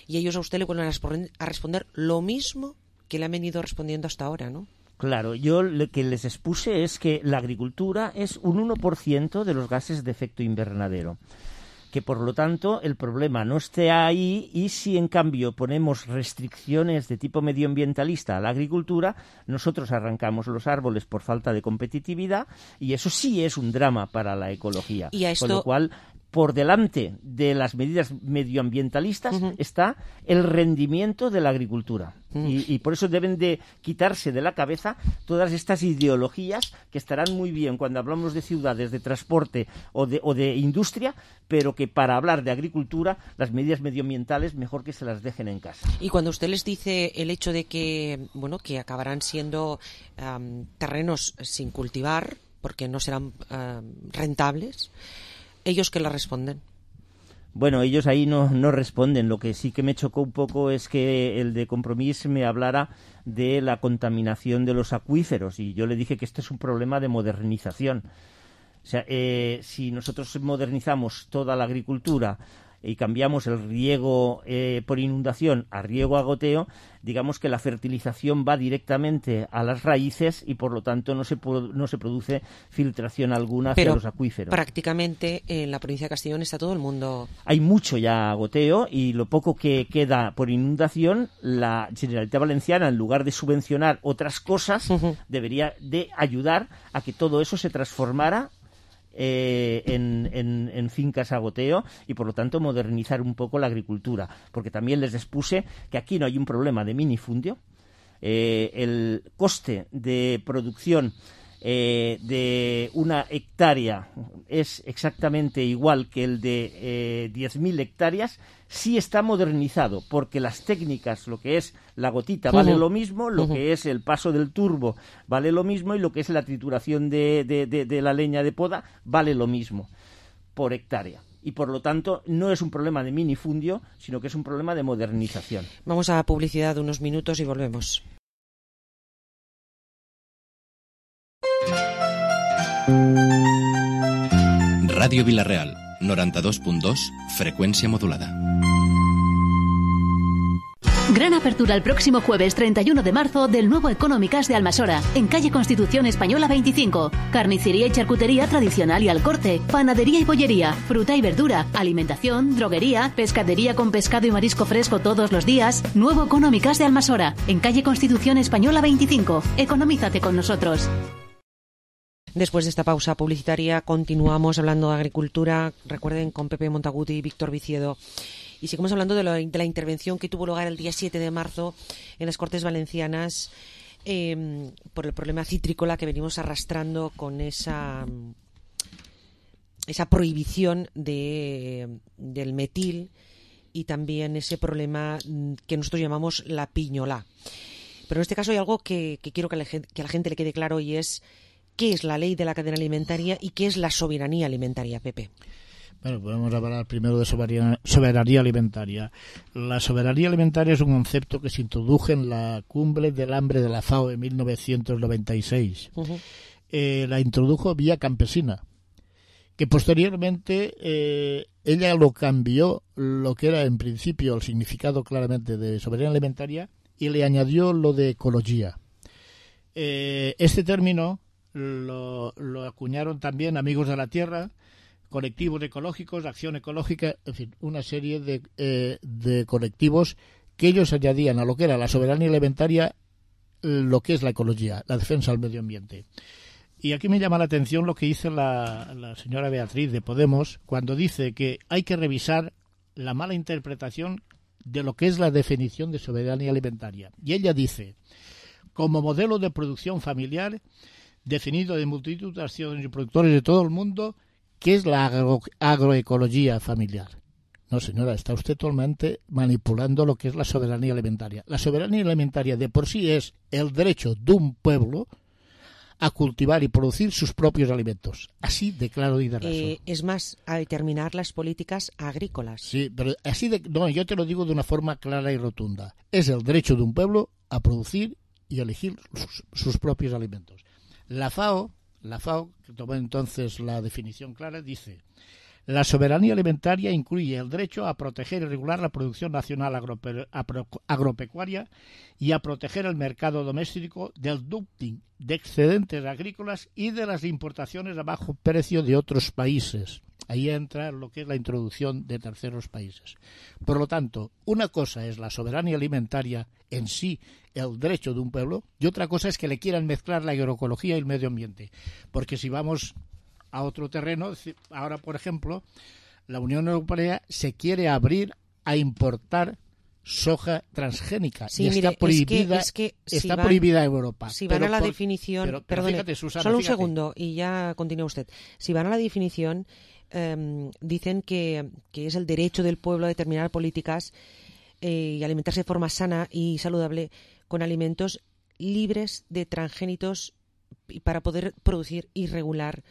y ellos a usted le vuelven a, responder, a responder lo mismo que le han venido respondiendo hasta ahora, ¿no? Claro, yo lo que les expuse es que la agricultura es un uno por ciento de los gases de efecto invernadero, que por lo tanto el problema no esté ahí, y si en cambio ponemos restricciones de tipo medioambientalista a la agricultura, nosotros arrancamos los árboles por falta de competitividad, y eso sí es un drama para la ecología. Y a esto... Con lo cual, por delante de las medidas medioambientalistas uh-huh. está el rendimiento de la agricultura. Uh-huh. Y, y por eso deben de quitarse de la cabeza todas estas ideologías que estarán muy bien cuando hablamos de ciudades, de transporte o de, o de industria, pero que para hablar de agricultura las medidas medioambientales mejor que se las dejen en casa. Y cuando usted les dice el hecho de que, bueno, que acabarán siendo um, terrenos sin cultivar porque no serán um, rentables, ¿ellos qué le responden? Bueno, ellos ahí no, no responden. Lo que sí que me chocó un poco es que el de Compromís me hablara de la contaminación de los acuíferos, y yo le dije que este es un problema de modernización. O sea, eh, si nosotros modernizamos toda la agricultura y cambiamos el riego eh, por inundación a riego a goteo, digamos que la fertilización va directamente a las raíces y por lo tanto no se, no se produce filtración alguna hacia Pero los acuíferos. Prácticamente en la provincia de Castellón está todo el mundo... Hay mucho ya goteo, y lo poco que queda por inundación, la Generalitat Valenciana, en lugar de subvencionar otras cosas, uh-huh. debería de ayudar a que todo eso se transformara Eh, en, en, en fincas a goteo, y por lo tanto modernizar un poco la agricultura, porque también les expuse que aquí no hay un problema de minifundio. Eh, el coste de producción eh, de una hectárea es exactamente igual que el de eh, diez mil hectáreas, sí está modernizado, porque las técnicas, lo que es la gotita vale uh-huh. lo mismo, lo uh-huh. que es el paso del turbo vale lo mismo, y lo que es la trituración de, de, de, de la leña de poda vale lo mismo por hectárea. Y por lo tanto no es un problema de minifundio, sino que es un problema de modernización. Vamos a publicidad de unos minutos y volvemos. Radio Vilareal, noventa y dos punto dos, frecuencia modulada. Gran apertura el próximo jueves treinta y uno de marzo del nuevo Económicas de Almasora, en calle Constitución Española veinticinco. Carnicería y charcutería tradicional y al corte, panadería y bollería, fruta y verdura, alimentación, droguería, pescadería con pescado y marisco fresco todos los días. Nuevo Económicas de Almasora, en calle Constitución Española veinticinco. Economízate con nosotros. Después de esta pausa publicitaria continuamos hablando de agricultura, recuerden, con Pepe Montaguti y Víctor Viciedo. Y seguimos hablando de, lo, de la intervención que tuvo lugar el día siete de marzo en las Cortes Valencianas eh, por el problema citrícola que venimos arrastrando con esa, esa prohibición de, del metil, y también ese problema que nosotros llamamos la piñolá. Pero en este caso hay algo que, que quiero que a, la gente, que a la gente le quede claro, y es qué es la ley de la cadena alimentaria y qué es la soberanía alimentaria, Pepe. Bueno, podemos hablar primero de soberanía, soberanía alimentaria. La soberanía alimentaria es un concepto que se introdujo en la cumbre del hambre de la FAO en mil novecientos noventa y seis. Uh-huh. eh, la introdujo vía campesina, que posteriormente eh, ella lo cambió, lo que era en principio el significado claramente de soberanía alimentaria, y le añadió lo de ecología. Eh, este término lo, lo acuñaron también Amigos de la Tierra, colectivos ecológicos, Acción Ecológica, en fin, una serie de, eh, de colectivos que ellos añadían a lo que era la soberanía alimentaria lo que es la ecología, la defensa del medio ambiente. Y aquí me llama la atención lo que dice la, la señora Beatriz de Podemos cuando dice que hay que revisar la mala interpretación de lo que es la definición de soberanía alimentaria. Y ella dice, como modelo de producción familiar definido de multitud de acciones y productores de todo el mundo, ¿qué es la agro, agroecología familiar? No, señora, está usted totalmente manipulando lo que es la soberanía alimentaria. La soberanía alimentaria de por sí es el derecho de un pueblo a cultivar y producir sus propios alimentos. Así de claro y de raso. Eh, es más, a determinar las políticas agrícolas. Sí, pero así de... No, yo te lo digo de una forma clara y rotunda. Es el derecho de un pueblo a producir y elegir sus, sus propios alimentos. La FAO, la FAO, que tomó entonces la definición clara, dice: la soberanía alimentaria incluye el derecho a proteger y regular la producción nacional agrope agropecuaria y a proteger el mercado doméstico del dumping de excedentes agrícolas y de las importaciones a bajo precio de otros países. Ahí entra lo que es la introducción de terceros países. Por lo tanto, una cosa es la soberanía alimentaria en sí, el derecho de un pueblo, y otra cosa es que le quieran mezclar la agroecología y el medio ambiente. Porque si vamos a otro terreno, ahora, por ejemplo, la Unión Europea se quiere abrir a importar soja transgénica. Sí, y mire, está prohibida, es que, es que está si van, prohibida en Europa. Si van pero a la por, definición... Pero, pero perdone, fíjate, Susana, solo un fíjate. segundo y ya continúa usted. Si van a la definición, eh, dicen que, que es el derecho del pueblo a determinar políticas eh, y alimentarse de forma sana y saludable con alimentos libres de transgénicos y para poder producir y regular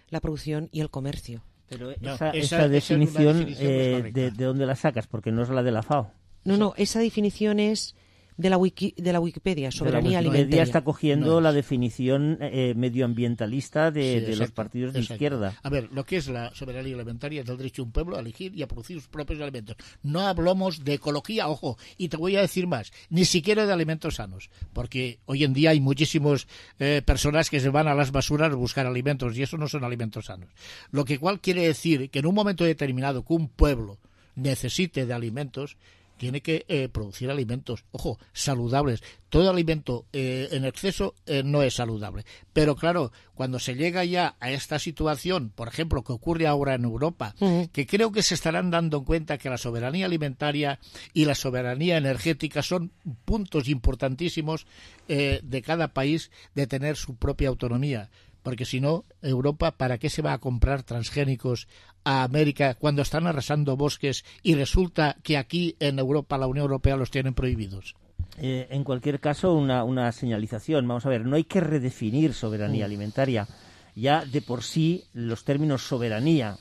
la producción y el comercio. Pero No, esa, esa- esa esa definición, es una definición eh, correcta. de, ¿de dónde la sacas? Porque no es la de la FAO. No, no, esa definición es de la wiki, de la Wikipedia, soberanía De la alimentaria. Wikipedia está cogiendo No la es. definición eh, medioambientalista de, Sí, de los exacto, partidos de exacto. izquierda. A ver, lo que es la soberanía alimentaria es el derecho de un pueblo a elegir y a producir sus propios alimentos. No hablamos de ecología, ojo, y te voy a decir más, ni siquiera de alimentos sanos, porque hoy en día hay muchísimas eh, personas que se van a las basuras a buscar alimentos y eso no son alimentos sanos. Lo que cual quiere decir que en un momento determinado que un pueblo necesite de alimentos, tiene que eh, producir alimentos, ojo, saludables. Todo alimento eh, en exceso eh, no es saludable. Pero claro, cuando se llega ya a esta situación, por ejemplo, que ocurre ahora en Europa, uh-huh. que creo que se estarán dando cuenta que la soberanía alimentaria y la soberanía energética son puntos importantísimos eh, de cada país de tener su propia autonomía. Porque si no, Europa, ¿para qué se va a comprar transgénicos a América cuando están arrasando bosques y resulta que aquí en Europa, la Unión Europea, los tienen prohibidos? Eh, en cualquier caso, una, una señalización. Vamos a ver, no hay que redefinir soberanía alimentaria. Ya de por sí, los términos soberanía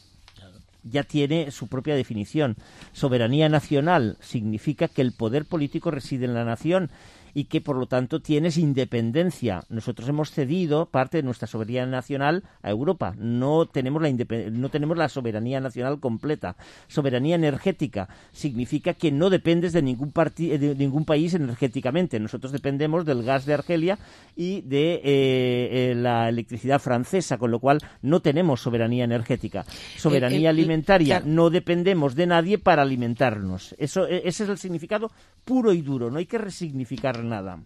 ya tiene su propia definición. Soberanía nacional significa que el poder político reside en la nación y que por lo tanto tienes independencia. Nosotros hemos cedido parte de nuestra soberanía nacional a Europa. No tenemos la independ- no tenemos la soberanía nacional completa. Soberanía energética significa que no dependes de ningún parti- de ningún país energéticamente. Nosotros dependemos del gas de Argelia y de eh, eh, la electricidad francesa, con lo cual no tenemos soberanía energética. Soberanía Eh, eh, alimentaria, claro. no dependemos de nadie para alimentarnos. Eso, eh, ese es el significado puro y duro. No hay que resignificar nada.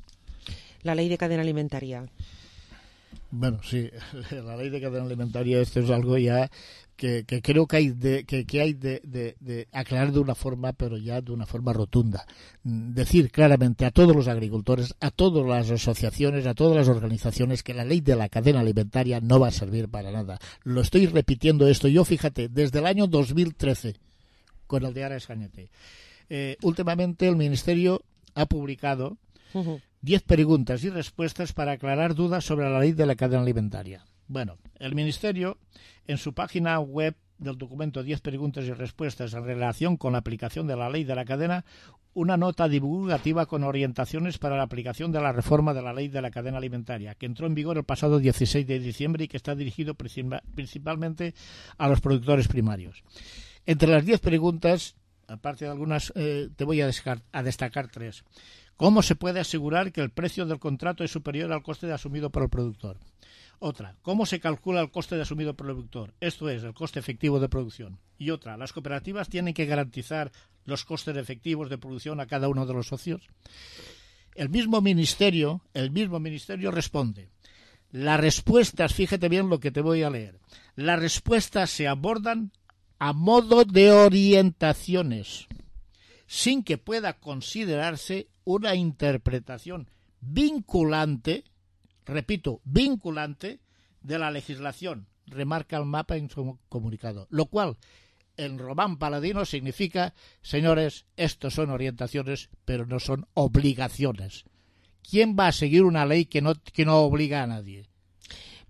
La ley de cadena alimentaria. Bueno, sí, la ley de cadena alimentaria, esto es algo ya que, que creo que hay de, que, que hay de, de, de aclarar de una forma, pero ya de una forma rotunda. Decir claramente a todos los agricultores, a todas las asociaciones, a todas las organizaciones que la ley de la cadena alimentaria no va a servir para nada. Lo estoy repitiendo esto. Yo, fíjate, desde el año dos mil trece, con el de Ara Escañete, eh, últimamente el Ministerio ha publicado diez preguntas y respuestas para aclarar dudas sobre la ley de la cadena alimentaria. Bueno, el Ministerio, en su página web del documento diez preguntas y respuestas en relación con la aplicación de la ley de la cadena, una nota divulgativa con orientaciones para la aplicación de la reforma de la ley de la cadena alimentaria, que entró en vigor el pasado dieciséis de diciembre y que está dirigido principalmente a los productores primarios. Entre las diez preguntas, aparte de algunas, eh, te voy a, a destacar tres. ¿Cómo se puede asegurar que el precio del contrato es superior al coste asumido por el productor? Otra, ¿cómo se calcula el coste de asumido por el productor? Esto es, el coste efectivo de producción. Y otra, ¿las cooperativas tienen que garantizar los costes efectivos de producción a cada uno de los socios? El mismo ministerio, el mismo ministerio responde. Las respuestas, fíjate bien lo que te voy a leer, las respuestas se abordan a modo de orientaciones, sin que pueda considerarse una interpretación vinculante, repito, vinculante de la legislación, remarca el mapa en su comunicado, lo cual en román paladino significa, señores, estos son orientaciones, pero no son obligaciones. ¿Quién va a seguir una ley que no, que no obliga a nadie?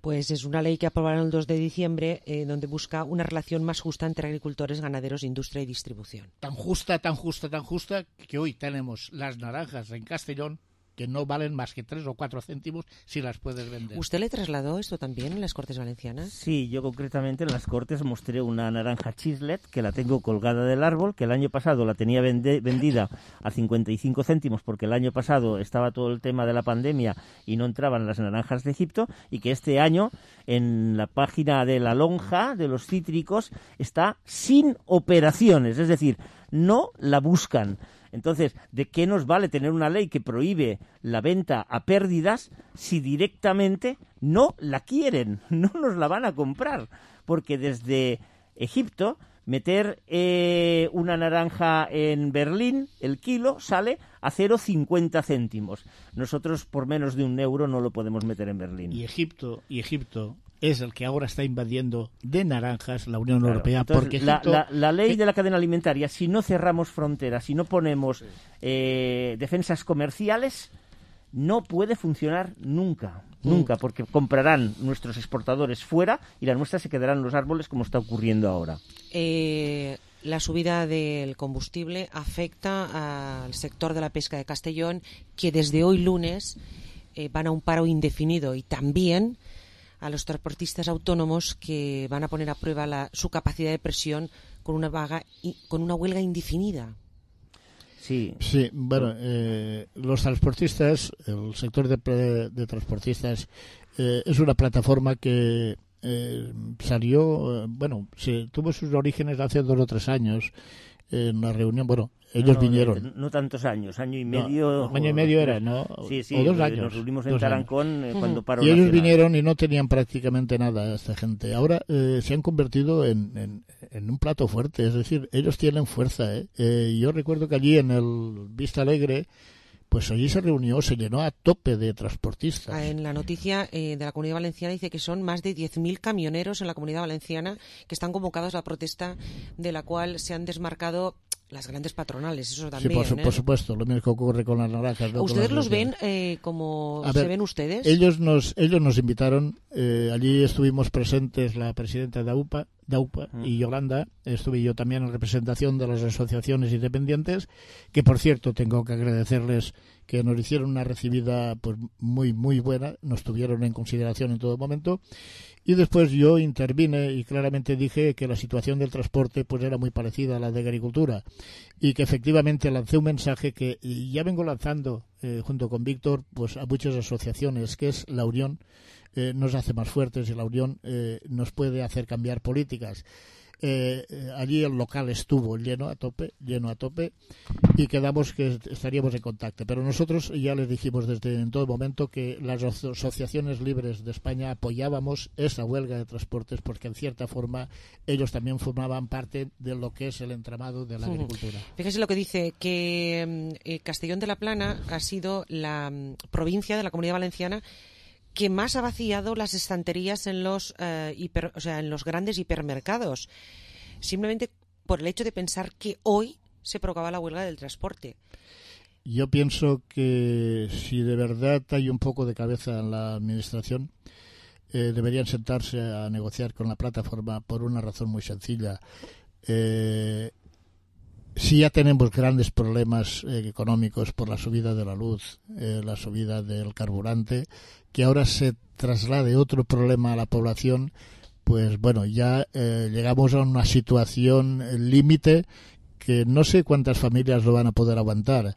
Pues es una ley que aprobaron el dos de diciembre, eh, donde busca una relación más justa entre agricultores, ganaderos, industria y distribución. Tan justa, tan justa, tan justa, que hoy tenemos las naranjas en Castellón que no valen más que tres o cuatro céntimos si las puedes vender. ¿Usted le trasladó esto también en las Cortes Valencianas? Sí, yo concretamente en las Cortes mostré una naranja chislet que la tengo colgada del árbol, que el año pasado la tenía vende- vendida a cincuenta y cinco céntimos porque el año pasado estaba todo el tema de la pandemia y no entraban las naranjas de Egipto, y que este año en la página de la lonja de los cítricos está sin operaciones, es decir, no la buscan. Entonces, ¿de qué nos vale tener una ley que prohíbe la venta a pérdidas si directamente no la quieren, no nos la van a comprar? Porque desde Egipto, meter eh, una naranja en Berlín, el kilo, sale a cero coma cincuenta céntimos. Nosotros por menos de un euro no lo podemos meter en Berlín. Y Egipto, y Egipto es el que ahora está invadiendo de naranjas la Unión Claro, Europea. entonces, Porque la, Egipto, la, la ley de la cadena alimentaria, si no cerramos fronteras, si no ponemos eh, defensas comerciales, no puede funcionar nunca, mm. nunca, porque comprarán nuestros exportadores fuera y la nuestra se quedarán en los árboles, como está ocurriendo ahora. Eh, la subida del combustible afecta al sector de la pesca de Castellón, que desde hoy lunes eh, van a un paro indefinido, y también a los transportistas autónomos, que van a poner a prueba la, su capacidad de presión con una vaga y, con una huelga indefinida. Sí, sí bueno, eh, los transportistas, el sector de, de transportistas eh, es una plataforma que eh, salió, eh, bueno, se, tuvo sus orígenes hace dos o tres años en una reunión, bueno, ellos no, vinieron. No, no tantos años, año y medio. No, año y medio era, ¿no? Sí, sí, o dos años. Nos reunimos en Tarancón eh, cuando paró Y ellos Nacional. vinieron y no tenían prácticamente nada esta gente. Ahora eh, se han convertido en, en, en un plato fuerte, es decir, ellos tienen fuerza. ¿eh? Eh, yo recuerdo que allí en el Vista Alegre, pues allí se reunió, se llenó a tope de transportistas. En la noticia eh, de la Comunidad Valenciana dice que son más de diez mil camioneros en la Comunidad Valenciana que están convocados a la protesta, de la cual se han desmarcado las grandes patronales, eso también. Sí, por, su, ¿eh? por supuesto, lo mismo que ocurre con las naranjas. ¿no? ¿Ustedes las los ven eh, como a se ver, ven ustedes? Ellos nos, ellos nos invitaron, eh, allí estuvimos presentes la presidenta de AUPA, de AUPA mm. y Yolanda, estuve yo también en representación de las asociaciones independientes, que por cierto tengo que agradecerles que nos hicieron una recibida pues muy muy buena, nos tuvieron en consideración en todo momento. Y después yo intervine y claramente dije que la situación del transporte pues era muy parecida a la de agricultura, y que efectivamente lancé un mensaje que ya vengo lanzando eh, junto con Víctor pues a muchas asociaciones, que es la unión eh, nos hace más fuertes, y la unión eh, nos puede hacer cambiar políticas. Eh, allí el local estuvo lleno a tope, lleno a tope, y quedamos que estaríamos en contacto. Pero nosotros ya les dijimos desde en todo momento que las asociaciones libres de España apoyábamos esa huelga de transportes, porque en cierta forma ellos también formaban parte de lo que es el entramado de la uh-huh. agricultura. Fíjese lo que dice, que eh, Castellón de la Plana ha sido la um, provincia de la Comunidad Valenciana que más ha vaciado las estanterías en los eh, hiper, o sea, en los grandes hipermercados, simplemente por el hecho de pensar que hoy se provocaba la huelga del transporte. Yo pienso que si de verdad hay un poco de cabeza en la administración, eh, deberían sentarse a negociar con la plataforma por una razón muy sencilla. Eh, si ya tenemos grandes problemas eh, económicos por la subida de la luz, eh, la subida del carburante, que ahora se traslade otro problema a la población, pues bueno, ya eh, llegamos a una situación eh, límite que no sé cuántas familias lo van a poder aguantar.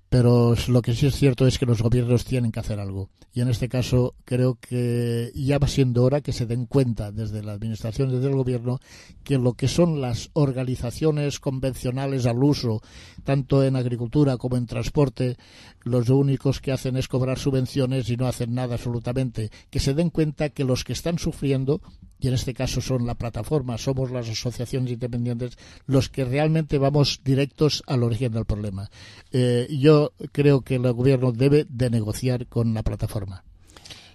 Pero lo que sí es cierto es que los gobiernos tienen que hacer algo. Y en este caso creo que ya va siendo hora que se den cuenta desde la administración, desde el gobierno, que lo que son las organizaciones convencionales al uso, tanto en agricultura como en transporte, los únicos que hacen es cobrar subvenciones y no hacen nada absolutamente. Que se den cuenta que los que están sufriendo, y en este caso son la plataforma, somos las asociaciones independientes, los que realmente vamos directos al origen del problema. Eh, yo creo que el gobierno debe de negociar con la plataforma.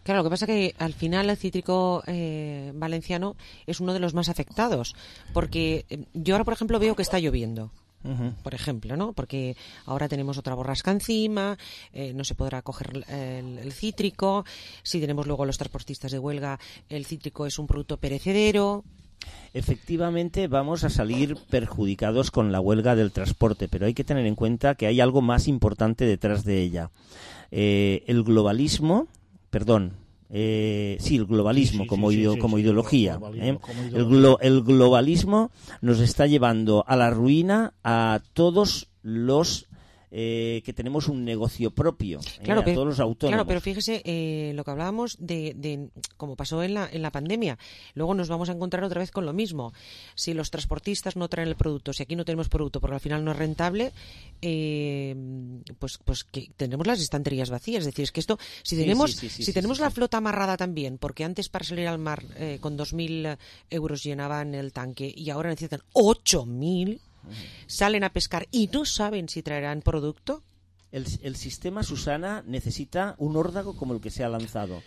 Claro, lo que pasa es que al final el cítrico eh, valenciano es uno de los más afectados, porque yo ahora, por ejemplo, veo que está lloviendo. Uh-huh. Por ejemplo, ¿no? Porque ahora tenemos otra borrasca encima, eh, no se podrá coger el, el cítrico. Si tenemos luego los transportistas de huelga, el cítrico es un producto perecedero. Efectivamente, vamos a salir perjudicados con la huelga del transporte, pero hay que tener en cuenta que hay algo más importante detrás de ella. Eh, el globalismo, perdón, eh, sí, el globalismo, sí, sí, como, sí, ideo, sí, como, sí, ideología, globalismo, ¿eh? como ideología. El, glo, el globalismo nos está llevando a la ruina a todos los Eh, que tenemos un negocio propio, claro, eh, a pero, todos los autónomos. Claro, pero fíjese eh, lo que hablábamos de, de como pasó en la, en la pandemia. Luego nos vamos a encontrar otra vez con lo mismo. Si los transportistas no traen el producto, si aquí no tenemos producto porque al final no es rentable, eh, pues pues que tendremos las estanterías vacías. Es decir, es que esto, si tenemos sí, sí, sí, sí, si sí, tenemos sí, la sí. flota amarrada también, porque antes para salir al mar eh, con dos mil euros llenaban el tanque y ahora necesitan ocho mil, salen a pescar y no saben si traerán producto. El, el sistema, Susana, necesita un órdago como el que se ha lanzado,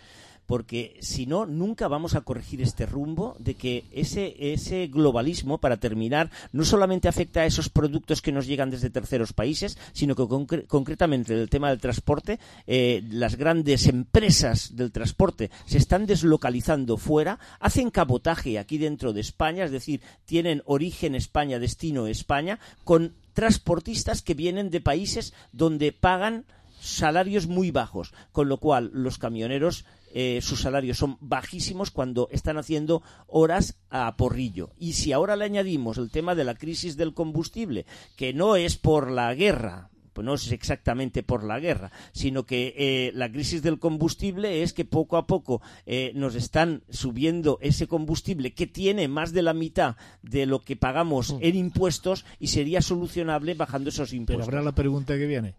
porque si no, nunca vamos a corregir este rumbo de que ese, ese globalismo, para terminar, no solamente afecta a esos productos que nos llegan desde terceros países, sino que concre- concretamente el tema del transporte, eh, las grandes empresas del transporte se están deslocalizando fuera, hacen cabotaje aquí dentro de España, es decir, tienen origen España, destino España, con transportistas que vienen de países donde pagan salarios muy bajos, con lo cual los camioneros eh, sus salarios son bajísimos cuando están haciendo horas a porrillo. Y si ahora le añadimos el tema de la crisis del combustible, que no es por la guerra, pues no es exactamente por la guerra, sino que eh, la crisis del combustible es que poco a poco eh, nos están subiendo ese combustible que tiene más de la mitad de lo que pagamos en impuestos y sería solucionable bajando esos impuestos. Pero habrá la pregunta que viene.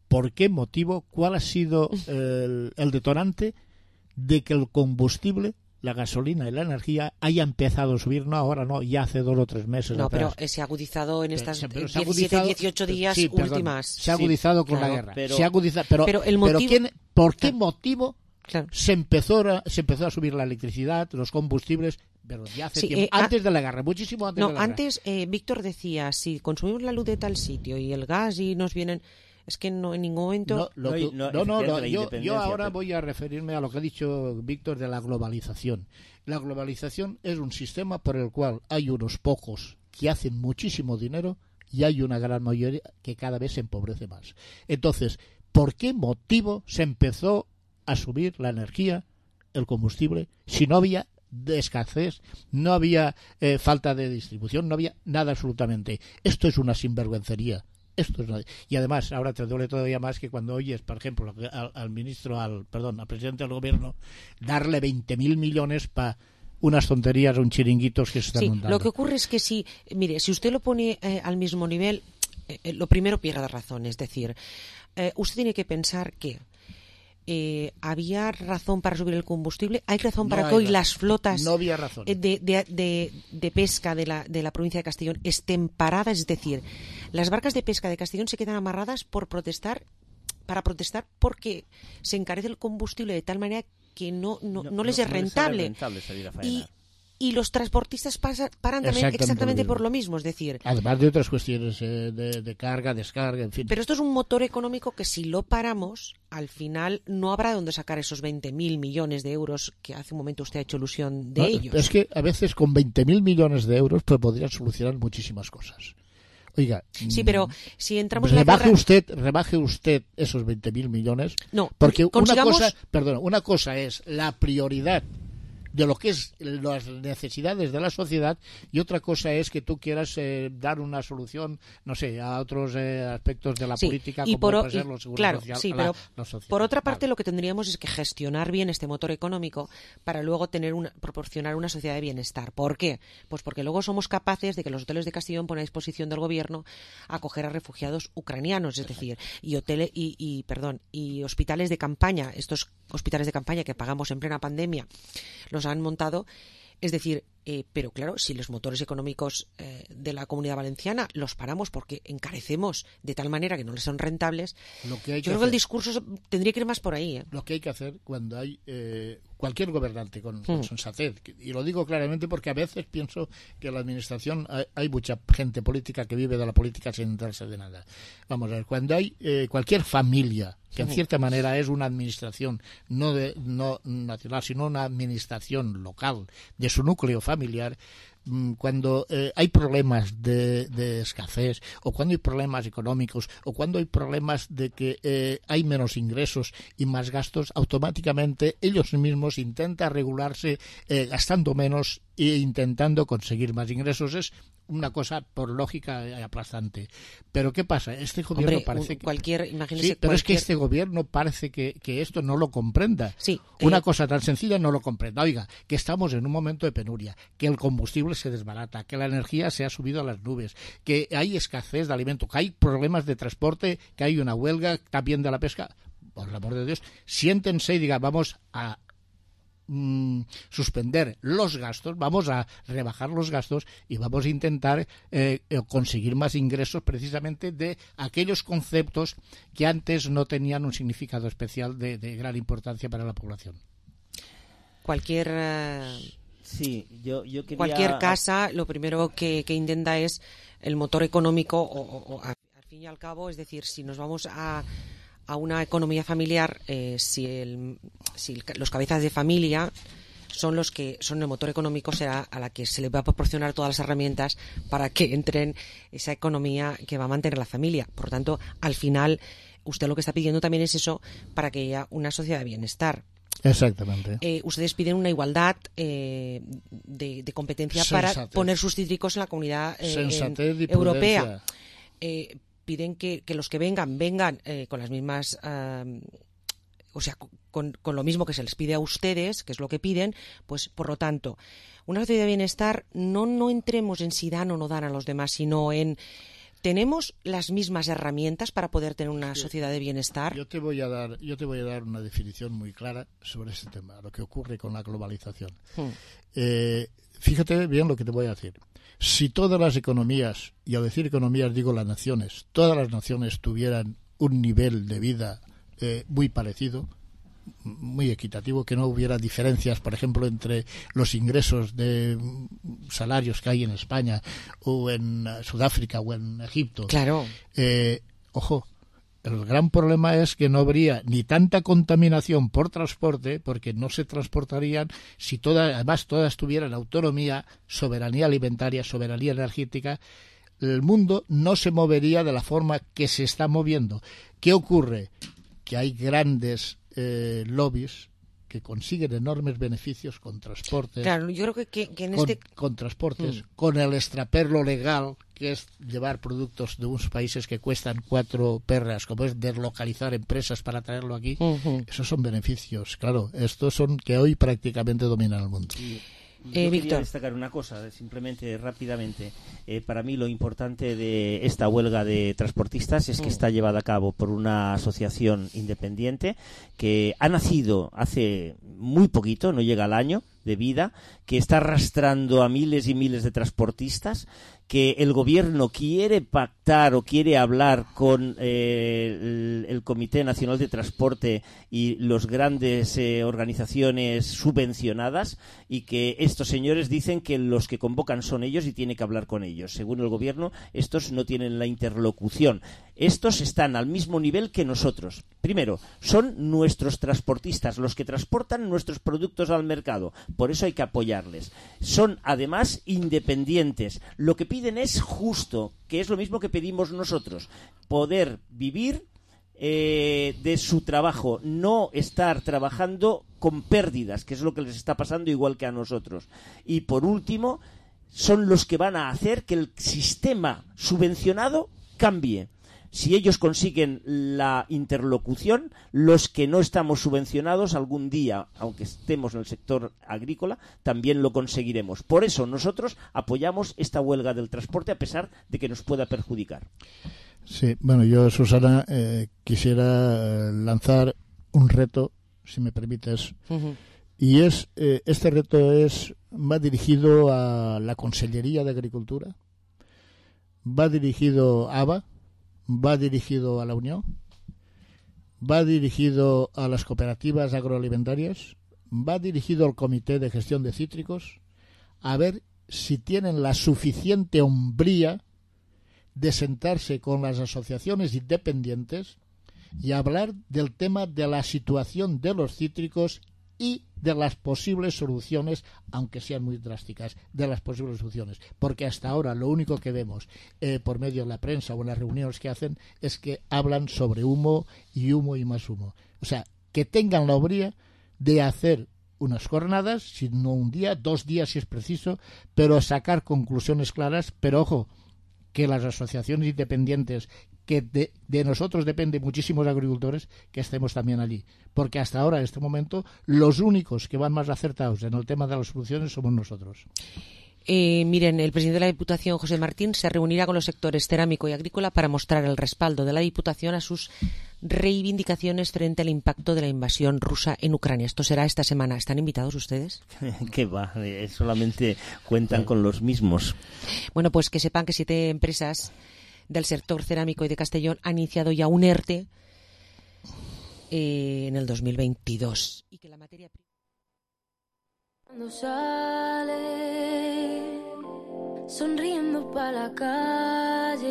¿Por qué motivo, cuál ha sido el, el detonante de que el combustible, la gasolina y la energía haya empezado a subir? No, ahora no, ya hace dos o tres meses no, atrás. pero se ha agudizado en estas se, diecisiete, dieciocho días sí, perdón, últimas. Se ha agudizado sí, con claro, la guerra. Pero, se ha agudizado, pero, pero, el motivo, pero ¿quién, ¿por qué claro, motivo claro. se empezó a, se empezó a subir la electricidad, los combustibles? Pero ya hace sí, tiempo, eh, antes de la guerra, muchísimo antes no, de la guerra. Antes, eh, Víctor decía, si consumimos la luz de tal sitio y el gas y nos vienen... Es que no en ningún momento... No, lo que, no, no, no, no yo, yo ahora pero... voy a referirme a lo que ha dicho Víctor de la globalización. La globalización es un sistema por el cual hay unos pocos que hacen muchísimo dinero y hay una gran mayoría que cada vez se empobrece más. Entonces, ¿por qué motivo se empezó a subir la energía, el combustible, si no había de escasez, no había eh, falta de distribución, no había nada absolutamente? Esto es una sinvergüencería. Esto es una... Y además, ahora te duele todavía más que cuando oyes, por ejemplo, al, al ministro, al perdón, al presidente del gobierno, darle veinte mil millones para unas tonterías o un chiringuitos que se están sí, montando. Lo que ocurre es que si, mire, si usted lo pone eh, al mismo nivel, eh, lo primero pierde razón. Es decir, eh, usted tiene que pensar que Eh, ¿había razón para subir el combustible? ¿Hay razón para no que hoy razón. las flotas no había razón. De, de, de, de pesca de la, de la provincia de Castellón estén paradas? Es decir, las barcas de pesca de Castellón se quedan amarradas por protestar, para protestar porque se encarece el combustible de tal manera que no, no, no, no les no, es rentable. No les rentable y, y los transportistas pasa, paran también exactamente, exactamente por lo mismo, es decir... Además de otras cuestiones eh, de, de carga, descarga, en fin. Pero esto es un motor económico que si lo paramos, al final no habrá donde sacar esos veinte mil millones de euros que hace un momento usted ha hecho ilusión de no, ellos. Es que a veces con veinte mil millones de euros pues podrían solucionar muchísimas cosas. Oiga, sí, pero si entramos rebaje en la guerra... usted, rebaje usted esos veinte mil millones. No, porque consigamos... una cosa, perdón, una cosa es la prioridad de lo que es las necesidades de la sociedad y otra cosa es que tú quieras eh, dar una solución, no sé, a otros eh, aspectos de la sí, política y como por, puede ser y, los seguros claro, social, sí, la, pero la sociedad. Por otra parte vale. Lo que tendríamos es que gestionar bien este motor económico para luego tener una, proporcionar una sociedad de bienestar. ¿Por qué? Pues porque luego somos capaces de que los hoteles de Castellón ponen a disposición del gobierno acoger a refugiados ucranianos, es decir, y hoteles y, y perdón, y hospitales de campaña, estos hospitales de campaña que pagamos en plena pandemia, los han montado. Es decir, eh, pero claro, si los motores económicos eh, de la Comunidad Valenciana los paramos porque encarecemos de tal manera que no les son rentables, lo que hay que yo creo hacer, que el discurso tendría que ir más por ahí. ¿eh? Lo que hay que hacer cuando hay eh, cualquier gobernante con, con mm. sensatez, y lo digo claramente porque a veces pienso que en la administración hay, hay mucha gente política que vive de la política sin enterarse de nada. Vamos a ver, cuando hay eh, cualquier familia que en cierta manera es una administración no de, no nacional, sino una administración local de su núcleo familiar, cuando eh, hay problemas de, de escasez o cuando hay problemas económicos o cuando hay problemas de que eh, hay menos ingresos y más gastos, automáticamente ellos mismos intentan regularse eh, gastando menos e intentando conseguir más ingresos. Es una cosa por lógica aplastante. Pero ¿qué pasa? Este gobierno Hombre, parece que... cualquier, imagínese sí, pero cualquier... es que este gobierno parece que, que esto no lo comprenda. Sí, una eh... cosa tan sencilla no lo comprenda. Oiga, que estamos en un momento de penuria, que el combustible se desbarata, que la energía se ha subido a las nubes, que hay escasez de alimento, que hay problemas de transporte, que hay una huelga también de la pesca. Por el amor de Dios, siéntense y digan, vamos a Mm, suspender los gastos, vamos a rebajar los gastos y vamos a intentar eh, conseguir más ingresos precisamente de aquellos conceptos que antes no tenían un significado especial de, de gran importancia para la población. Cualquier uh, sí, yo, yo quería... cualquier casa lo primero que, que intenta es el motor económico o, o, o al fin y al cabo, es decir, si nos vamos a a una economía familiar, eh, si, el, si el, los cabezas de familia son los que son el motor económico, será a la que se le va a proporcionar todas las herramientas para que entren esa economía que va a mantener la familia. Por lo tanto, al final, usted lo que está pidiendo también es eso para que haya una sociedad de bienestar. Exactamente. Eh, ustedes piden una igualdad eh, de, de competencia Sensatez. Para poner sus cítricos en la comunidad eh, europea. Eh, piden que, que los que vengan, vengan eh, con las mismas, uh, o sea, con, con lo mismo que se les pide a ustedes, que es lo que piden, pues por lo tanto, una sociedad de bienestar, no, no entremos en si dan o no dan a los demás, sino en, ¿tenemos las mismas herramientas para poder tener una sociedad de bienestar? Yo te voy a dar, yo te voy a dar una definición muy clara sobre ese tema, lo que ocurre con la globalización. Hmm. Eh, fíjate bien lo que te voy a decir. Si todas las economías, y al decir economías digo las naciones, todas las naciones tuvieran un nivel de vida eh, muy parecido, muy equitativo, que no hubiera diferencias, por ejemplo, entre los ingresos de salarios que hay en España o en Sudáfrica o en Egipto. Claro. Eh, ojo. El gran problema es que no habría ni tanta contaminación por transporte, porque no se transportarían si todas, además todas tuvieran autonomía, soberanía alimentaria, soberanía energética. El mundo no se movería de la forma que se está moviendo. ¿Qué ocurre? Que hay grandes eh, lobbies que consiguen enormes beneficios con transportes. Claro, yo creo que, que, que en con, este... con transportes, mm. con el extraperlo legal, que es llevar productos de unos países que cuestan cuatro perras, como es deslocalizar empresas para traerlo aquí. Uh-huh. Esos son beneficios, claro. Estos son que hoy prácticamente dominan el mundo. Sí. Yo eh, quería Víctor. destacar una cosa, simplemente rápidamente. Eh, para mí lo importante de esta huelga de transportistas es que está llevada a cabo por una asociación independiente que ha nacido hace muy poquito, no llega al año de vida, que está arrastrando a miles y miles de transportistas, que el gobierno quiere pactar o quiere hablar con eh, el, el Comité Nacional de Transporte y las grandes eh, organizaciones subvencionadas, y que estos señores dicen que los que convocan son ellos y tiene que hablar con ellos. Según el gobierno, estos no tienen la interlocución. Estos están al mismo nivel que nosotros. Primero, son nuestros transportistas, los que transportan nuestros productos al mercado. Por eso hay que apoyarles. Son, además, independientes. Lo que piden piden es justo, que es lo mismo que pedimos nosotros, poder vivir eh, de su trabajo, no estar trabajando con pérdidas, que es lo que les está pasando igual que a nosotros. Y por último, son los que van a hacer que el sistema subvencionado cambie. Si ellos consiguen la interlocución, los que no estamos subvencionados algún día, aunque estemos en el sector agrícola, también lo conseguiremos. Por eso nosotros apoyamos esta huelga del transporte a pesar de que nos pueda perjudicar. Sí, bueno, yo, Susana, eh, quisiera lanzar un reto, si me permites. Uh-huh. Y es eh, este reto es va dirigido a la Consellería de Agricultura, va dirigido a A B A, va dirigido a la Unión, va dirigido a las cooperativas agroalimentarias, va dirigido al Comité de Gestión de Cítricos, a ver si tienen la suficiente hombría de sentarse con las asociaciones independientes y hablar del tema de la situación de los cítricos y de las posibles soluciones, aunque sean muy drásticas, de las posibles soluciones. Porque hasta ahora lo único que vemos eh, por medio de la prensa o en las reuniones que hacen es que hablan sobre humo y humo y más humo. O sea, que tengan la hombría de hacer unas jornadas, si no un día, dos días si es preciso, pero sacar conclusiones claras. Pero ojo, que las asociaciones independientes, que de, de nosotros depende muchísimos agricultores, que estemos también allí. Porque hasta ahora, en este momento, los únicos que van más acertados en el tema de las soluciones somos nosotros. Eh, miren, el presidente de la Diputación, José Martín, se reunirá con los sectores cerámico y agrícola para mostrar el respaldo de la Diputación a sus reivindicaciones frente al impacto de la invasión rusa en Ucrania. Esto será esta semana. ¿Están invitados ustedes? ¿Qué va? Eh, solamente cuentan con los mismos. Bueno, pues que sepan que siete empresas del sector cerámico y de Castellón han iniciado ya un ERTE eh, en el dos mil veintidós. Y que la materia prima... Cuando sale sonriendo para la calle,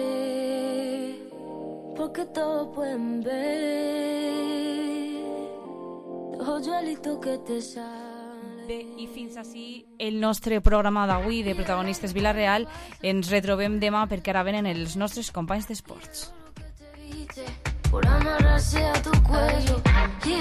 porque todos pueden ver los hoyuelitos que te salen. Bé, i fins així el nostre programa d'avui de Protagonistes Vila-real. Ens retrobem demà perquè ara venen els nostres companys d'esports. Por amarrarse a tu cuello y